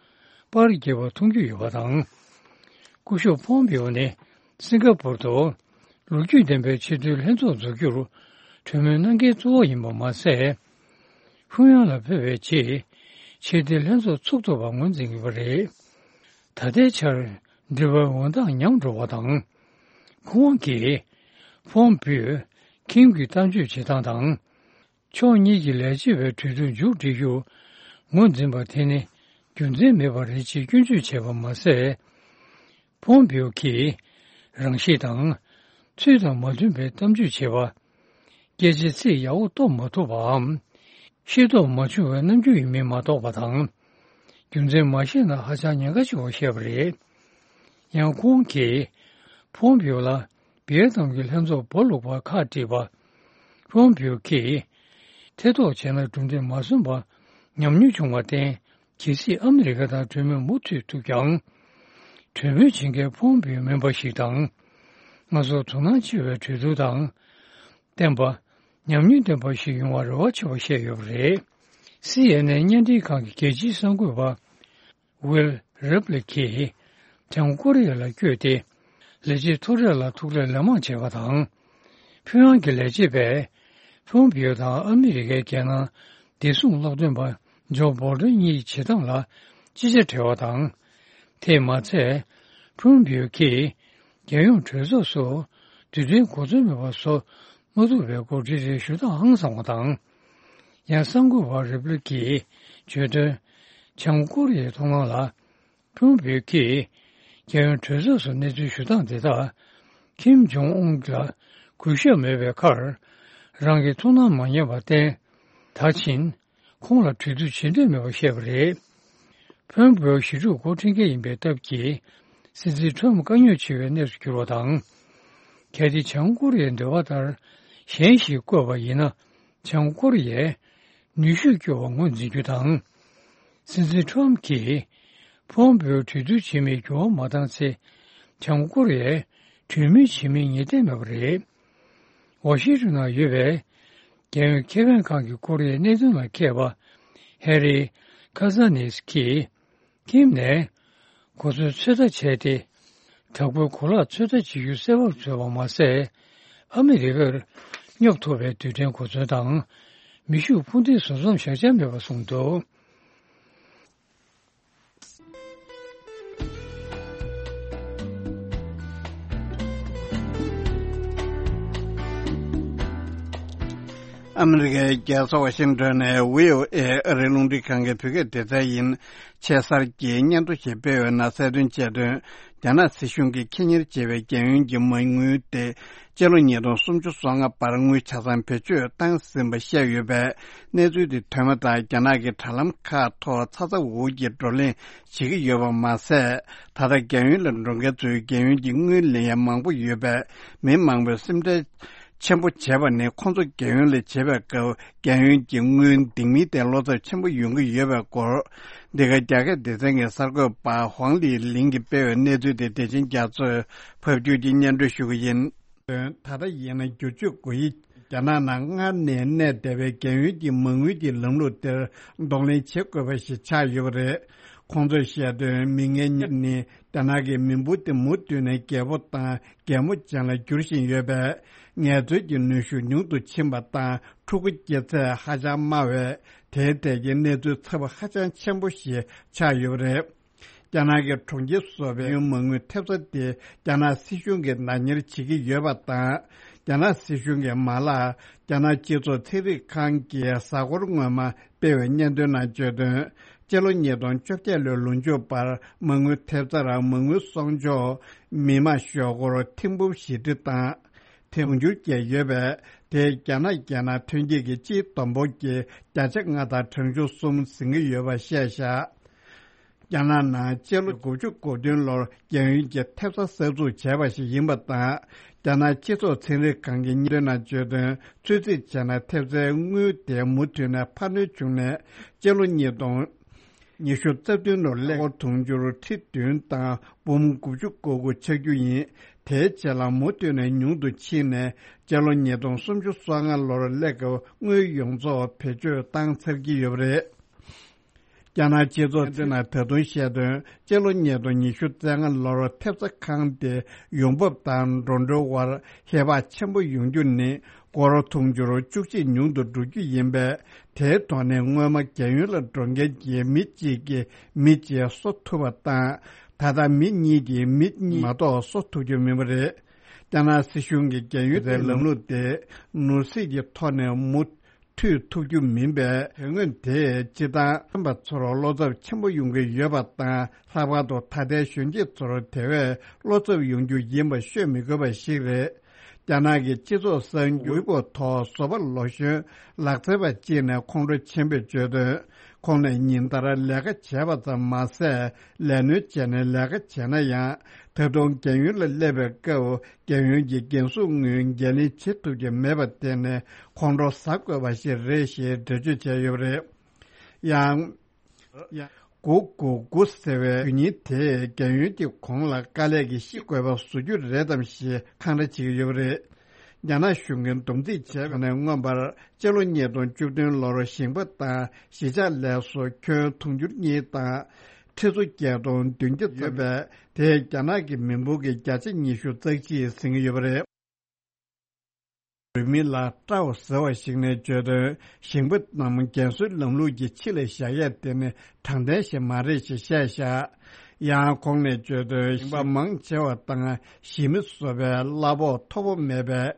པར་རྒྱག་པ་མཐོང་རྒྱུ་ཡོད་པ་དང་། སྐུ་ཞབས་ཕོམ་པིའོ་ནི་སིང་ག་པུར་དུ་ལོ་རྒྱུས་ལྡན་པའི་ཆེས་མཐོའི་ལྷན་ཚོགས་འཛུགས་རྒྱུར་གྲོས་མོལ་གནང་མཁན་གཙོ་བོ་ཡིན་པ་མ་ཟད། ཕུང་ཡང་ལ་ཕེབས་པའི་རྗེས་ཆེས་མཐོའི་ལྷན་ཚོགས་ཚུགས་ཐུབ་པ་ངོས་འཛིན་ཡོད་པ་རེད། ད་ལྟའི་ཆར་འབྲེལ་བའི་འོད་མདངས་ཉམས་འགྲོ་བ་དང་། ཁོང་གིས་ཕོམ་པིའོས་ཁིམ་གྱི་གཏམ་བརྗོད་བྱེད་སྟངས་དང་། ཕྱོགས་གཉིས་ཀྱི་ལས་བྱེད་པའི་གྲོས་བསྡུར་མཇུག་སྒྲིལ་རྒྱུ་ངོས་འཛིན་པ་དེ་ནི་རྒྱུ་མཚན་མེད་པ་རེད་ཅེས་སྐྱོན་བརྗོད་བྱས་པ་མ་ཟད། ཕོམ་པིའོ་གིས་རང་གཤིས་དང་ཚུལ་དང་མ་མཐུན་པའི་གཏམ་བརྗོད་བྱེད་པ། སྐད་ཆའི་ཚིག་ཡག་པོ་སྟོན་མ་ཐུབ་པའམ། ཤེས་རྟོགས་མ་བྱུང་བའི་རྣམ་འགྱུར་ཡིན་མིན་མ་རྟོགས་པ་དང་། རྒྱུ་མཚན་མ་ཤེས་ན་ཧ་ཅང་ཉེན་ཁ་ཆེ་བ་བཤད་པ་རེད། ཡང་ཁོང་གིས་ཕོམ་པིའོ་ལ་ཝི་ཡེ་ནམ་གྱི་ལྷན་ཚོགས་སྦོ་ལུག་པར་ཁག་དཀྲིས་པ། ཕོམ་པིའོ་གིས་ཐེ་གཏོགས་བྱས་ན་གྲུབ་འབྲས་མ་སོན་པ་ཉམས་མྱོང་བྱུང་བར་བརྟེན། གལ་སྲིད་ཨ་མི་རི་ཀ་དང་གྲོས་མོལ་མུ་མཐུད་ཐུབ་ཀྱང་། གྲོས་མོལ་བྱེད་མཁན་ཕོམ་པིའོ་མིན་པ་ཞིག་དང་། ང་ཚོར་དོ་སྣང་ཆེ་བའི་གྲོས་བསྡུར་དང་། བརྟན་པ། ཉམས་མྱོང་ལྡན་པ་ཞིག་ཡོང་བར་རེ་བ་ཆེ་བ་བཤད་ཡོད་པ་རེད། སི་ཨེན་ཨེན་བརྙན་འཕྲིན་ཁང་གི་རྒྱལ་སྤྱིའི་གསར་འགོད་པ། ཝིལ་རེབ་ལི་གིས་བྱང་ཀོ་རི་ཡ་ལ་བསྐྱོད་དེ། ལས་བྱེད་ཐོ་རེ་ལ་ཐུག་འཕྲད་ལན་མང་བྱས་པ་དང་། ཕིན་ཡང་གི་ལས་བྱེད་པས་ཕུང་པིའོ་དང་ཨ་མི་རི་ཀའི་རྒྱལ་ནང་བདེ་སྲུང་སློབ་སྟོན་པ་ཇོ་སྦོལ་ཏོན་གཉིས་ཀྱི་བྱེད་སྟངས་ལ་ཅི་བྱ་བྲེལ་བ་དང་། དེས་མ་ཚད། ཕུང་པིའོ་གིས་རྒྱལ་ཡོངས་གྲོས་ཚོགས་སུ་རྡུལ་ཕྲན་གོ་མཚོན་མེད་པ་བཟོ་མ་ཐུབ་པའི་སྐོར་འགྲེལ་བཤད་ཞུ་སྟངས་ཧང་སངས་པ་དང་། ཡང་གསར་འགོད་པ་རེབ་ལི་གིས་བརྗོད་དོན། བྱང་ཀོ་རི་ཡའི་མཐོང་སྣང་ལ། ཕུང་པིའོ་གིས་རྒྱལ་ཡོངས་གྲོས་ཚོགས་སུ་གནས་ཚུལ་ཞུ་སྟངས་དེ་དག་ཁིམ་ཇོང་ཨུན་ལ་གུས་ཞབས་མེད་པའི་ཁར། རང་གི་ཐུགས་སྣང་མ་ཉན་པར་བརྟེན། ད་ཕྱིན་ཁོང་ལ་གྲོས་བསྡུར་བྱེད་འདོད་མེད་པ་བཤད་པ་རེད། ཕུང་པིའོ་ཞི་ཕྲུག་འགོ་ཁྲིད་མཁན་ཡིན་པའི་སྟབས་ཀྱིས། སྲིད་འཛིན་ཁྲོམ་དཀའ་རྙོག་ཆེ་བའི་གནས་སུ་གྱུར་བ་དང་། གལ་ཏེ་བྱང་ཀོ་རི་ཡའི་འདོད་པ་ལྟར་གཞན་ཞིག་བསྐོས་པ་ཡིན་ན། བྱང་ཀོ་རི་ཡས་ནུས་ཤུགས་སྐྱོ་བ་ངོས་འཛིན་རྒྱུ་དང་། སྲིད་འཛིན་ཁྲོམ་གྱིས་ཕུང་པིའོ་གྲོས་བསྡུར་བྱེད་མིན་འགྱུར་བ་མ་བཏང་ཚེ། བྱང་ཀོ་རི་ཡས་གྲོས་མོལ་བྱེད་མིན་ངེས་གཏན་མེད་པ་རེད། ཝ་ཤིང་ཏོན་ནང་ཡོད་པའི་རྒྱལ་ཡོངས་ཁེ་ཕན་ཁང་གི་ཀོ་རི་ཡའི་གནད་དོན་ལ་མཁས་པ་ཧེ་རི་ཁ་ས་ནིས་ཀྱིས། ཁིམ་ནས་གོ་མཚོན་ཚོད་ལྟ་བྱས་ཏེ། དྲག་པོའི་གོ་ལག་ཚོད་ལྟ་བྱེད་རྒྱུ་གསལ་བོར་བཟོས་པ་མ་ཟད། ཨ་མི་རི་ཀར་སྙོབ་ཐུབ་པའི་རྡུལ་ཕྲན་གོ་མཚོན་དང་། མེ་ཤུགས་འཕུར་མདེལ་བཟོ་མཚམས་བཞག་འཆར་མེད་པ་གསུངས་འདུག་ཨ་མི་རི་ཀའི་རྒྱལ་ས་ཝ་ཤིང་ཏོན་ནས་ཝི་ཨོ་ཨེ་ཨ་རིའི་རླུང་འཕྲིན་ཁང་གི་བོད་སྐད་སྡེ་ཚན་ཡིན། ཆེས་གསར་གྱི་སྙན་ཐོ་ཞིག་སྤེལ་བའི་ནང་གསལ་སྟོན་བྱས་དོན། རྒྱ་ནག་སྲིད་གཞུང་གིས་ཁེ་གཉེར་བྱས་པའི་རྒྱལ་ཡོངས་ཀྱི་མ་དངུལ་དེ། སྤྱི་ལོ་ཉིས་སྟོང་སུམ་ཅུ་སོ་ལྔ་བར་དངུལ་ཆ་ཚང་བེད་སྤྱོད་བཏང་ཟིན་པ་བཤད་ཡོད་པས། གནས་ཚུལ་དེ་ཐོན་པ་དང་། རྒྱ་ནག་གི་དྲ་ལམ་ཁག་ཐོག་ཚ་ཚ་འུར་འུར་གྱི་བགྲོ་གླེང་བྱེད་ཀྱི་ཡོད་པ་མ་ཟད། ད་ལྟ་རྒྱལ་ཡོངས་ལ་འགྲོ་མཁན་ཚོས་རྒྱལ་ཡོངས་ཀྱི་དངུལ་ལེན་ཡ་མང་པོ་ཡོད་པས། མི་མང་པོས་སེམས་ཁྲལ་ཆེན་པོ་བྱེད་པ་ནི། ཁོང་ཚོ་རྒྱལ་ཡོངས་ལ་བྱེད་པའི་སྐབས། རྒྱལ་ཡོངས་ཀྱི་དངུལ་འདེང་མིན་ཐད་བློ་འཚབ་ཆེན་པོ་ཡོང་གི་ཡོད་པའི་སྐོར། འདི་ག་རྒྱ་སྐད་སྡེ་ཚན་གྱི་གསར་འགོད་པ་ཧོང་ལི་ལིང་གིས་སྤེལ་བའི་གནས་ཚུལ་དེ། བདེ་ཆེན་རྒྱ་མཚོས་ཕབ་སྒྱུར་གྱིས་སྙན་སྒྲོན་ཞུ་གི་ཡིན། ད་ལྟ་ཡིན་ན་བསྒྱུར་བཅོས་དགོས་ཡིག་རྒྱ་ནག་ནང་སྔར་ནས་གནས་བསྡད་པའི་རྒྱལ་ཡོངས་ཀྱི་མ་དངུལ་གྱི་ལམ་ལུགས་དེར་གདོང་ལེན་བྱེད་དགོས་པ་ཞིག་ཆགས་ཡོད་པ་རེད། ཁོང་ཚོས་བཤད་དོན། མི་ངན་གཉིས་ནི་རྒྱ་ནག་གི་མི་འབོར་དེ་མུ་མཐུད་ནས་རྒད་པོ་དང་རྒད་མོ་ཅན་ལ་འགྱུར་བཞིན་ཡོད་པས། ངལ་རྩོལ་གྱི་ནུས་ཤུགས་ཉུང་དུ་ཕྱིན་པ་དང་། ཕྲུ་གུ་སྐྱེ་ཚད་ཧ་ཅང་དམའ་བས། དེའི་ཐད་ཀྱི་གནས་ཚུལ་ཚ་བ་ཧ་ཅང་ཆེན་པོ་ཞིག་ཆགས་ཡོད་པ་རེད། རྒྱ་ནག་གི་གྲོང་ཁྱེར་སུ་བའི་མ་དངུལ་ཐེབས་རྩ་དེ་རྒྱ་ནག་སྲིད་གཞུང་གིས་བདག་གཉེར་བྱེད་ཀྱི་ཡོད་པ་དང་། རྒྱ་ནག་སྲིད་གཞུང་གི་མ་ལག་རྒྱ་ནག་སྤྱི་ཚོགས་ཚན་རིག་ཁང་གི་གཟའ་འཁོར་སྔོན་མ་སྤེལ་བའི་སྙན་ཐོའི་ནང་བརྗོད་དོན། སྤྱི་ལོ་ཉིས་སྟོང་བཅོ་བརྒྱད་ལོའི་ལོ་མཇུག་བར་མ་དངུལ་ཐེབས་རྩར་མ་དངུལ་གསོག་འཇོག་མི་མང་ཞོག་སྒོར་ཐེར་འབུམ་བཞི་ཁྲི་དང་དུང་ཕྱུར་བརྒྱད་ཡོད་པས། དེས་རྒྱ་ནག་རྒྱལ་ནང་ཐོན་སྐྱེད་ཀྱི་སྤྱིའི་བསྡོམས་འབོར་གྱི་བརྒྱ་ཆ་ལྔ་དང་གྲངས་ཆུང་གསུམ་ཟིན་གྱི་ཡོད་པ་བཤད་བཞག་རྒྱ་ནག་ནང་སྤྱི་ལོ་དགུ་བཅུ་གོ་བདུན་ལོར་རྒྱལ་ཡོངས་ཀྱི་ཐེབས་རྩ་གསར་འཛུགས་བྱས་པ་ཞིག་ཡིན་པ་དང་། རྒྱ་ནག་སྤྱི་ཚོགས་ཚན་རིག་ཁང་གི་སྙན་ཐོའི་ནང་བརྗོད་དོན། ཚོད་རྩིས་བྱས་ན་ཐེབས་རྩའི་དངུལ་དེ་མུ་མཐུད་ནས་འཕར་སྣོན་བྱུང་ནས། སྤྱི་ལོ་ཉིས་སྟོང་ཉི་ཤུ་རྩ་བདུན་ལོར་ཀླད་ཀོར་དུང་ཕྱུར་ཁྲི་བདུན་དང་འབུམ་དགུ་བཅུ་གོ་དགུ་ཆགས་རྒྱུ་ཡིན། དེའི་རྗེས་ལ་མུ་མཐུད་ནས་ཉུང་དུ་ཕྱིན་ནས། སྤྱི་ལོ་ཉིས་སྟོང་སུམ་ཅུ་སོ་ལྔ་ལོར་ཀླད་ཀོར་དངུལ་ཡོངས་རྫོགས་བེད་སྤྱོད་བཏང་ཚར་གྱི་ཡོད་པ་རེད། རྒྱ་ནག་སྤྱི་ཚོགས་ཚན་རིག་ནང་ད་དུང་བཤད་དོན། སྤྱི་ལོ་ཉིས་སྟོང་ཉི་ཤུ་རྩ་ལྔ་ལོར་ཐེབས་རྩ་ཁང་དེ་ཡོང་འབབ་དང་འགྲོ་གྲོན་དབར་ཧེ་བག་ཆེན་པོ་ཡོང་རྒྱུ་ནི་སྒོར་དུང་ཕྱུར་བཅུ་གཅིག་ཉུང་དུ་འགྲོ་རྒྱུ་ཡིན་པས། དེའི་ཐོག་ནས་སྔོན་མ་རྒྱལ་ཡོངས་ལ་འགྲོ་མཁན་གྱི་མི་གཅིག་གིས་མི་གཅིག་གསོ་ཐུབ་པ་དང་། ད་ལྟ་མི་གཉིས་ཀྱིས་མི་གཉིས་མ་གཏོགས་གསོ་ཐུབ་རྒྱུ་མིན་པ་རེད། རྒྱ་ནག་སྲིད་གཞུང་གིས་རྒྱལ་ཡོངས་ཀྱི་ལམ་ལུགས་དེ་ནོར་སྲིད་ཀྱི་ཐོག་ནས་མུ་མཐུད་ཐུབ་རྒྱུ་མིན་པས། དོན་དངོས་དེས་སྤྱིར་བཏང་ཐོན་པ་ཚོར་བློ་འཚབ་ཆེན་པོ་ཡོང་གི་ཡོད་པ་དང་། ལྷག་པར་དུ་ད་ལྟའི་གཞོན་སྐྱེས་ཚོར་དེ་བས་བློ་འཚབ་ཡོང་རྒྱུ་ཡིན་པ་ཤོད་མི་དགོས་པ་ཞིག་རེད། རྒྱ་ནག་གི་སྤྱི་ཚོགས་གསར་འགྱུར་ཝེ་པོ་ཐོག་བཟོ་པ་ལོ་གཞོན་ལག་རྩལ་པ་གཅིག་ནས་ཁོང་ཁྲོ་ཆེན་པོས་བརྗོད་དོན། ཁོང་ནས་ཉིན་ལྟར་ལས་ཀ་བྱས་པ་ཙམ་མ་ཟད། ལས་སྣོན་བྱས་ནས་ལས་ཀ་བྱས་ན་ཡང་། ད་དུང་རྒྱལ་ཡོངས་ལ་སླེབས་པའི་སྐབས། རྒྱལ་ཡོངས་ཀྱི་འགན་སྲུང་དངུལ་འགན་ལེན་བྱེད་ཐུབ་ཀྱི་མེད་པ་དེ་ནི་ཁོང་ཁྲོ་ཟ་དགོས་པ་ཞིག་རེད་ཞེས་འགྲེལ་བརྗོད་བྱས་ཡོད་པ་རེད། ཡང་། དགུ་དགུ་དགུ་ཟེར་བའི་དུས་ཡུན་དེས་རྒྱལ་ཡོངས་ཀྱི་གོང་ལ་དཀའ་ལས་ཀྱིས་ཤི་དགོས་པ་བཟོ་རྒྱུ་རེད་དམ་ཞེས་འཁང་ར་བྱེད་ཀྱི་ཡོད་པ་རེད། རྒྱ་ནག་གཞུང་གིས་སྡོམ་རྩིས་བྱས་པ་ནས་མངོན་པར། སྤྱི་ལོ་ཉིས་སྟོང་བཅུ་བདུན་ལོར་ཞིང་པ་དང་གཞིས་ཆགས་ལས་བཟོ་ཁྱོན་དུང་ཕྱུར་གཉིས་དང་། ཁྲི་ཚོ་བརྒྱད་སྟོང་བདུན་བརྒྱ་ཡོད་པས། དེས་རྒྱ་ནག་གི་མི་འབོར་གྱི་བརྒྱ་ཆ་ཉི་ཤུ་རྩ་གཅིག་ཟིན་གྱི་ཡོད་པ་རེད། རུས་མིང་ལ་ཀྲའོ་ཟེར་བ་ཞིག་ནས་བརྗོད་དོན། ཞིང་པ་རྣམས་རྒན་གསོའི་ལམ་ལུགས་ཀྱི་ཕྱི་ལ་བཞག་ཡས་དེ་ནི་དྲང་བདེན་ཞིག་མ་རེད་ཅེས་བཤད་བཞག་ཡང་ཁོང་ནས་བརྗོད་དོན། ཞིང་པ་མང་ཆེ་བ་དང་གཞིས་མི་སོ་པའི་གླ་ཕོགས་མཐོ་པོ་མེད་པས།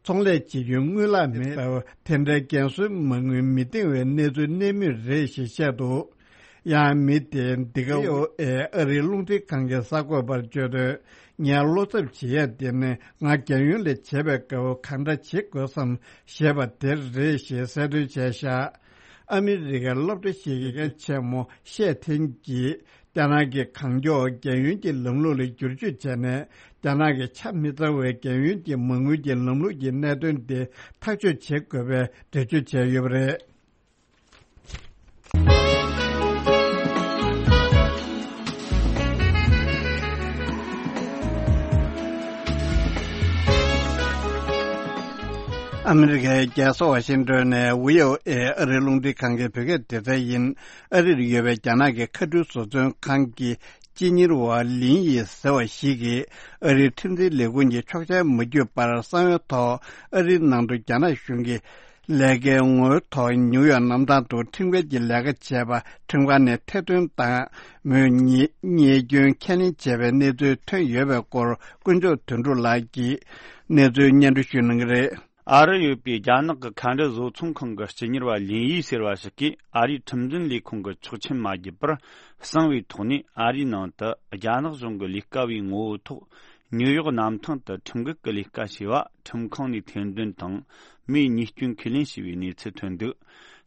ཚོང་ལས་བྱེད་རྒྱུའི་དངུལ་ལག་མེད་སྟབས། དེ་འདྲའི་རྒན་གསོའི་མ་དངུལ་མི་འདང་བའི་གནས་ཚུལ་གནས་མུས་རེད་ཞེས་བཤད་འདུག་ཡང་མི་དེས་འདི་ག་ཨོ་ཨེ་ཨ་རིའི་རླུང་འཕྲིན་ཁང་གི་གསར་འགོད་པར་བརྗོད་དོན། ངས་བློ་འཚབ་བྱེད་ཡ་དེ་ནི་ང་རྒྱལ་ཡོངས་ལ་བྱེད་པའི་སྐབས་གང་འདྲ་བྱེད་དགོས་སམ་ཞེས་པ་དེ་རེད་ཞེས་གསལ་སྟོན་བྱས་བཞག་ཨ་མི་རི་ཀའི་སློབ་གྲྭ་ཞིག་གི་མཁན་ཆེན་མོ་ཤེ་ཐེན་གྱིས། རྒྱ་ནག་གིས་གང་མགྱོགས་རྒྱལ་ཡོངས་ཀྱི་ལམ་ལུགས་ལ་བསྒྱུར་བཅོས་བྱས་ནས། རྒྱ་ནག་གི་ཆ་མི་ཚང་བའི་རྒྱལ་ཡོངས་ཀྱི་མ་དངུལ་གྱི་ལམ་ལུགས་ཀྱི་གནད་དོན་དེ་ཐག་གཅོད་བྱེད་དགོས་པའི་འགྲེལ་བརྗོད་བྱས་ཡོད་པ་རེད། ཨ་མི་རི་ཀའི་རྒྱལ་ས་ཝ་ཤིང་ཏོན་ནས་ཝི་ཨོ་ཨེ་ཨ་རིའི་རླུང་འཕྲིན་ཁང་གི་བོད་སྐད་སྡེ་ཚན་ཡིན། ཨ་རིར་ཡོད་པའི་རྒྱ་ནག་གི་མཁའ་འགྲུལ་བཟོ་ཚོང་ཁང་གི་སྤྱི་གཉེར་བ་ལིན་ཡི་ཟེར་བ་ཞིག་གིས། ཨ་རིའི་ཁྲིམས་འཛིན་ལས་ཁུངས་ཀྱི་ཆོག་མཆན་མ་བརྒྱུད་པར་གསང་བའི་ཐོག་ཨ་རིའི་ནང་དུ་རྒྱ་ནག་གཞུང་གི་ལས་ཀའི་ངོ་རྒོལ་ཐོག་ནིའུ་ཡོག་གནམ་ཐང་དུ་ཁྲིམས་འགལ་གྱི་ལས་ཀ་བྱས་པ་ཁྲིམས་ཁང་ནས་ཐེར་འདོན་དང་། མོས་ཉེས་ཉེས་སྐྱོན་ཁས་ལེན་བྱས་པའི་གནས་ཚུལ་ཐོན་ཡོད་པའི་སྐོར། དཀོན་མཆོག་དོན་གྲུབ་ལགས་ཀྱིས་གནས་ཚུལ་སྙན་སྒྲོན་ཞུ་གནང་གི་རེད། ཨ་རིར་ཡོད་པའི་རྒྱ་ནག་གི་མཁའ་འགྲུལ་བཟོ་ཚོང་ཁང་གི་སྤྱི་གཉེར་བ་ལིན་ཡི་ཟེར་བ་ཞིག་གིས། ཨ་རིའི་ཁྲིམས་འཛིན་ལས་ཁུངས་ཀྱི་ཆོག་མཆན་མ་བརྒྱུད་པར། གསང་བའི་ཐོག་ནས་ཨ་རིའི་ནང་དུ་རྒྱ་ནག་གཞུང་གི་ལས་ཀ་བའི་ངོ་བོའི་ཐོག་ནིའུ་ཡོག་གནམ་ཐང་དུ་ཁྲིམས་འགལ་གྱི་ལས་ཀ་བྱས་པ་ཁྲིམས་ཁང་ནས་ཐེར་འདོན་དང་། མིས་ཉེས་སྐྱོན་ཁས་ལེན་བྱས་པའི་གནས་ཚུལ་ཐོན་འདུག་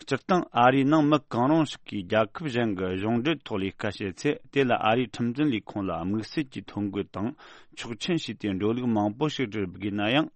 སྤྱིར་བཏང་ཨ་རིའི་ནང་མི་གང་རུང་ཞིག་གིས་རྒྱལ་ཁབ་གཞན་གྱི་གཞུང་འབྲེལ་ཐོག་ལས་ཀ་བྱེད་ཚེ། དེ་ལ་ཨ་རིའི་ཁྲིམས་འཛིན་ལས་ཁུངས་ལ་དམིགས་བསལ་གྱི་ཐོ་འགོད་དང་ཆོག་མཆན་ཞུས་ཏེ་འགྲོ་ལུགས་མང་པོ་ཞིག་བསྒྲུབ་དགོས་ན་ཡང་།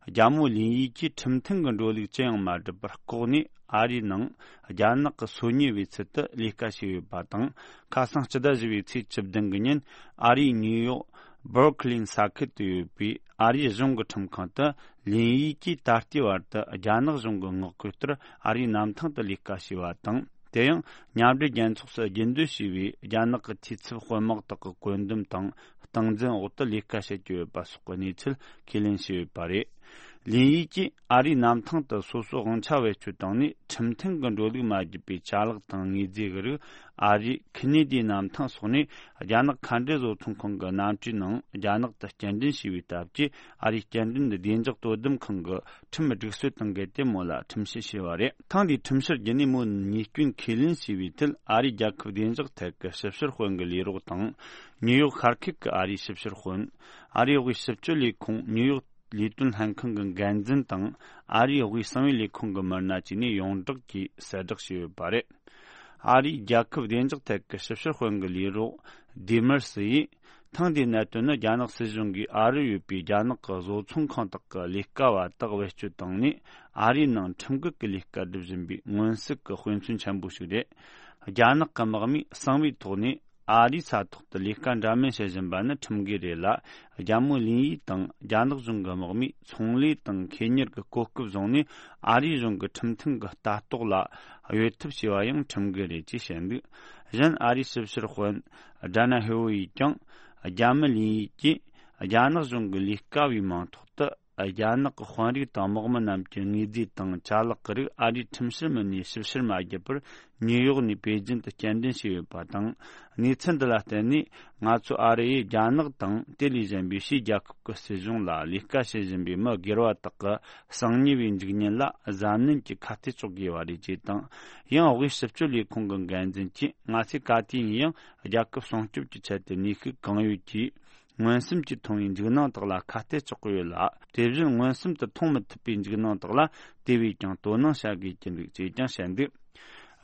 རྒྱ་མོ་ལིན་ཡི་གིས་ཁྲིམས་མཐུན་གྱི་འགྲོ་ལུགས་ཅི་ཡང་མ་བསྒྲུབས་པར། ལྐོག་ནས་ཨ་རིའི་ནང་རྒྱ་ནག་གི་སོ་ཉུལ་བའི་ཚུལ་དུ་ལས་ཀ་བྱས་ཡོད་པ་དང་། ཁ་སང་སྤྱི་ཟླ་བཞི་པའི་ཚེས་བཅུ་བདུན་གྱི་ཉིན། ཨ་རིའི་ནིའུ་ཡོག་སྦར་ཁི་ལིན་ས་ཁུལ་དུ་ཡོད་པའི་ཨ་རིའི་གཞུང་གི་ཁྲིམས་ཁང་དུ། ལིན་ཡི་གིས་ད་ལྟའི་བར་དུ་རྒྱ་ནག་གཞུང་གི་མངགས་བསྐུལ་ལྟར་ཨ་རིའི་གནམ་ཐང་དུ་ལས་ཀ་བྱས་པ་དང་། དེ་ཡང་མཉམ་འབྲེལ་རྒྱལ་ཚོགས་སུ་རྒྱུན་སྡོད་བྱས་པའི་རྒྱ་ནག་གི་འཐུས་ཚབ་དཔོན་དམག་དག་གི་བཀོད་འདོམས་དང་སྟངས་འཛིན་འོག་ཏུ་ལས་ཀ་བྱེད་ཀྱི་ཡོད་པ་སོགས་ཀྱི་གནས་ཚུལ་ཁས་ལེན་བྱས་ཡོད་པ་རེད། ལིན་ཡི་ཀྱིས་ཨ་རིའི་གནམ་ཐང་དུ་སོ་སོའི་དབང་ཆ་བེད་སྤྱོད་བཏང་ནས་ཁྲིམས་མཐུན་གྱི་འགྲོ་ལུགས་མ་བརྒྱུད་པའི་ཅ་ལག་དང་དངོས་རྫས་ཀྱི་རིགས་ཨ་རིའི་ཁེ་ནེ་ཌིའི་གནམ་ཐང་སོགས་ནས་རྒྱ་ནག་མཁའ་འགྲུལ་བཟོ་ཚོང་ཁང་གི་གནམ་གྲུའི་ནང་རྒྱ་ནག་ཏུ་སྐྱེལ་འདྲེན་བྱས་པའི་སྟབས་ཀྱིས། ཨ་རིའི་སྐྱེལ་འདྲེན་བདེ་འཇགས་དོ་དམ་ཁང་གི་ཁྲིམས་སྒྲིག་སྲོལ་དང་འགལ་ཏེ་མོ་ལ་ཁྲིམས་བཤེར་བྱས་པ་རེད། ཐེངས་འདིའི་ཁྲིམས་བཤེར་བརྒྱུད་ནས་མོ་ཉེས་སྐྱོན་ཁས་ལེན་བྱས་པའི་ཐད། ཨ་རིའི་རྒྱལ་ཁབ་བདེ་འཇགས་ཐད་ཀྱི་ཞིབ་བཤེར་དཔོན་གྱི་ལས་རོགས་དང་། ནིའུ་ཡོག་ཤར་ཁུལ་གྱི་ཨ་རིའི་ཞིབ་བཤེར་དཔོན། ཨ་རིའི་དབུས་ཞིབ་དཔྱོད་ལས་ཁུངས་ནིའུ་ཡོག་ལས་དོན་ལྷན་ཁང་གི་འགན་འཛིན་དང་། ཨ་རིའི་དབུས་གསང་བའི་ལས་ཁུངས་ཀྱི་མི་སྣ་བཅས་ནས་ཡོངས་བསྒྲགས་ཀྱིས་གསལ་བསྒྲགས་བྱས་ཡོད་པ་རེད། ཨ་རིའི་རྒྱལ་ཁབ་བདེ་འཇགས་ཐད་ཀྱི་ཞིབ་བཤེར་དཔོན་གྱི་ལས་རོགས་ཌི་མར་སི་ཡིས། ཐེངས་འདིའི་གནད་དོན་ནི་རྒྱ་ནག་སྲིད་གཞུང་གིས་ཨ་རིར་ཡོད་པའི་རྒྱ་ནག་གི་བཟོ་ཚོང་ཁང་དག་གི་ལས་ཀ་བ་དག་བེད་སྤྱོད་བཏང་ནས། ཨ་རིའི་ནང་ཁྲིམས་འགལ་གྱི་ལས་ཀ་སྒྲུབ་བཞིན་པའི་མངོན་གསལ་གྱི་དཔེ་མཚོན་ཆེན་པོ་ཞིག་རེད། རྒྱ་ནག་གི་དམག་མིས་གསང་བའི་ཐོག་ནས་ཨ་རིའི་ས་ཐོག་ཏུ་ལས་ཀ་འདྲ་མིན་བྱེད་བཞིན་པ་ནི་ཁྲིམས་འགལ་རེད་ལ། རྒྱ་མོ་ལིན་ཡི་དང་རྒྱ་ནག་གཞུང་གི་དམག་མིས་ཚོང་ལས་དང་ཁེ་གཉེར་གྱི་གོ་སྐབས་བཟུང་ནས། ཨ་རིའི་གཞུང་གི་ཁྲིམས་མཐུན་གྱི་ལྟ་རྟོག་ལ་གཡོལ་ཐབས་བྱས་པ་ཡང་ཁྲིམས་འགལ་རེད་ཅེས་བཤད་འདུག་གཞན། ཨ་རིའི་ཞིབ་བཤེར་དཔོན་ཌ་ན་ཧེ་ཝུ་ཡིས་ཀྱང་། རྒྱ་མི་ལིན་ཡི་ཀྱིས་རྒྱ་ནག་གཞུང་གི་ལས་ཀ་བའི་མིང་ཐོག་ཏུ། རྒྱ་ནག་གི་དཔོན་རིགས་དང་དམག་མི་རྣམས་ཀྱི་དངོས་རྫས་དང་ཅ་ལག་གི་རིགས་ཨ་རིའི་ཁྲིམས་བཤེར་མི་སྣས་ཞིབ་བཤེར་མ་བརྒྱབ་པར། ཉིའུ་ཡོག་ནས་པེ་ཅིན་དུ་སྐྱེལ་འདྲེན་བྱས་ཡོད་པ་དང་། གནས་ཚུལ་འདི་ལ་བརྟེན་ནས། ང་ཚོ་ཨ་རི་ཡིས་རྒྱ་ནག་དང་དེ་ལས་གཞན་པའི་ཕྱིའི་རྒྱལ་ཁབ་ཀྱི་སྲིད་གཞུང་ལ་ལས་ཀ་བྱེད་བཞིན་པའི་མི་སྒེར་བ་དག་གི་གསང་ཉུལ་བའི་འཇིག་ཉེན་ལ་གཟབ་ནན་གྱིས་ཁ་གཏད་གཅོག་དགོས་པ་རེད་ཅེས་དང་། ཡང་། དབུས་ཞིབ་དཔྱོད་ལས་ཁུངས་ཀྱི་འགན་འཛིན་གྱིས། ང་ཚོས་ག་དུས་ཡིན་ཡང་རྒྱལ་ཁབ་སྲུང་སྐྱོབ་ཀྱི་ཆེད་དུ་ནུས་ཤུགས་གང་ཡོད་ཀྱིས། མངོན་སུམ་གྱིས་མཐོང་བའི་འཇིགས་སྣང་དག་ལ་ཁ་གཏད་གཅོག་གི་ཡོད་ལ། དེ་བཞིན་མངོན་སུམ་དུ་མཐོང་མི་ཐུབ་པའི་འཇིགས་སྣང་དག་ལ་དེ་བས་ཀྱང་དོ་སྣང་བྱ་དགོས་ཀྱི་འདུག་ཅེས་ཀྱང་བཤད་འདུག་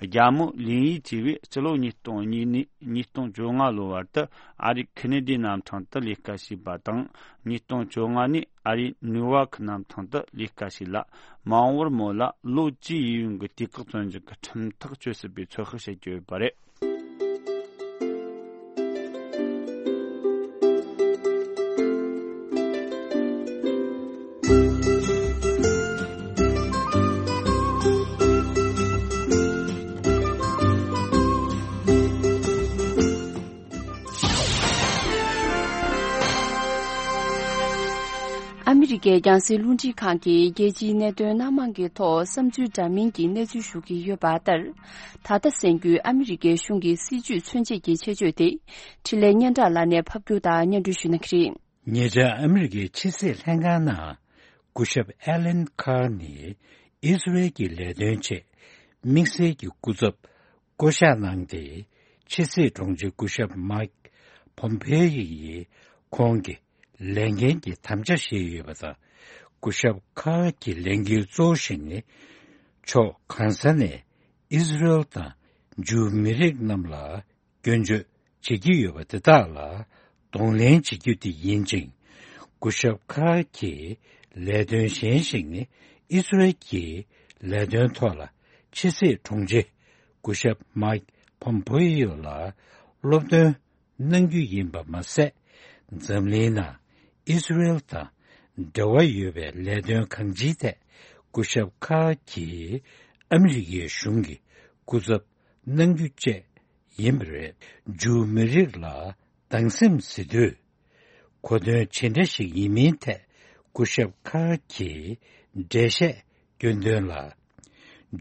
རྒྱ་མོ་ལིན་ཡི་ཅེས་པས་སྤྱི་ལོ་ཉིས་སྟོང་གཉིས་ནས་ཉིས་སྟོང་བཅོ་ལྔ་ལོ་བར་དུ་ཨ་རིའི་ཁེ་ནེ་ཌིའི་གནམ་ཐང་དུ་ལས་ཀ་བྱས་པ་དང་། ཉིས་སྟོང་བཅོ་ལྔ་ནས་ཨ་རིའི་ནིའུ་ཡོག་གི་གནམ་ཐང་དུ་ལས་ཀ་བྱས་ལ། མ་འོངས་པར་མོ་ལ་ལོ་བཅུའི་ཡས་གཡོན་གྱི་དུས་བཀག་བཙོན་འཇུག་གི་ཁྲིམས་ཐག་གཅོད་སྲིད་པའི་ཚོད་དཔག་བྱེད་ཀྱི་ཡོད་པ་རེད། ཨ་མི་རི་ཀའི་རྒྱང་སྲིང་རླུང་འཕྲིན་ཁང་གིས་རྒྱལ་སྤྱིའི་གནད་དོན་སྣ་མང་གི་ཐོག་བསམ་ཚུལ་འདྲ་མིན་གྱི་གནས་ཚུལ་ཞུ་གི་ཡོད་པ་ལྟར། ད་ལྟ་གསན་རྒྱུའི་ཨ་མི་རི་ཀའི་གཞུང་གི་སྲིད་ཇུས་མཚོན་བྱེད་ཀྱི་ཆེད་བརྗོད་དེ། འཕྲིན་ལས་སྙན་གྲགས་ལགས་ནས་ཕབ་སྒྱུར་དང་སྙན་སྒྲོན་ཞུ་གནང་གི་རེད། ཉེ་ཆར་ཨ་མི་རི་ཀའི་ཕྱི་སྲིད་ལྷན་ཁང་ནང་སྐུ་ཞབས་ཨེ་ལན་ཁཱར་ནས་ཨི་སི་རེལ་གྱི་ལས་དོན་ཆེད་དམིགས་བསལ་གྱི་སྐུ་ཚབ་བསྐོ་གཞག་གནང་སྟེ། ཕྱི་སྲིད་དྲུང་ཆེ་སྐུ་ཞབས་མཱིག་ཕོམ་པེ་ཡི་ཡིས་ཁོང་གི་ལས་འགན་གྱི་དམ་བཅའ་བཞེས་ཡོད་པ་དང་། སྐུ་ཞབས་ཁཱར་གྱི་ལས་འགུལ་གཙོ་བོ་ཞིག་ནི། ཕྱོགས་གང་ས་ནས་ཨི་སི་རེལ་དང་ཇུའུ་མི་རིགས་རྣམས་ལ་སྐྱོན་བརྗོད་བྱེད་ཀྱི་ཡོད་པ་དེ་དག་ལ་གདོང་ལེན་བྱེད་རྒྱུ་དེ་ཡིན་ཅིང་། སྐུ་ཞབས་ཁཱར་གྱི་ལས་དོན་གཞན་ཞིག་ནི། ཨི་སི་རེལ་གྱི་ལས་དོན་ཐོག་ལ་ཕྱི་སྲིད་དྲུང་ཆེ་སྐུ་ཞབས་མཱིག་ཕོམ་པེ་ཡོ་ལ་སློབ་སྟོན་གནང་རྒྱུ་ཡིན་པ་མ་ཟད། འཛམ་གླིང་ནང་ཨི་སི་རེལ་དང་འབྲེལ་བ་ཡོད་པའི་ལས་དོན་གང་ཅིའི་ཐད་སྐུ་ཞབས་ཁཱར་གྱིས་ཨ་མི་རི་ཀའི་གཞུང་གི་སྐུ་ཚབ་གནང་རྒྱུ་བཅས་ཡིན་པ་རེད། ཇུའུ་མི་རིགས་ལ་སྡང་སེམས་ཟེར་དུས། གོ་དོན་ཇི་འདྲ་ཞིག་ཡིན་མིན་ཐད་སྐུ་ཞབས་ཁཱར་གྱིས་འགྲེལ་བཤད་སྐྱོན་དོན་ལ།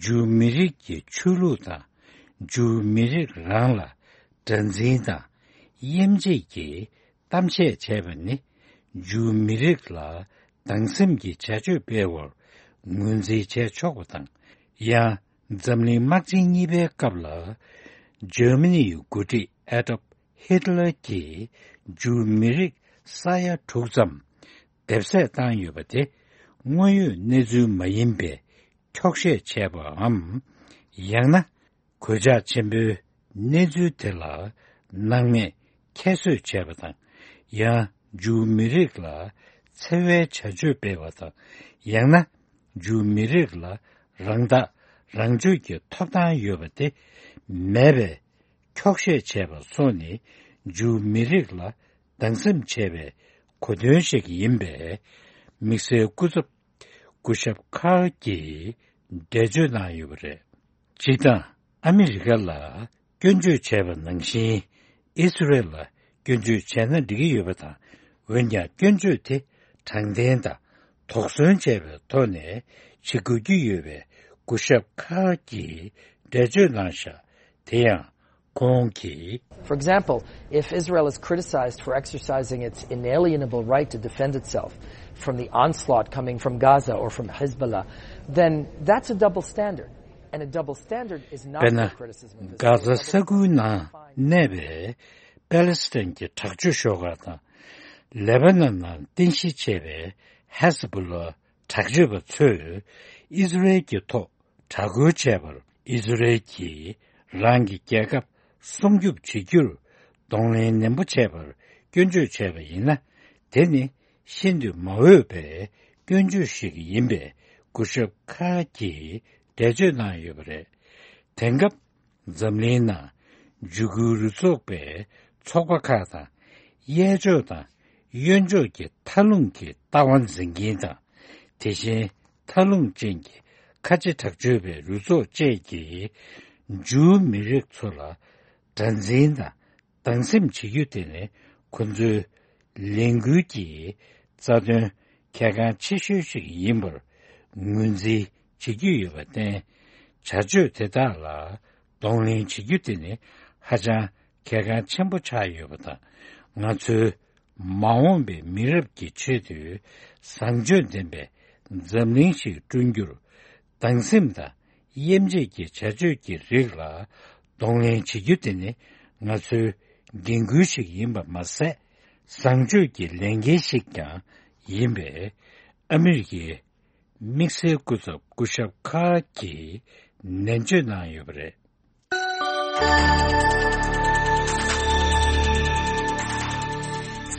ཇུའུ་མི་རིགས་ཀྱི་ཆོས་ལུགས་དང་། ཇུའུ་མི་རིགས་རང་ལ་དགྲར་འཛིན་དང་དབྱེ་འབྱེད་ཀྱི་གཏམ་བཤད་བྱས་པ་ནི། ཇུའུ་མི་རིགས་ལ་སྡང་སེམས་ཀྱི་བྱ་སྤྱོད་སྤེལ་བར་ངོས་འཛིན་བྱས་ཆོག་པ་དང་། ཡང་། འཛམ་གླིང་དམག་ཆེན་གཉིས་པའི་སྐབས་ལ། འཇར་མ་ནིའི་འགོ་ཁྲིད་ཨེ་ཌོལཕ་ཧི་ཏི་ལར་གྱིས་ཇུའུ་མི་རིགས་ས་ཡ་དྲུག་ཙམ་སྡེབ་གསོད་བཏང་ཡོད་པ་དེ། དངོས་ཡོད་གནས་ཚུལ་མ་ཡིན་པའི་འཁྱོག་བཤད་བྱས་པའམ། ཡང་ན། གོད་ཆག་ཆེན་པོའི་གནས་ཚུལ་དེ་ལ་སྣང་མེད་ཁྱད་གསོད་བྱས་པ་དང་། ཡང་། ཇུའུ་མི་རིགས་ལ་འཚེ་བའི་བྱ་སྤྱོད་སྤེལ་བ་དང་། ཡང་ན། ཇུའུ་མི་རིགས་ལ་རང་ཐག་རང་གཅོད་ཀྱི་ཐོབ་ཐང་ཡོད་པ་དེ་མེད་པའི་འཁྱོག་བཤད་བྱས་པ་སོགས་ནི། ཇུའུ་མི་རིགས་ལ་སྡང་སེམས་བྱས་པའི་གོ་དོན་ཞིག་ཡིན་པས། དམིགས་བསལ་སྐུ་ཚབ་སྐུ་ཞབས་ཁཱར་གྱིས་འགྲེལ་བརྗོད་གནང་ཡོད་པ་རེད། སྤྱིར་བཏང་ཨ་མི་རི་ཀ་ལ་སྐྱོན་བརྗོད་བྱས་པ་ནང་བཞིན། ཨི་སི་རེལ་ལ་སྐྱོན་བརྗོད་བྱས་ན་འགྲིག་གི་ཡོད་པ་དང་། འོན་ཀྱང་། སྐྱོན་བརྗོད་དེ་དྲང་བདེན་དང་ དོགས་ཟོན་བྱས་པའི་ཐོག་ནས་བྱེད་དགོས་ཀྱི་ཡོད་པའི་སྐུ་ཞབས་ཁ་གིས་འགྲེལ་བརྗོད་གནང་བཞག་དེ་ཡང་ཁོང་གིས། For example, if Israel is criticized for exercising its inalienable right to defend itself from the onslaught coming from Gaza or from Hezbollah, then that's a double standard. And a double standard is not དཔེར་ན། the criticism of Israel. གྷ་ཛ་ས་ཁུལ་ནང་གནས་པའི་པ་ལེ་སི་ཐན་གྱི་དྲག་སྤྱོད་ཤོག་ཁག་དང་། ལེ་པ་ནན་ནང་རྟེན་གཞི་བྱས་པའི་ཧེ་ཟ་བྷོ་ལ་དྲག་སྤྱོད་པ་ཚོས་ཨི་ཟི་རེལ་གྱི་ཐོག་དྲག་རྒོལ་བྱས་པར། ཨི་ཟི་རེལ་གྱིས་རང་གི་རྒྱལ་ཁབ་སྲུང་སྐྱོབ་བྱེད་རྒྱུར་གདོང་ལེན་ནན་པོ་བྱས་པར་སྐྱོན་བརྗོད་བྱས་པ་ཡིན་ན། དེ་ནི་ཤིན་ཏུ་མ་འོས་པའི་སྐྱོན་བརྗོད་ཞིག་ཡིན་པའི་སྐུ་ཞབས་ཁ་གིས་འགྲེལ་བརྗོད་གནང་ཡོད་པ་རེད། དེང་སྐབས་འཛམ་གླིང་ནང་འཇིགས་སྐུལ་རུ་ཚོགས་པའི་ཚོགས་པ་ཁག་དང་། གཡས་ཕྱོགས་དང་གཡོན་ཕྱོགས་ཀྱི་མཐའ་ལྷུང་གི་ལྟ་བ་འཛིན་མཁན་དང་། དེ་བཞིན་མཐའ་ལྷུང་ཅན་གྱི་ཁ་ཆེ་དྲག་སྤྱོད་པའི་རུ་ཚོགས་བཅས་ཀྱིས་འཇུའུ་མི་རིགས་ཚོ་ལ་དགྲར་འཛིན་དང་སྡང་སེམས་བྱེད་རྒྱུ་དེ་ནི་ཁོ་ཚོའི་ལས་འགུལ་གྱི་རྩ་དོན་གལ་འགངས་ཆེ་ཤོས་ཤིག་ཡིན་པར་ངོས་འཛིན་བྱེད་ཀྱི་ཡོད་པར་བརྟེན། བྱ་སྤྱོད་དེ་དག་ལ་གདོང་ལེན་བྱེད་རྒྱུ་དེ་ནི་ཧ་ཅང་གལ་འགངས་ཆེན་པོ་ཆགས་ཡོད་པ་དང་། ང་ཚོའི་མ་འོངས་པའི་མི་རབས་ཀྱི་ཆེད་དུ་བཟང་སྤྱོད་ལྡན་པའི་འཛམ་གླིང་ཞིག་བསྐྲུན་རྒྱུར། སྡང་སེམས་དང་དབྱེ་འབྱེད་ཀྱི་བྱ་སྤྱོད་ཀྱི་རིགས་ལ་གདོང་ལེན་བྱེད་རྒྱུ་དེ་ནི་ང་ཚོའི་འགན་ཁུར་ཞིག་ཡིན་པ་མ་ཟད། བཟང་སྤྱོད་ཀྱི་ལས་འགན་ཞིག་ཀྱང་ཡིན་པས། ཨ་མི་རི་ཀའི་དམིགས་བསལ་སྐུ་ཚབ་སྐུ་ཞབས་ཁ་གིས་ནན་བརྗོད་གནང་ཡོད་པ་རེད།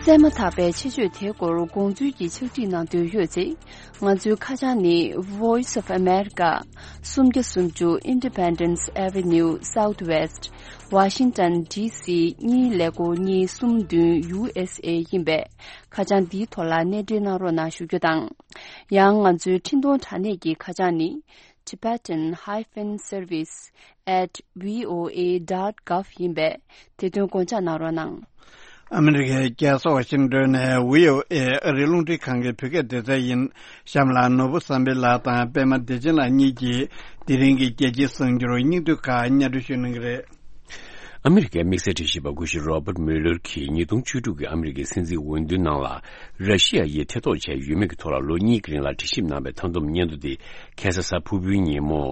གསན་མ་ཐག་པའི་ཆེད་བརྗོད་དེའི་སྐོར་དགོངས་ཚུལ་གྱི་ཕྱག་བྲིས་གནང་འདོད་ཡོད་ཚེ། ང་ཚོའི་ཁ་བྱང་ནི། Voice of America། སུམ་བརྒྱ་སུམ་ཅུ་Independence Avenue Southwest། Washington D C གཉིས་ཀླད་ཀོར་གཉིས་གསུམ་བདུན་U S A ཡིན་པས། ཁ་བྱང་འདིའི་ཐོག་ལ་གནས་འབྲེལ་གནང་རོགས་གནང་ཞུ་རྒྱུ་དང་། ཡང་ང་ཚོའི་འཕྲིན་གཏོང་དྲ་གནས་ཀྱི་ཁ་བྱང་ནི། Tibetan hyphen service at V O A dot gov ཡིན་པས། དེ་དོན་དགོངས་འཇགས་གནང་རོགས་གནང་། ཨ་མི་རི་ཀའི་རྒྱལ་ས་ཝ་ཤིང་ཏོན་ནས་V O A ཨ་རིའི་རླུང་འཕྲིན་ཁང་གི་བོད་སྐད་སྡེ་ཚན་ཡིན། གཤམ་ལ་ནོར་བུ་བསམ་འཕེལ་ལགས་དང་པད་མ་བདེ་ཆེན་ལགས་གཉིས་ཀྱིས་དེ་རིང་གི་རྒྱལ་སྤྱིའི་གསར་འགྱུར་སྙིང་བསྡུས་ཁག་སྙན་སྒྲོན་ཞུ་གནང་གི་རེད། ཨ་མི་རི་ཀའི་དམིགས་བསལ་དྲི་ཞིབ་པ་སྐུ་ཞབས་Robert Mueller གྱིས་ཉིས་སྟོང་བཅུ་དྲུག་གི་ཨ་མི་རི་ཀའི་སྲིད་འཛིན་འོས་བསྡུའི་ནང་ལ་ར་ཤི་ཡ་ཡིས་ཐེ་གཏོགས་བྱས་ཡོད་མེད་ཀྱི་ཐོག་ལ་ལོ་གཉིས་ཀྱི་རིང་ལ་དྲི་ཞིབ་གནང་བའི་མཐའ་བསྡོམས་སྙན་ཐོ་དེ་ཁ་སང་གཟའ་ཕུར་བུའི་ཉིན་མོ་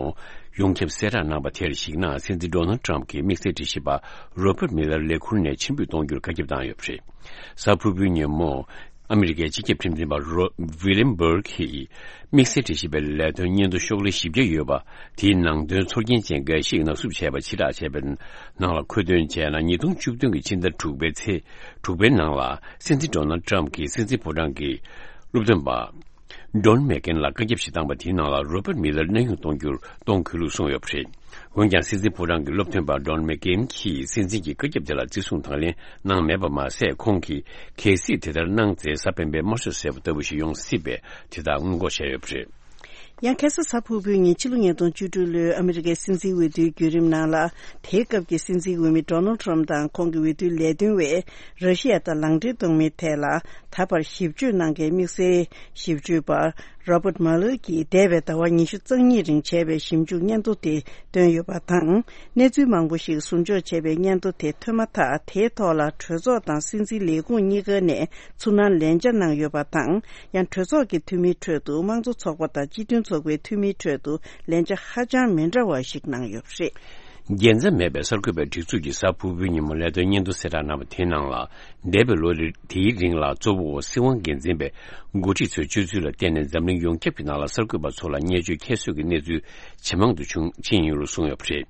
ཡོངས་ཁྱབ་གསལ་བསྒྲགས་གནང་པ་དེར་གཞིགས་ན། སྲིད་འཛིན་Donald Trump གྱིས་དམིགས་བསལ་དྲི་ཞིབ་པ་Robert Mueller ལས་ཁུར་ནས་ཕྱིར་འབུད་གཏོང་རྒྱུར་བཀའ་ཁྱབ་བཏང་ཡོད་པ་རེད། གཟའ་ཕུར་བུའི་ཉིན་མོ། ཨ་མི་རི་ཀའི་སྤྱི་ཁྱབ་ཁྲིམས་འཛིན་པ་རོ། William Barr གྱིས་དམིགས་བསལ་དྲི་ཞིབ་པའི་ལས་དོན་སྙན་ཐོ་ཤོག་ལྷེ་བཞི་བརྒྱ་ཡོད་པ་དེའི་ནང་དོན་ཚོར་སྐྱེན་ཅན་འགའ་ཞིག་ནག་བསུབ་བྱས་པ་ཕྱིར་བསྒྲགས་བྱས་པའི་ནང་ལ་མཁོ་འདོན་བྱས་ན། ཉིས་སྟོང་བཅུ་བདུན་གྱི་ཕྱི་ཟླ་དྲུག་པའི་ཚེས་དྲུག་པའི་ནང་ལ་སྲིད་འཛིན་Donald Trump གྱིས་སྲིད་འཛིན་ཕོ་བྲང་གི་སློབ་སྟོན་པ་Don McGahn ལ་བཀའ་ཁྱབ་ཞིག་བཏང་པ་དེའི་ནང་ལ་Robert Mueller གནས་དབྱུང་གཏོང་རྒྱུར་གཏོང་དགོས་ལུགས་གསུངས་ཡོད་པ་རེད། འོན་ཀྱང་སྲིད་འཛིན་ཕོ་བྲང་གི་སློབ་སྟོན་པ་Don McGahn གྱིས་སྲིད་འཛིན་གྱི་བཀའ་ཁྱབ་དེ་ལ་བརྩི་སྲུང་དང་ལེན་གནང་མེད་པ་མ་ཟད། ཁོང་གིས་གལ་སྲིད་དེ་ལྟར་གནང་ཚེ་གཟའ་སྤེན་པའི་དམར་གསོད་ཟེར་བ་ལྟ་བུ་ཞིག་ཡོང་སྲིད་པས། དེ་དག་སྔོན་འགོག་བྱས་ཡོད་པ་རེད། ཡང་ཁ་སང་གཟའ་ཕུར་བུའི་ཉིན་ཕྱི་ལོ་ཉིས་སྟོང་བཅུ་དྲུག་ལོའི་ཨ་མི་རི་ཀའི་སྲིད་འཛིན་འོས་བསྡུའི་བརྒྱུད་རིམ་ནང་ལ། དེའི་སྐབས་ཀྱི་སྲིད་འཛིན་འོས་མི་Donald Trump དང་ཁོང་གི་འོས་བསྡུའི་ལས་དོན་པས་ར་ཤི་ཡ་དང་ལག་འབྲེལ་གཏོང་མིན་ཐད་ལ་ད་བར་ཞིབ་དཔྱོད་གནང་མཁན་དམིགས་བསལ་ཞིབ་དཔྱོད་པ་Robert Mueller གྱིས་འདས་པའི་ཟླ་བ་ཉི་ཤུ་རྩ་གཉིས་རིང་བྱས་པའི་ཞིབ་འཇུག་སྙན་ཐོ་དེ་བཏོན་ཡོད་པ་དང་། གནས་ཚུལ་མང་པོ་ཞིག་ཟུར་འཇོག་བྱས་པའི་སྙན་ཐོ་དེ་ཐོན་མ་ཐག་དེའི་ཐོག་ལ་གྲོས་ཚོགས་དང་སྲིད་འཛིན་ལས་ཁུངས་གཉིས་ཀ་ནས་ཚུར་སྣང་ལན་ཆ་གནང་ཡོད་པ་དང་། ཡང་གྲོས་ཚོགས་ཀྱི་འཐུས་མིའི་ཁྲོད་དུ་དམངས་གཙོ་ཚོགས་པ་དང་སྤྱི་མཐུན་ཚོགས་པའི་འཐུས་མིའི་ཁྲོད་དུ་ལན་ཆ་ཧ་ཅང་མི་འདྲ་བ་ཞིག་གནང་ཡོད་པ་རེད། རྒྱལ་མཚམས་མེད་པའི་གསར་འགོད་པའི་སྒྲིག་འཛུགས་ཀྱིས་གཟའ་ཕུར་བུའི་ཉིན་མོ་ལས་དོན་སྙན་ཐོ་གསལ་བསྒྲགས་གནང་བ་དེའི་ནང་ལ། འདས་པའི་ལོ་དེའི་རིང་ལ་གཙོ་བོ་སྲིད་དབང་སྒེར་འཛིན་པའི་འགོ་ཁྲིད་ཚོའི་སྤྱོད་ཚུལ་ལ་བརྟེན་ནས་འཛམ་གླིང་ཡོངས་ཁྱབ་ཀྱི་ནང་ལ་གསར་འགོད་པ་ཚོ་ལ་བརྙས་བཅོས་ཁྱད་གསོད་ཀྱི་གནས་ཚུལ་ཇེ་མང་དུ་བྱུང་ཕྱིན་ཡོད་ལུགས་གསུངས་ཡོད་པ་རེད།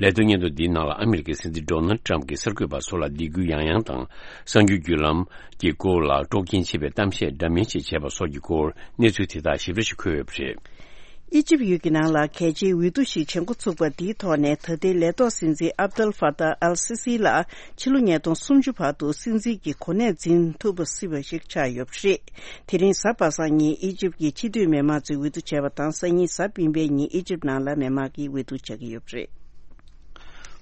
ལས་དོན་སྙན་ཐོ་འདིའི་ནང་ལ་ཨ་མི་རི་ཀའི་སྲིད་འཛིན་Donald Trump གྱིས་གསར་འགོད་པ་ཚོ་ལ་སྡིགས་སྐུལ་ཡང་ཡང་དང་། གསར་འགྱུར་བརྒྱུད་ལམ་གྱི་སྐོར་ལ་དཀྲོག་རྐྱེན་ཆེ་བའི་གཏམ་བཤད་འདྲ་མིན་ཞིག་བྱས་པ་སོགས་ཀྱི་སྐོར་གནས་ཚུལ་དེ་དག་ཞིབ་ཕྲ་ཞིག་འཁོད་ཡོད་པ་རེད། ཨི་ཇིབ་ཡུལ་གྱི་ནང་ལ་གལ་ཆེའི་འོས་བསྡུ་ཞིག་བྱེད་འགོ་ཚུགས་པ་འདིའི་ཐོག་ནས་ད་ལྟའི་ལས་ཐོག་སྲིད་འཛིན་ཨབ་དལ་ཧྥ་ཏཱ་ཨལ་སི་སི་ལ་ཕྱི་ལོ་ཉིས་སྟོང་སུམ་ཅུ་བར་དུ་སྲིད་འཛིན་གྱི་གོ་གནས་འཛིན་ཐུབ་པ་སྲིད་པ་ཞིག་ཆགས་ཡོད་པ་རེད། དེ་རིང་གཟའ་པ་སངས་ཉིན་ཨི་ཇིབ་ཀྱི་སྤྱི་འཐུས་མི་མང་ཚོས་འོས་བསྡུ་བྱས་པ་དང་། སང་ཉིན་གཟའ་སྤེན་པའི་ཉིན་ཨི་ཇིབ་ནང་ལ་མི་མང་གིས་འོས་བསྡུ་བྱེད་ཀྱི་ཡོད་པ་རེད།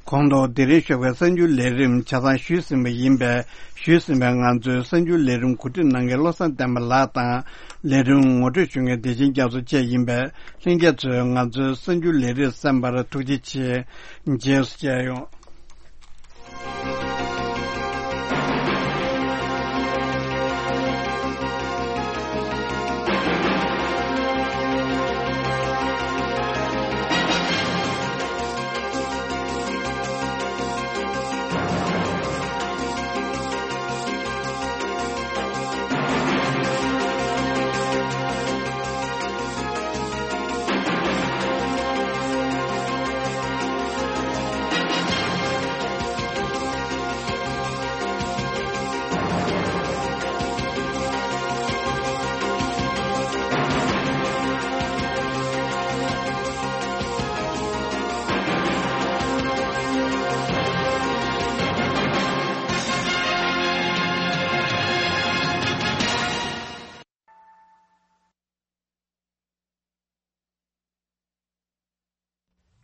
གོང་དུ་དེ་རིང་ཞོགས་པའི་གསར་འགྱུར་ལས་རིམ་ཆ་ཚང་ཞུས་ཟིན་པ་ཡིན་པས། ཞུས་ཟིན་པའི་ང་ཚོའི་གསར་འགྱུར་ལས་རིམ་གོ་སྒྲིག་གནང་མཁན་བློ་བཟང་བསྟན་པ་ལགས་དང་། ལས་རིམ་ངོ་སྤྲོད་ཞུ་མཁན་བདེ་ཆེན་རྒྱ་མཚོ་བཅས་ཡིན་པས། ལྷན་རྒྱས་ཚོས་ང་ཚོའི་གསར་འགྱུར་ལས་རིམ་གསན་པར་ཐུགས་རྗེ་ཆེ། རྗེས་སུ་མཇལ་ཡོང་།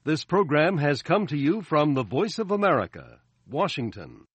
This program has come to you from the Voice of America, Washington.